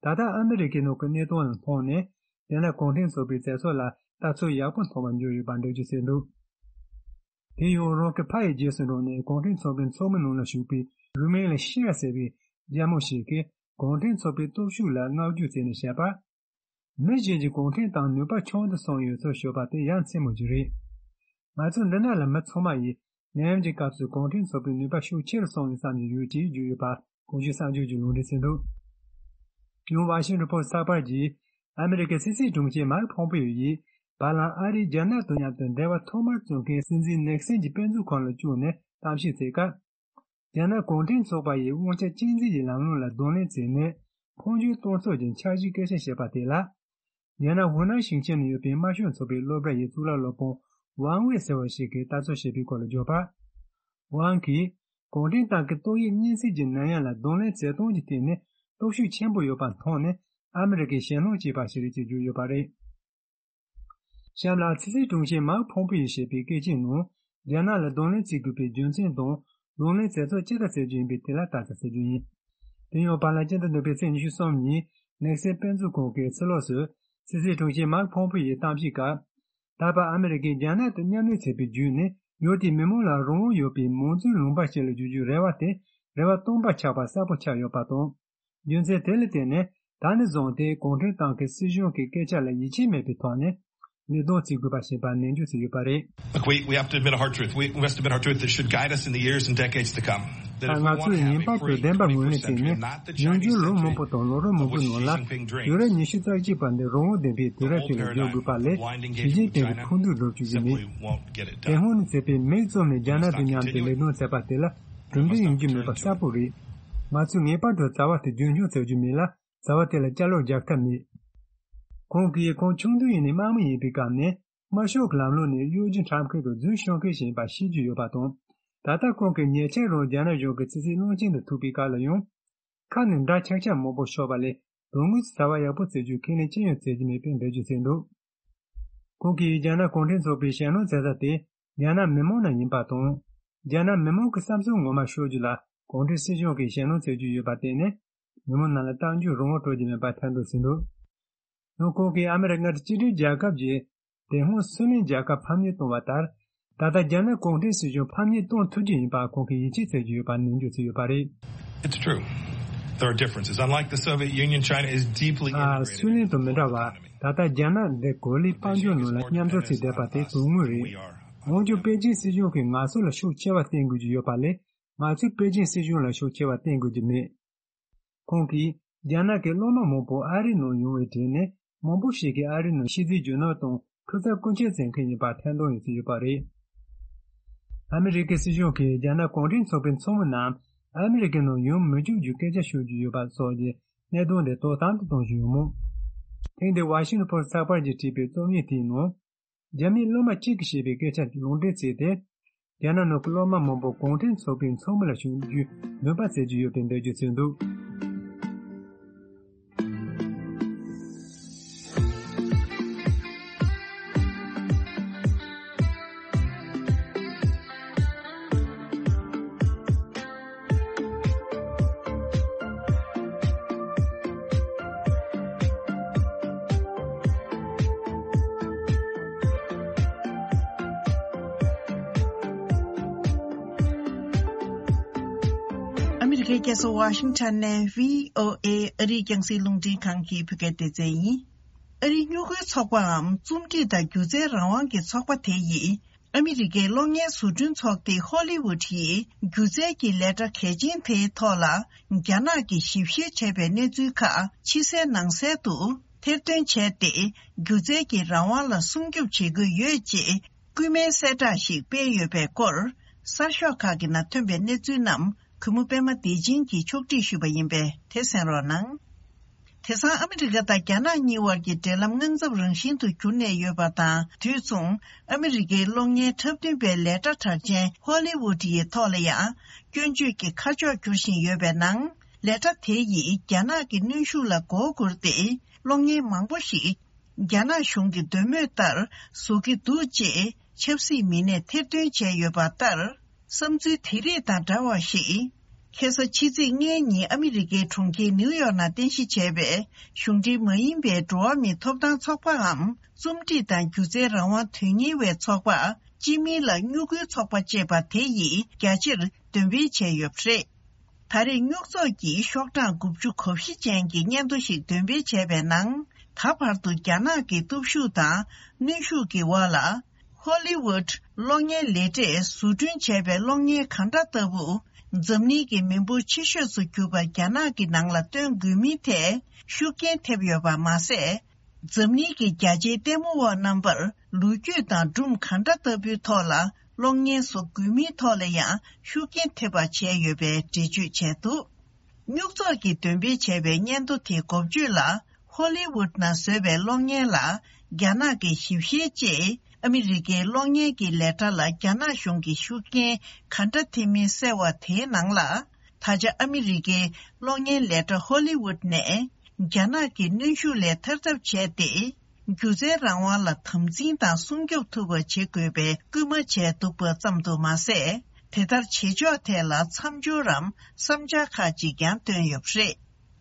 ད་ལྟ་ཨ་མི་རི་ཀའི་ནང་གི་གནད་དོན་ལ་མཐོང་ནས། རྒྱ་ནག་གུང་ཁྲན་ཚོགས་པའི་བྱེད་ཕྱོགས་ལ་ལྟ་ཚུལ་ཡག་པོ་མཐོང་བ་འབྱུང་ཡོད་པ་འགྲེལ་བརྗོད་བྱས་འདུག་དེ་ཡང་རང་གི་ཕ་ཡི་རྗེས་སུ་འབྲངས་ནས་གུང་ཁྲན་ཚོགས་པའི་ཚོགས་མི་ནང་ལ་ཞུགས་པའི་རུ་མིང་ལ་ཤི་ཡ་ཟེར་བའི་རྒྱ་མོ་ཞིག་གིས་གུང་ཁྲན་ཚོགས་པའི་སྟོབས་ཤུགས་ལ་བསྔགས་བརྗོད་བྱས་ནས་བཤད་པ། མི་གཞན་གྱིས་གུང་ཁྲན་ཏང་ནུས་པ་ཆུང་དུ་སོང་ཡོད་ཚུལ་ཤོད་པ་དེ་ཡ་མཚན་མོ་ཞིག་རེད། ང་ཚོ་འདི་ནང་ལ་མི་ཚང་མ་ཡིས་ནད་ཡམས་ཀྱི་སྐབས་སུ་གུང་ཁྲན་ཚོགས་པའི་ནུས་པ་ཤུགས་ཆེ་རུ་སོང་ཡོད་བསམ་གྱི་ཡོད་ཅེས་བརྗོད་ཡོད་པ་གོང་ཞུས་གསར་འགྱུར་གྱིས་ལུང་འདྲེན་བྱས་འདུག་ཡང་ཝ་ཤིང་ཊོན་པོ་སི་ཚགས་པར་གྱིས་ཨ་མི་རི་ཀའི་སྲིད་སྲིད་དྲུང་ཆེ་མཱིག་ཕོམ་པེ་ཡོ་ཡིས་བར་ལམ་ཨ་རིས་རྒྱ་ནག་དང་མཉམ་དུ་འབྲེལ་བ་ཐོག་མར་བཙུགས་མཁན་སྲིད་འཛིན་ནེག་སན་གྱི་དཔེ་མཛོད་ཁང་ལ་བཅུག་ནས་གཏམ་བཤད་བྱེད་སྐབས། རྒྱ་ནག་གུང་ཁྲན་ཚོགས་པ་ཡིས་དབང་ཆ་གཅིག་འཛིན་གྱི་ལམ་ལུགས་ལ་གདོང་ལེན་བྱས་ནས་འཕོ་འགྱུར་གཏོང་ཕྱོགས་ཀྱི་འཆར་གཞིའི་སྐད་ཆ་བཤད་པ་དེ་ལ། རྒྱ་ནག་ཧུའུ་ནན་ཞིང་ཆེན་ནང་ཡོད་པའི་དམར་ཤོག་ཚོགས་པའི་སློབ་གྲྭ་ཡི་གཙུག་ལག་སློབ་དཔོན་ཝང་ཝེ་ཟེར་བ་ཞིག་གིས་ལྟ་ཚུལ་བཤད་པའི་སྐོར་ལ་བརྗོད་པར། ཝང་གིས་གུང་ཁྲན་ཏང་གི་ཏོག་དབྱིབས་གཉན་ཚད་ཀྱི་ནད་ཡམས་ལ་གདོང་ལེན་བྱེད་སྟངས་ཀྱི་སྟེང་ནས་སྟོབས་ཤུགས་ཆེན་པོ་ཡོད་པ་མཐོང་ནས་ཨ་མི་རི་ཀས་ཞེད་སྣང་སྐྱེས་པ་ཞིག་རེད་ཅེས་བརྗོད་ཡོད་པ་རེད། གཤམ་ལ་སྲིད་སྲིད་དྲུང་ཆེ་མཱིག་ཕོམ་པེ་ཡིས་བཤད་པའི་སྐད་ཆའི་ནང་རྒྱ་ནག་ལ་གདོང་ལེན་བྱེད་དགོས་པའི་རྒྱུ་མཚན་དང་གདོང་ལེན་བྱེད་ཕྱོགས་ཅི་ལྟར་བྱེད་རྒྱུ་ཡིན་པའི་ཐད་ལ་ལྟ་ཚུལ་ཞུ་རྒྱུ་ཡིན། དེ་ཡང་བར་ལམ་སྤྱི་ཟླ་བདུན་པའི་ཚེས་ཉི་ཤུ་གསུམ་ཉིན་ནེག་སན་དཔེ་མཛོད་ཁང་གི་ཕྱི་ལོགས་སུ་སྲིད་སྲིད་དྲུང་ཆེ་མཱིག་ཕོམ་པེ་ཡིས་གཏམ་བཤད་སྐབས། ད་བར་ཨ་མི་རི་ཀས་རྒྱ་ནག་དང་མཉམ་ལས་བྱས་པའི་བརྒྱུད་ནས་ཡུལ་དེའི་མི་མང་ལ་རང་དབང་ཡོད་པའི་མང་གཙོའི་ལུང་པ་ཞིག་ལ་བསྒྱུར་རྒྱུའི་རེ་བ་དེ་རེ་བ་སྟོང་པ་ཆགས་པ་གསལ་པོ་ཆགས་ཡོད་པ་དང་། རྒྱུ་མཚན་དེ་ལ་བརྟེན་ནས་ད་ནས་བཟུང་སྟེ་གུང་ཁྲན་ཏང་གི་སྲིད་གཞུང་གི་སྐད་ཆ་ལ་ཡིད་ཆེས་མེད་པའི་ཐོག་ནས་ལས་དོན་བྱེད་དགོས་པ་ཞེས་པ་ནན་བརྗོད་བྱས་ཡོད་པ་རེད། Look, we, we have to admit a hard truth. We, we must admit a hard truth that should guide us in the years and decades to come. That if we ང want to ཚོས་have ངེས་པར་དུ་བདེན་པ་ངོས་ལེན་བྱས་ནས་ཉིན་རྒྱུན་ལོ་མང་པོ་དང་ལོ་རབས་མང་པོའི་ནང་ལ་ཡུན་རིང་ཉི་ཤུ་རྩ་གཅིག་པ་འདི་རང་དབང་ལྡན་པའི་དུས་རབས་ཤིག་ལ་བསྒྱུར་དགོས་པ་ལས་ཞི་ཅིན་ཕིང་གི་ཁུངས་གཏུགས་སྒྲུབ་རྒྱུ་ཡིན་མེད། དེ་སྔོན་ནས་བྱས་པའི་མིག་བཙུམ་ནས་རྒྱ་ནག་དང་མཉམ་དུ་ལས་དོན་བྱས་པ་དེ་ལ་གྲུབ་འབྲས་ཡོང་རྒྱུ་མེད་པ་གསལ་པོ་རེད། ང་ཚོས་ངེས་པར་དུ་བྱ་བ་དེ་རྒྱུན་འཁྱོངས་བྱ་རྒྱུ་མིན་ལ། བྱ་བ་དེ་ལ་སྐྱོན་བརྗོད་རྒྱག་ཐབས་མེད། ཁོང་གིས་ཁོང་ཆུང་དུས་ཡིན་ནས་དམག་མི་ཡིན་པའི་སྐབས་ནས་དམར་ཤོག་གི་ལམ་ལུགས་ནས་གཡོ་སྒྱུ་འཁྲབ་མཁན་དང་རྫུན་ཤོད་མཁན་ཞིག་ཡིན་པ་ཤེས་ཀྱི་ཡོད་པ་དང་། ད་ལྟ་ཁོང་གིས་ཉེ་ཆར་རང་རྒྱ་ནག་གཞུང་གི་ཕྱི་སྲིད་བློན་ཆེན་དུ་ཐུག་པའི་སྐབས་ལ་ཡང་། ཁ་ནས་འདྲ་ཆགས་ཆགས་མང་པོ་ཤོད་པ་ལས་དོན་དངོས་སུ་བྱ་བ་ཡག་པོ་བྱེད་རྒྱུའི་ཁས་ལེན་ཅི་ཡང་བྱེད་ཀྱི་མེད་པའི་འགྲེལ་བརྗོད་བྱས་འདུག་ཁོང་གིས་རྒྱ་ནག་གུང་ཁྲན་ཚོགས་པའི་ཞེད་སྣང་བྱེད་ས་དེ་རྒྱ་ནག་མི་མང་ནང་ཡིན་པ་དང་། རྒྱ་ནག་མི་མང་གི་བསམ་ཚུལ་ངོ་མ་ཤོད་རྒྱུ་ལ་གུང་ཁྲན་སྲིད་གཞུང་གིས་ཞེད་སྣང་བྱེད་རྒྱུ་ཡོད་པར་བརྟེན་ནས། མི་མང་ནང་ལ་གཏམ་རྒྱུད་རང་དབང་སྤྲོད་ཀྱི་མེད་པ་ཐེར་འདོན་བྱས་འདུག་ཡང་ཁོང་གིས་ཨ་མི་རི་ཀར་གཅིག་སྒྲིལ་རྒྱལ་ཁབ་ཀྱི་དེ་སྔོན་སུའུ་ལེན་རྒྱལ་ཁབ་ཕམ་ཉེས་བཏང་བ་ལྟར། ད་ལྟ་རྒྱ་ནག་གུང་ཁྲན་སྲིད་གཞུང་ཕམ་ཉེས་གཏོང་ཐུབ་ཀྱི་ཡིན་པ་ཁོང་གིས་ཡིད་ཆེས་བྱེད་ཀྱི་ཡོད་པ་ནན་བརྗོད་བྱས་ཡོད་པ་རེད། It's true. There are differences. Unlike the Soviet Union, China is deeply ཨ། integrated སུའུ་ལེན་དང་མི་འདྲ་བར་ད་ལྟ་རྒྱ་ནག་འདི་གོ་ལའི་དཔལ་འབྱོར་ནང་ལ་མཉམ་འཛུལ་བྱས་བསྡད་པ་དེ་དོན་དངོས་རེད། འོན་ཀྱང་པེ་ཅིན་སྲིད་གཞུང་གིས་ང་ཚོ་ལ་ཤུགས་ཆེ་བ་བསྟན་དགོས་ཀྱི་ཡོད་པ་ལས་ང་ཚོས་པེ་ཅིན་སྲིད་གཞུང་ལ་ཤུགས་ཆེ་བ་བསྟན་དགོས་ཀྱི་མེད། ཁོང་གིས་རྒྱ་ནག་གི་སློབ་མ་མང་པོ་ཨ་རིའི་ནང་ཡོང་བའི་གྲས་ནས་མང་པོ་ཞིག་གིས་ཨ་རིའི་ནང་ཤེས་ཚད་རྒྱུ་ནོར་དང་ཐོབ་ཚད་རྐུ་འཁྱེར་བྱེད་མཁན་ཡིན་པ་ཐེར་འདོན་ཡང་བྱས་ཡོད་པ་རེད། ཨ་མི་རི་ཀའི་སྲིད་གཞུང་གིས་རྒྱ་ནག་གུང་ཁྲན་ཚོགས་པའི་ཚོགས་མི་རྣམས་ཨ་མི་རི་ཀའི་ནང་ཡོང་མི་བཅུག་རྒྱུའི་སྐད་ཆ་ཤོད་ཀྱི་ཡོད་པ་སོགས་ཀྱི་གནད་དོན་དེ་དོ་དམ་དུ་གཏོང་བཞིན་ཡོད་མོད། ཐེངས་འདིའི་ཝ་ཤིང་ཊོན་པོ་སི་ཚགས་པར་གྱིས་བྲིས་པའི་རྩོམ་ཡིག་དེའི་ནང་། རྒྱ་མིའི་སློབ་མ་གཅིག་གིས་བཤད་པའི་སྐད་ཆ་ལུང་འདྲེན་བྱས་ཏེ། རྒྱ་ནག་ནང་གི་སློབ་མ་མང་པོ་གུང་ཁྲན་ཚོགས་པའི་ཚོགས་མི་ལ་ཞུགས་རྒྱུའི་འདུན་པ་བྱེད་ཀྱི་ཡོད་པའི་འགྲེལ་བརྗོད་བྱས་འདུག་ཨ་མི་རི་ཀའི་རྒྱལ་ས་ཝ་ཤིང་ཊོན་ནས་བྷི་ཨོ་ཨེ་ཨ་རིའི་རྒྱང་སྲིང་རླུང་འཕྲིན་ཁང་གི་བོད་སྐད་སྡེ་ཚན་ཡིན། ཨ་རིའི་སྨྱུ་གུའི་ཚོགས་པའམ་རྩོམ་སྒྲིག་དང་སྒྱུ་རྩལ་རང་དབང་གི་ཚོགས་པ་དེ་ཡིས། ཨ་མི་རི་ཀའི་གློག་བརྙན་བཟོ་སྐྲུན་ཚོགས་སྡེ་ཧོ་ལི་ཝུད་ཡིས་སྒྱུ་རྩལ་གྱི་ལས་གྲྭ་གལ་ཆེན་དེའི་ཐོག་ལ་རྒྱ་ནག་གིས་ཞིབ་བཤེར་བྱས་པའི་གནས་ཚུལ་ཁག་ཕྱི་གསལ་ནང་གསལ་དུ་ཐེར་འདོན་བྱས་ཏེ། སྒྱུ་རྩལ་གྱི་རང་དབང་ལ་སྲུང་སྐྱོབ་བྱེད་དགོས་ཡོད་ཅེས་སྐུལ་མའི་གསལ་བསྒྲགས་ཤིག་སྤེལ་ཡོད་པའི་སྐོར། གསར་ཤོག་ཁག་གི་ནང་ཐོན་པའི་གནས་ཚུལ་རྣམས་གུས་མོ་པད་མ་བདེ་ཆེན་གྱིས་ཕྱོགས་སྒྲིག་ཞུས་པ་ཡིན་པས་དེ་གསན་རོགས་གནང་། དེང་སང་ཨ་མི་རི་ཀ་དང་རྒྱ་ནག་གཉིས་དབར་གྱི་འབྲེལ་ལམ་དངངས་འཚབ་རང་བཞིན་དུ་གྱུར་ནས་ཡོད་པ་དང་། དུས་མཚུངས་ཨ་མི་རི་ཀའི་གློག་བརྙན་འཁྲབ་སྟོན་པའི་ལས་གྲྭ་གྲགས་ཅན་ཧོ་ལི་ཝུད་ཡི་ཐོག་ལ་ཡང་སྐྱོན་བརྗོད་ཀྱི་ཁ་ཕྱོགས་འགྱུར་བཞིན་ཡོད་པའི་ནང་། ལས་གྲྭ་དེ་ཡིས་རྒྱ་ནག་གི་གནོན་ཤུགས་ལ་མགོ་སྒུར་ཏེ། གློག་བརྙན་མང་པོ་ཞིག་རྒྱ་ནག་གཞུང་གི་འདོད་མོས་ལྟར་བཟོ་གི་འདུག་ཅེས་ཆབ་སྲིད་མི་སྣས་ཐེར་འདོན་བྱས་ཡོད་པ་ལྟར། བསམ་ཚུལ་དེ་རིགས་དང་འདྲ་བ་ཞིག་ཁ་སང་ཕྱི་ཚེས་ལྔའི་ཉིན་ཨ་མི་རི་ཀའི་གྲོང་ཁྱེར་ནིའུ་ཡོག་ནང་རྟེན་གཞི་བྱས་པའི་གཞུང་འབྲེལ་མ་ཡིན་པའི་འགྲོ་བ་མིའི་ཐོབ་ཐང་ཚོགས་པའམ། རྩོམ་སྒྲིག་དང་སྒྱུ་རྩལ་རང་དབང་དོན་གཉེར་བའི་ཚོགས་པ། སྤྱི་མིང་ལ་སྨྱུ་གུའི་ཚོགས་པ་ཅེས་པ་དེ་ཡིས་རྒྱ་ཆེར་འདོན་སྤེལ་བྱས་ཡོད་པ་རེད། ད་རེས་སྨྱུག་ཚོགས་ཀྱིས་ཤོག་གྲངས་དགུ་བཅུ་གོ་བཞི་ཅན་གྱི་སྙན་ཐོ་ཞིག་འདོན་སྤེལ་བྱས་པའི་ནང་། ད་བར་དུ་རྒྱ་ནག་གི་སྟོབས་ཤུགས་དང་གནོན་ཤུགས་ཀྱི་འོག་ལ། ཧོ་ལི་ཝུད་གློག་བརྙན་ལས་གྲས་བཟོ་སྐྲུན་བྱས་པའི་གློག་བརྙན་གང་འདྲ་ལྟ་བུ། འཛམ་གླིང་གི་མི་འབོར་ཆེ་ཤོས་སུ་གྱུར་པ་རྒྱ་ནག་གི་ནང་ལ་སྟོན་དགོས་མིན་ཐད་ཤུགས་རྐྱེན་ཐེབས་ཡོད་པ་མ་ཟད། འཛམ་གླིང་གི་རྒྱ་ཆེའི་ལྟད་མོ་བ་རྣམ་པར་ལོ་རྒྱུས་དང་སྒྲུང་གང་འདྲ་ལྟ་བུའི་ཐོག་ལ་གློག་བརྙན་བཟོ་དགོས་མིན་ཐོག་ལ་ཡང་ཤུགས་རྐྱེན་ཐེབས་པ་བྱས་ཡོད་པའི་འགྲེལ་བརྗོད་བྱས་འདུག་སྨྱུག་ཚོགས་ཀྱིས་འདོན་སྤེལ་བྱས་པའི་སྙན་ཐོ་དེའི་འགོ་བརྗོད་ལ། ཧོ་ལི་ཝུད་ནང་བཟོས་པའི་གློག་བརྙན་ལ་རྒྱ་ནག་གིས་ཞིབ་བཤེར་ཅེས་ཨ་མི་རི་ཀའི་གློག་བརྙན་གྱི་ལས་གྲྭ་ལ་རྒྱ་ནག་གཞུང་གིས་ཤུགས་རྐྱེན་ག་འདྲ་ཐེབས་མིན་གསལ་བ་དེའི་ནང་ལ། ད་ཆ་ཨ་མི་རི་ཀའི་གློག་བརྙན་ལས་གྲྭ་ཧོ་ལི་ཝུད་ནས་རྒྱ་ནག་གི་གནོན་ཤུགས་ལས་ཐར་ཐབས་བྱས་ཏེ། སྒྱུ་རྩལ་རང་དབང་ལ་དམ་འཛིན་དང་སྲུང་སྐྱོབ་ཐུབ་པ་བྱེད་དགོས་པའི་སྐུལ་མ་བྱས་འདུག་པ་ཙམ་དུ་མ་ཟད། དེ་ལྟར་བྱེད་ཕྱོགས་ཐད་ལ་མཚམས་སྦྱོར་རམ་བསམ་འཆར་ཁག་ཅིག་ཀྱང་བཏོན་ཡོད་པ་རེད།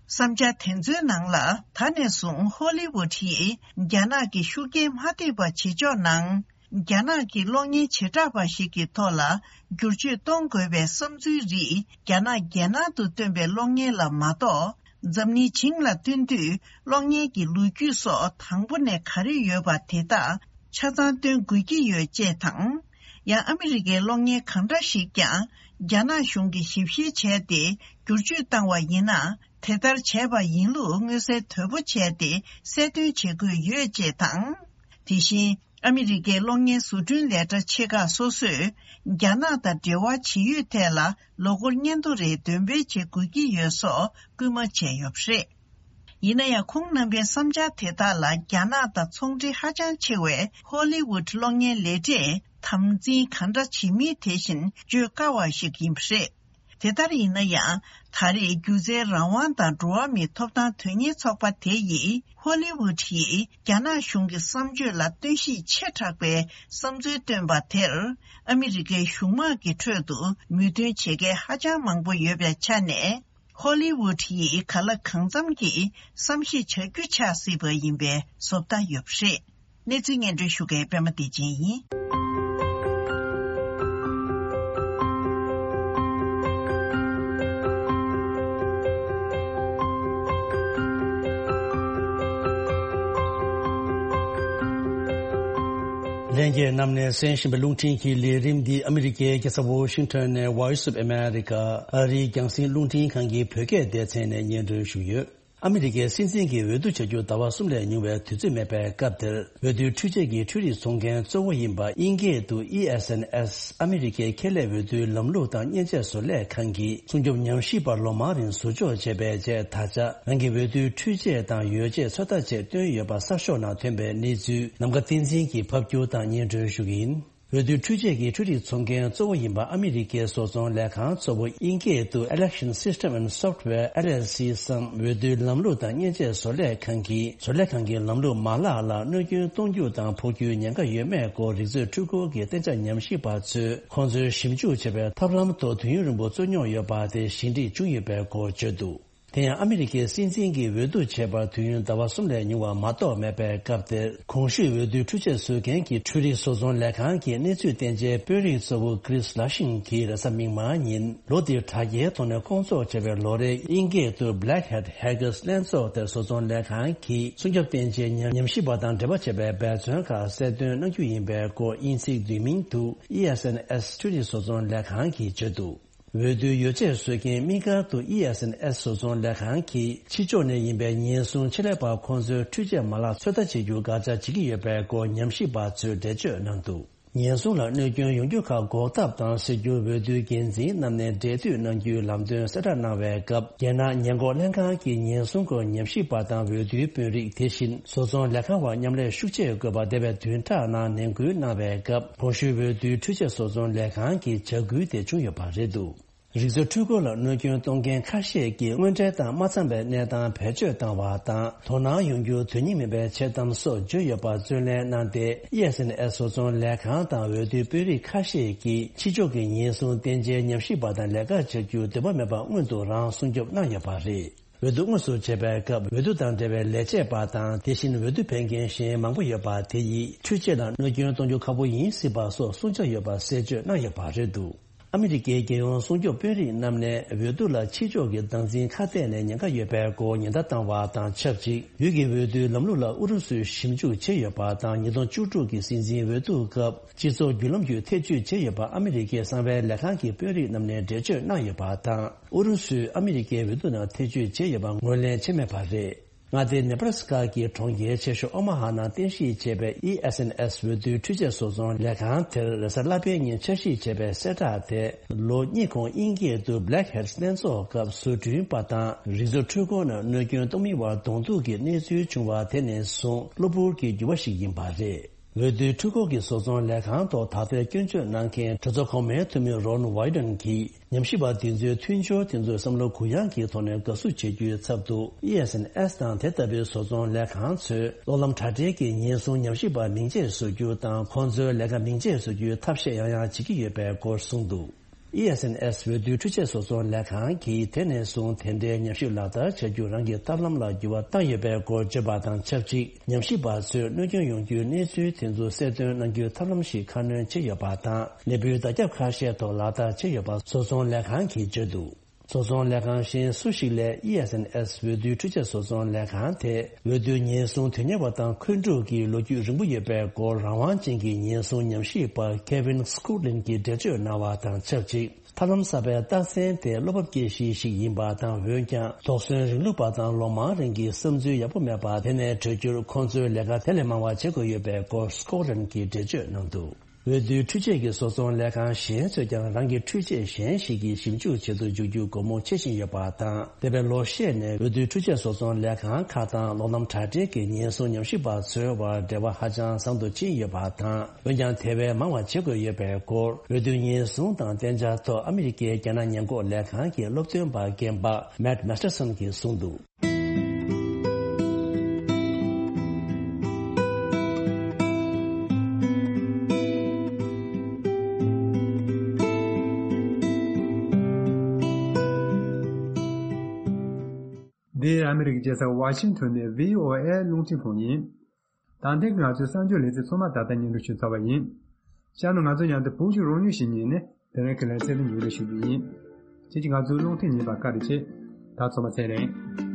བསམ་འཆར་དེ་ཚོའི་ནང་ལ། ད་ནས་བཟུང་ཧོ་ལི་ཝུད་ཡིས་རྒྱ་ནག་གི་ཤུགས་རྐྱེན་མ་ཐེབས་པ་བྱེད་ཕྱོགས་ནང་། རྒྱ་ནག་གི་གློག་བརྙན་བྱེ་བྲག་པ་ཞིག་གི་ཐོག་ལ་བསྒྱུར་བཅོས་གཏོང་དགོས་པའི་བསམ་ཚུལ་རིགས་རྒྱ་ནག་རྒྱལ་ནང་དུ་བཏོན་པའི་གློག་བརྙན་ལ་མ་གཏོགས། འཛམ་གླིང་བྱིངས་ལ་སྟོན་དུས་གློག་བརྙན་གྱི་ལོ་རྒྱུས་སོགས་དང་པོ་ནས་ག་རེ་ཡོད་པ་དེ་དག་ཆ་ཚང་སྟོན་དགོས་ཀྱི་ཡོད་ཅེས་དང་། ཡང་ཨ་མི་རི་ཀའི་གློག་བརྙན་གང་འདྲ་ཞིག་ཀྱང་རྒྱ་ནག་གཞུང་གིས་ཞིབ་བཤེར་བྱས་ཏེ་བསྒྱུར་བཅོས་བཏང་བ་ཡིན་ན། དེ་ལྟར་བྱས་པ་ཡིན་ལུགས་མངོན་གསལ་དོད་པོ་བྱས་ཏེ་གསལ་སྟོན་བྱེད་དགོས་ཡོད་ཅེས་དང་། དེ་བཞིན། ཨ་མི་རི་ཀའི་གློག་བརྙན་བཟོ་སྐྲུན་ལས་གྲྭ་ཆེ་ཁག་སོ་སོས་རྒྱ་ནག་དང་འབྲེལ་བ་ཇི་ཡོད་ཐད་ལ་ལོ་འཁོར་སྙན་ཐོ་རེ་འདོན་སྤེལ་བྱེད་དགོས་ཀྱི་ཡོད་སོགས་སྐུལ་མ་བྱས་ཡོད་པ་རེད། ཡིན་ན་ཡང་ཁོང་རྣམ་པའི་བསམ་འཆར་དེ་དག་ལ་རྒྱ་ནག་དང་ཚོང་འབྲེལ་ཧ་ཅང་ཆེ་བའི་ཧོ་ལི་ཝུད་གློག་བརྙན་ལས་གྲས་དམ་འཛིན་གང་འདྲ་བྱེད་མིན་དེ་བཞིན་བརྗོད་དཀའ་བ་ཞིག་ཡིན་པ་རེད། དེ་ལྟར་ཡིན་ན་ཡང་། ད་རེས་སྒྱུ་རྩལ་རང་དབང་དང་འགྲོ་བ་མིའི་ཐོབ་ཐང་དོན་གཉེར་ཚོགས་པ་དེ་ཡིས་ཧོ་ལི་ཝུད་ཡིས་རྒྱ་ནག་གཞུང་གི་བསམ་སྤྱོད་ལ་བསྟུན་གཤིས་ཆེ་དྲགས་པའི་བསམ་ཚུལ་བཏོན་པ་དེར། ཨ་མི་རི་ཀའི་གཞུང་དམག་གི་ཁྲོད་དུ་མོས་མཐུན་བྱེད་མཁན་ཧ་ཅང་མང་པོ་ཡོད་པའི་ཆ་ནས། ཧོ་ལི་ཝུད་ཡིས་གང་ལ་གང་འཚམ་གྱིས་བསམ་ཤེས་བྱ་རྒྱུ་ཆགས་སྲིད་པ་ཡིན་པའི་བཟོ་ལྟ་ཡོད་པ་རེད། གནས་ཚུལ་སྙན་སྒྲོན་ཞུ་མཁན་པད་མ་བདེ་ཆེན་ཡིན། ལྷན་རྒྱས་རྣམས་ནས་གསན་བཞིན་པའི་རླུང་འཕྲིན་གྱི་ལས་རིམ་འདི་ཨ་མི་རི་ཀའི་རྒྱལ་ས་ཝོ་ཤིང་ཊོན་ནས་Voice of America ཨ་རིའི་རྒྱང་སྲིང་རླུང་འཕྲིན་ཁང་གི་བོད་སྐད་སྡེ་ཚན་ནས་སྙན་སྒྲོན་ཞུས་ཡོད། ཨ་མི་རི་ཀའི་སྲིད་འཛིན་གྱི་འོས་བསྡུ་བྱ་རྒྱུ་ཟླ་བ་གསུམ་ལས་ཉུང་བའི་དུས་ཚོད་མེད་པའི་སྐབས་དེར། འོས་བསྡུའི་འཕྲུལ་ཆས་ཀྱི་འཕྲུལ་རིག་ཚོང་མཁན་གཙོ་བོ་ཡིན་པ་དབྱིན་སྐད་དུ་ཨི་ཨེས་ཨེན་ཨེས་ཨ་མི་རི་ཀའི་ཁེ་ལས་འོས་བསྡུའི་ལམ་ལུགས་དང་མཉེན་ཆས་བཟོ་ལས་ཁང་གིས་སྲུང་སྐྱོབ་ཉམས་ཞིབ་པ་ལོ་མང་རིང་ཟུར་འཇོག་བྱས་པའི་རྗེས། ད་ཆ་རང་གི་འོས་བསྡུའི་འཕྲུལ་ཆས་དང་ཡོ་བྱད་ཚོད་ལྟ་ཆེད་བཏོན་ཡོད་པ་གསར་ཤོག་ནང་ཐོན་པའི་གནས་ཚུལ་ནམ་མཁའ་བསྟན་འཛིན་གྱིས་ཕབ་སྒྱུར་དང་སྙན་སྒྲོན་ཞུ་གི་ཡིན། འོས་བསྡུའི་འཕྲུལ་ཆས་ཀྱི་འཕྲུལ་རིག་ཚོང་མཁན་གཙོ་བོ་ཡིན་པ་ཨ་མི་རི་ཀའི་བཟོ་ཚོང་ལས་ཁང་གཙོ་བོ་དབྱིན་སྐད་དུ་Election System and Software L L C བསམ་འོས་བསྡུའི་ལམ་ལུགས་དང་མཉེན་ཆས་བཟོ་ལས་ཁང་གིས། བཟོ་ལས་ཁང་གི་ལམ་ལུགས་མ་ལག་ལ་གནོད་སྐྱོན་གཏོང་རྒྱུ་དང་ཕོག་རྒྱུའི་ཉེན་ཁ་ཡོད་མེད་སྐོར་རིག་མཛོད་འཕྲུལ་འཁོར་གྱི་གཏན་འཇགས་ཉམས་ཞིབ་པ་ཚོས་ཁོང་ཚོས་ཞིབ་འཇུག་བྱས་པའི་ཐབས་ལམ་ཐོག་དུས་ཡུན་རིང་པོ་བཙུགས་མྱོང་ཡོད་པ་དེ་ཞི་འགྲིག་བྱུང་ཡོད་པའི་སྐོར་བརྗོད་འདུག། དེ་ཡང་ཨ་མི་རི་ཀའི་སྲིད་འཛིན་གྱིས་འོས་བསྡུ་བྱས་པར་དུས་ཡུན་ཟླ་བ་གསུམ་ལས་ཉུང་བ་མ་གཏོགས་མེད་པའི་སྐབས་དེར། གོང་ཞུས་འོས་བསྡུའི་འཕྲུལ་ཆས་བཟོ་མཁན་གྱི་འཕྲུལ་རིག་བཟོ་ཚོང་ལས་ཁང་གི་གནས་ཚུལ་བསྟན་བྱའི་དཔོན་རིགས་གཙོ་བོ་Chris Lushing གྱིས་རེས་གཟའ་མིག་དམར་ཉིན། ལོ་འདིར་དྲ་རྒྱའི་ཐོག་ནས་སྐོང་ཚོགས་བྱས་པའི་ལོ་རེའི་དབྱིན་སྐད་དུ་Black Hat Hackers ལྷན་ཚོགས་དེར་བཟོ་ཚོང་ལས་ཁང་གིས་སྲུང་སྐྱོབ་བསྟན་བྱའི་ཉམས་ཉམས་ཞིབ་པ་དང་འབྲེལ་བ་བྱས་པའི་འབད་བརྩོན་ཁག་གསལ་སྟོན་གནང་རྒྱུ་ཡིན་པའི་སྐོར་དབྱིན་ཚིག་བསྡུས་མིང་དུ་E S N S འཕྲུལ་རིག་བཟོ་ཚོང་ལས་ཁང་གིས་བརྗོད་འདུག་འོས་བསྡུའི་ཡོ་བྱད་བཟོ་མཁན་དམིགས་བཀར་དུ་E S N S བཟོ་ཚོང་ལས་ཁང་གིས་ཕྱི་ཕྱོགས་ནས་ཡིན་པའི་ཉེན་སྲུང་ཆེད་ལས་པ་ཁོང་ཚོའི་འཕྲུལ་ཆས་མ་ལག་ཚོད་ལྟ་བྱེད་རྒྱུ་དགག་བྱ་བྱེད་ཀྱི་ཡོད་པའི་སྐོར་ཉམས་ཞིབ་པ་ཚོས་འགྲེལ་བརྗོད་གནང་འདུག་ཉེན་སྲུང་ལ་གནོད་སྐྱོན་ཡོང་རྒྱུ་ཁག་འགོག་ཐབས་དང་སེལ་རྒྱུར་འོས་བསྡུའི་འགན་འཛིན་རྣམས་ནས་འབྲེལ་མཐུད་གནང་རྒྱུའི་ལམ་སྟོན་གསལ་བསྒྲགས་གནང་བའི་སྐབས། རྒྱལ་ནང་ཉེན་འགོག་ལྷན་ཁང་གི་ཉེན་སྲུང་སྐོར་ཉམས་ཞིབ་པ་དང་འོས་བསྡུའི་དཔོན་རིགས་དེ་བཞིན་བཟོ་ཚོང་ལས་ཁང་བར་མཉམ་ལས་ཤུགས་ཆེ་དགོས་པ་འདས་པའི་བདུན་ཕྲག་ནང་ནན་སྐུལ་གནང་བའི་སྐབས། གོང་ཞུས་འོས་བསྡུའི་འཕྲུལ་ཆས་བཟོ་ཚོང་ལས་ཁང་གི་བྱ་འགུལ་དེ་བྱུང་ཡོད་པ་རེད་འདུག་རིག་རྩལ་འཕྲུལ་འཁོར་ལ་གནོད་སྐྱོན་གཏོང་མཁན་ཁ་ཤས་ཀྱིས་དངོས་འབྲེལ་དང་མ་འཚམས་པའི་གནས་སྟངས་བེད་སྤྱོད་བཏང་བ་དང་། དོ་སྣང་ཡོང་རྒྱུ་དོན་སྙིང་མིན་པའི་འཆལ་གཏམ་སོགས་བརྗོད་ཡོད་པ་རྩོད་ལེན་གནང་སྟེ། E S N S བཟོ་ཚོང་ལས་ཁང་དང་འོས་བསྡུའི་དཔོན་རིགས་ཁ་ཤས་ཀྱིས་ཕྱི་ཕྱོགས་ཀྱི་ཉེན་སྲུང་བསྟན་བྱའི་ཉམས་ཞིབ་པ་དང་ལས་ཀ་བྱ་རྒྱུར་འདོད་པ་མེད་པར་སྔོན་དུ་རང་སྲུང་སྐྱོབ་གནང་ཡོད་པ་རེད། འོས་བསྡུ་དངོས་སུ་བྱེད་པའི་སྐབས། འོས་བསྡུ་དང་འབྲེལ་བའི་ལས་བྱེད་པ་དང་། དེ་བཞིན་འོས་བསྡུ་ཕེབས་མཁན་གཞན་མང་པོ་ཡོད་པ་དེ་ཡིས་འཕྲུལ་ཆས་ལ་གནོད་སྐྱོན་གཏོང་རྒྱུ་ཁག་པོ་ཡིན་སྲིད་པ་སོགས་གསུང་བྱ་ཡོད་པ་གསལ་བརྗོད་གནང་ཡོད་པ་རེད་འདུག་ཨ་མི་རི་ཀའི་རྒྱལ་ཡོངས་སྲུང་སྐྱོབ་དཔོན་རིགས་རྣམས་ནས་འོས་བསྡུ་ལ་ཕྱི་ཕྱོགས་ཀྱི་སྟངས་འཛིན་ཁ་གཏད་ནས་ཉེན་ཁ་ཡོད་པའི་སྐོར་ཉེན་བརྡ་བཏང་བ་དང་ཆབས་ཅིག་ཡུལ་གྱི་འོས་བསྡུའི་ལམ་ལུགས་ལ་ཨུ་རུ་སུས་ཞིབ་འཇུག་བྱས་ཡོད་པ་དང་། ཉིས་སྟོང་བཅུ་དྲུག་གི་སྲིད་འཛིན་འོས་བསྡུ་སྐབས་སྤྱི་ཚོགས་བརྒྱུད་ལམ་བརྒྱུད་ཐེ་བྱུས་བྱས་ཡོད་པ་ཨ་མི་རི་ཀའི་གསང་བའི་ལས་ཁང་གི་དཔོན་རིགས་རྣམས་ནས་འགྲེལ་བརྗོད་གནང་ཡོད་པ་དང་། ཨུ་རུ་སུས་ཨ་མི་རི་ཀའི་འོས་བསྡུ་ནང་ཐེ་བྱུས་བྱས་ཡོད་པ་ངོས་ལེན་བྱས་མེད་པ་རེད། མངའ་སྡེ་ནེ་བྷ་ར་སི་ཀ་གི་གྲོང་ཁྱེར་ཆེ་ཤོས་ཨོ་མ་ཧ་ནང་རྟེན་གཞི་བྱས་པའི་E S N S འོས་བསྡུའི་འཕྲུལ་ཆས་བཟོ་ཚོང་ལས་ཁང་དེར་རེས་གཟའ་ལྷག་པའི་ཉིན་འཆར་གཞི་བྱས་པའི་གསལ་བསྒྲགས་དེ། ལོ་གཉིས་གོང་དབྱིན་སྐད་དུ་Black Hat ལྷན་ཚོགས་སྐབས་བཟོ་སྐྲུན་པ་དང་རིག་རྩལ་འཕྲུལ་འཁོར་རྣམས་གནོད་སྐྱོན་གཏོང་མི་བར་གདོང་ཐུག་གི་གནས་ཚུལ་བྱུང་བ་དེ་ནས་བཟུང་གློ་བུར་གྱི་འགྱུར་བ་ཞིག་ཡིན་པ་རེད། འོས་བསྡུའི་འཕྲུལ་འཁོར་གྱི་བཟོ་ཚོང་ལས་ཁང་ཐོག་ད་ལྟའི་སྐྱོན་བརྗོད་གནང་མཁན་གྲོས་ཚོགས་གོང་མའི་འཐུས་མི་Ron Wyden གྱིས། ཉམས་ཞིབ་པ་འདི་ཚོའི་མཐུན་སྦྱོར་དེ་ཚོའི་བསམ་བློ་གུ་ཡངས་ཀྱི་ཐོག་ནས་དགའ་བསུ་བྱེད་རྒྱུའི་ཚབ་ཏུ། E S N S དང་དེ་ལྟ་བུའི་བཟོ་ཚོང་ལས་ཁང་ཚོས་གློག་ལམ་དྲ་སྦྲེལ་གྱི་ཉེན་སྲུང་ཉམས་ཞིབ་པ་མིང་ཆད་བཟོ་རྒྱུ་དང་། ཁོང་ཚོའི་ལས་ཀ་མིང་ཆད་བཟོ་རྒྱུའི་ཐབས་ཤེས་ཡང་ཡང་བྱེད་ཀྱི་ཡོད་པའི་སྐོར་གསུངས་འདུག E S N S འོས་བསྡུའི་འཕྲུལ་ཆས་བཟོ་ཚོང་ལས་ཁང་གིས་དེ་ནས་བཟུང་དེ་འདྲའི་ཉམས་ཞིབ་ལག་བསྟར་བྱ་རྒྱུ་རང་གི་ཐབས་ལམ་ལ་འགྱུར་བ་བཏང་ཡོད་པའི་སྐོར་བརྗོད་པ་དང་ཆབས་ཅིག་ཉམས་ཞིབ་པ་ཚོས་གནོད་སྐྱོན་ཡོང་རྒྱུའི་གནས་ཚུལ་དེ་ཚོ་གསལ་སྟོན་གནང་རྒྱུའི་ཐབས་ལམ་ཞིག་ཁ་སྣོན་བྱས་ཡོད་པ་དང་། ལས་འཕྲོའི་བརྡ་ཁྱབ་ཁ་ཤས་ཐོག་ལག་བསྟར་བྱས་ཡོད་པ་བཟོ་ཚོང་ལས་ཁང་གིས་བརྗོད་འདུག་བཟོ་ཚོང་ལས་ཁང་གཞན་སུ་ཞིག་ལས་E S N S འོས་བསྡུའི་འཕྲུལ་ཆས་བཟོ་ཚོང་ལས་ཁང་དེ་འོས་བསྡུའི་ཉེན་སྲུང་དོན་གཉེར་བ་དང་། འཁོན་འཁྲུག་གི་ལོ་རྒྱུས་རིང་པོ་ཡོད་པའི་སྐོར་རང་དབང་ཅན་གྱི་ཉེན་སྲུང་ཉམས་ཞིབ་པ་Kevin Scotland གྱིས་འགྲེལ་བརྗོད་གནང་བ་དང་ཆབས་ཅིག་ཐབས་ལམ་གསར་པའི་རྟགས་མཚན་དེ་བློ་བབ་སྐྱེ་གཞི་ཞིག་ཡིན་པ་དང་། འོན་ཀྱང་དོགས་ཟོན་རིང་ལུགས་པ་དང་ལོ་མང་རིང་གི་བསམ་ཚུལ་ཡག་པོ་མེད་པ་དེ་ནས་གྲོལ་རྒྱུར་ཁོང་ཚོས་ལས་ཀ་དེ་ལས་མང་བ་བྱེད་དགོས་ཡོད་པའི་སྐོར་Scotland གྱིས་འགྲེལ་བརྗོད་གནང་འདུག་འོས་བསྡུའི་འཕྲུལ་ཆས་ཀྱི་བཟོ་ཚོང་ལས་ཁང་གཞན་ཚོས་ཀྱང་རང་གི་འཕྲུལ་ཆས་གཞན་ཞིག་གི་ཞིབ་འཇུག་བྱེད་དུ་འཇུག་རྒྱུ་སྒོ་མོ་ཕྱེ་བཞིན་ཡོད་པ་དང་། འདས་པའི་ལོ་ཤས་ནས་འོས་བསྡུའི་འཕྲུལ་ཆས་བཟོ་ཚོང་ལས་ཁང་ཁག་དང་གློག་ལམ་དྲ་སྦྲེལ་གྱི་ཉེན་སྲུང་ཉམས་ཞིབ་པ་ཚོའི་བར་འབྲེལ་བ་ཧ་ཅང་བཟང་དུ་ཕྱིན་ཡོད་པ་དང་། འོན་ཀྱང་དེ་བས་མང་བ་བྱེད་དགོས་ཡོད་པའི་སྐོར་འོས་བསྡུ་ཉེན་སྲུང་དང་གཏན་འཇགས་ཐོག་ཨ་མི་རི་ཀའི་རྒྱལ་ནང་ཉེན་འགོག་ལས་ཁང་གི་སློབ་སྟོན་པ་རྒན་པ་Matt Masterson གྱིས་གསུངས་འདུག་འདི་ཨ་མི་རི་ཀའི་རྒྱལ་ས་ཝ་ཤིང་ཊོན་ནས་V O A རླུང་འཕྲིན་ཁང་ཡིན། ད་ཐེངས་ང་ཚོའི་གསར་འགྱུར་ལེ་ཚན་ཚང་མ་ད་ལྟ་སྙན་སྒྲོན་ཞུས་ཚར་བ་ཡིན། གཤམ་ལ་ང་ཚོ་མཉམ་དུ་བོད་ཀྱི་རང་ཡུལ་ཞིག་ཉིད་ནས་དེ་རིང་གི་ལེ་ཚན་འདི་མཇུག་སྒྲིལ་ཞུ་རྒྱུ་ཡིན། ཁྱེད་ཀྱིས་ང་ཚོའི་རླུང་འཕྲིན་ཉན་པར་བཀའ་དྲིན་ཆེ། ད་ཚང་མ་ཚེ་རིང་།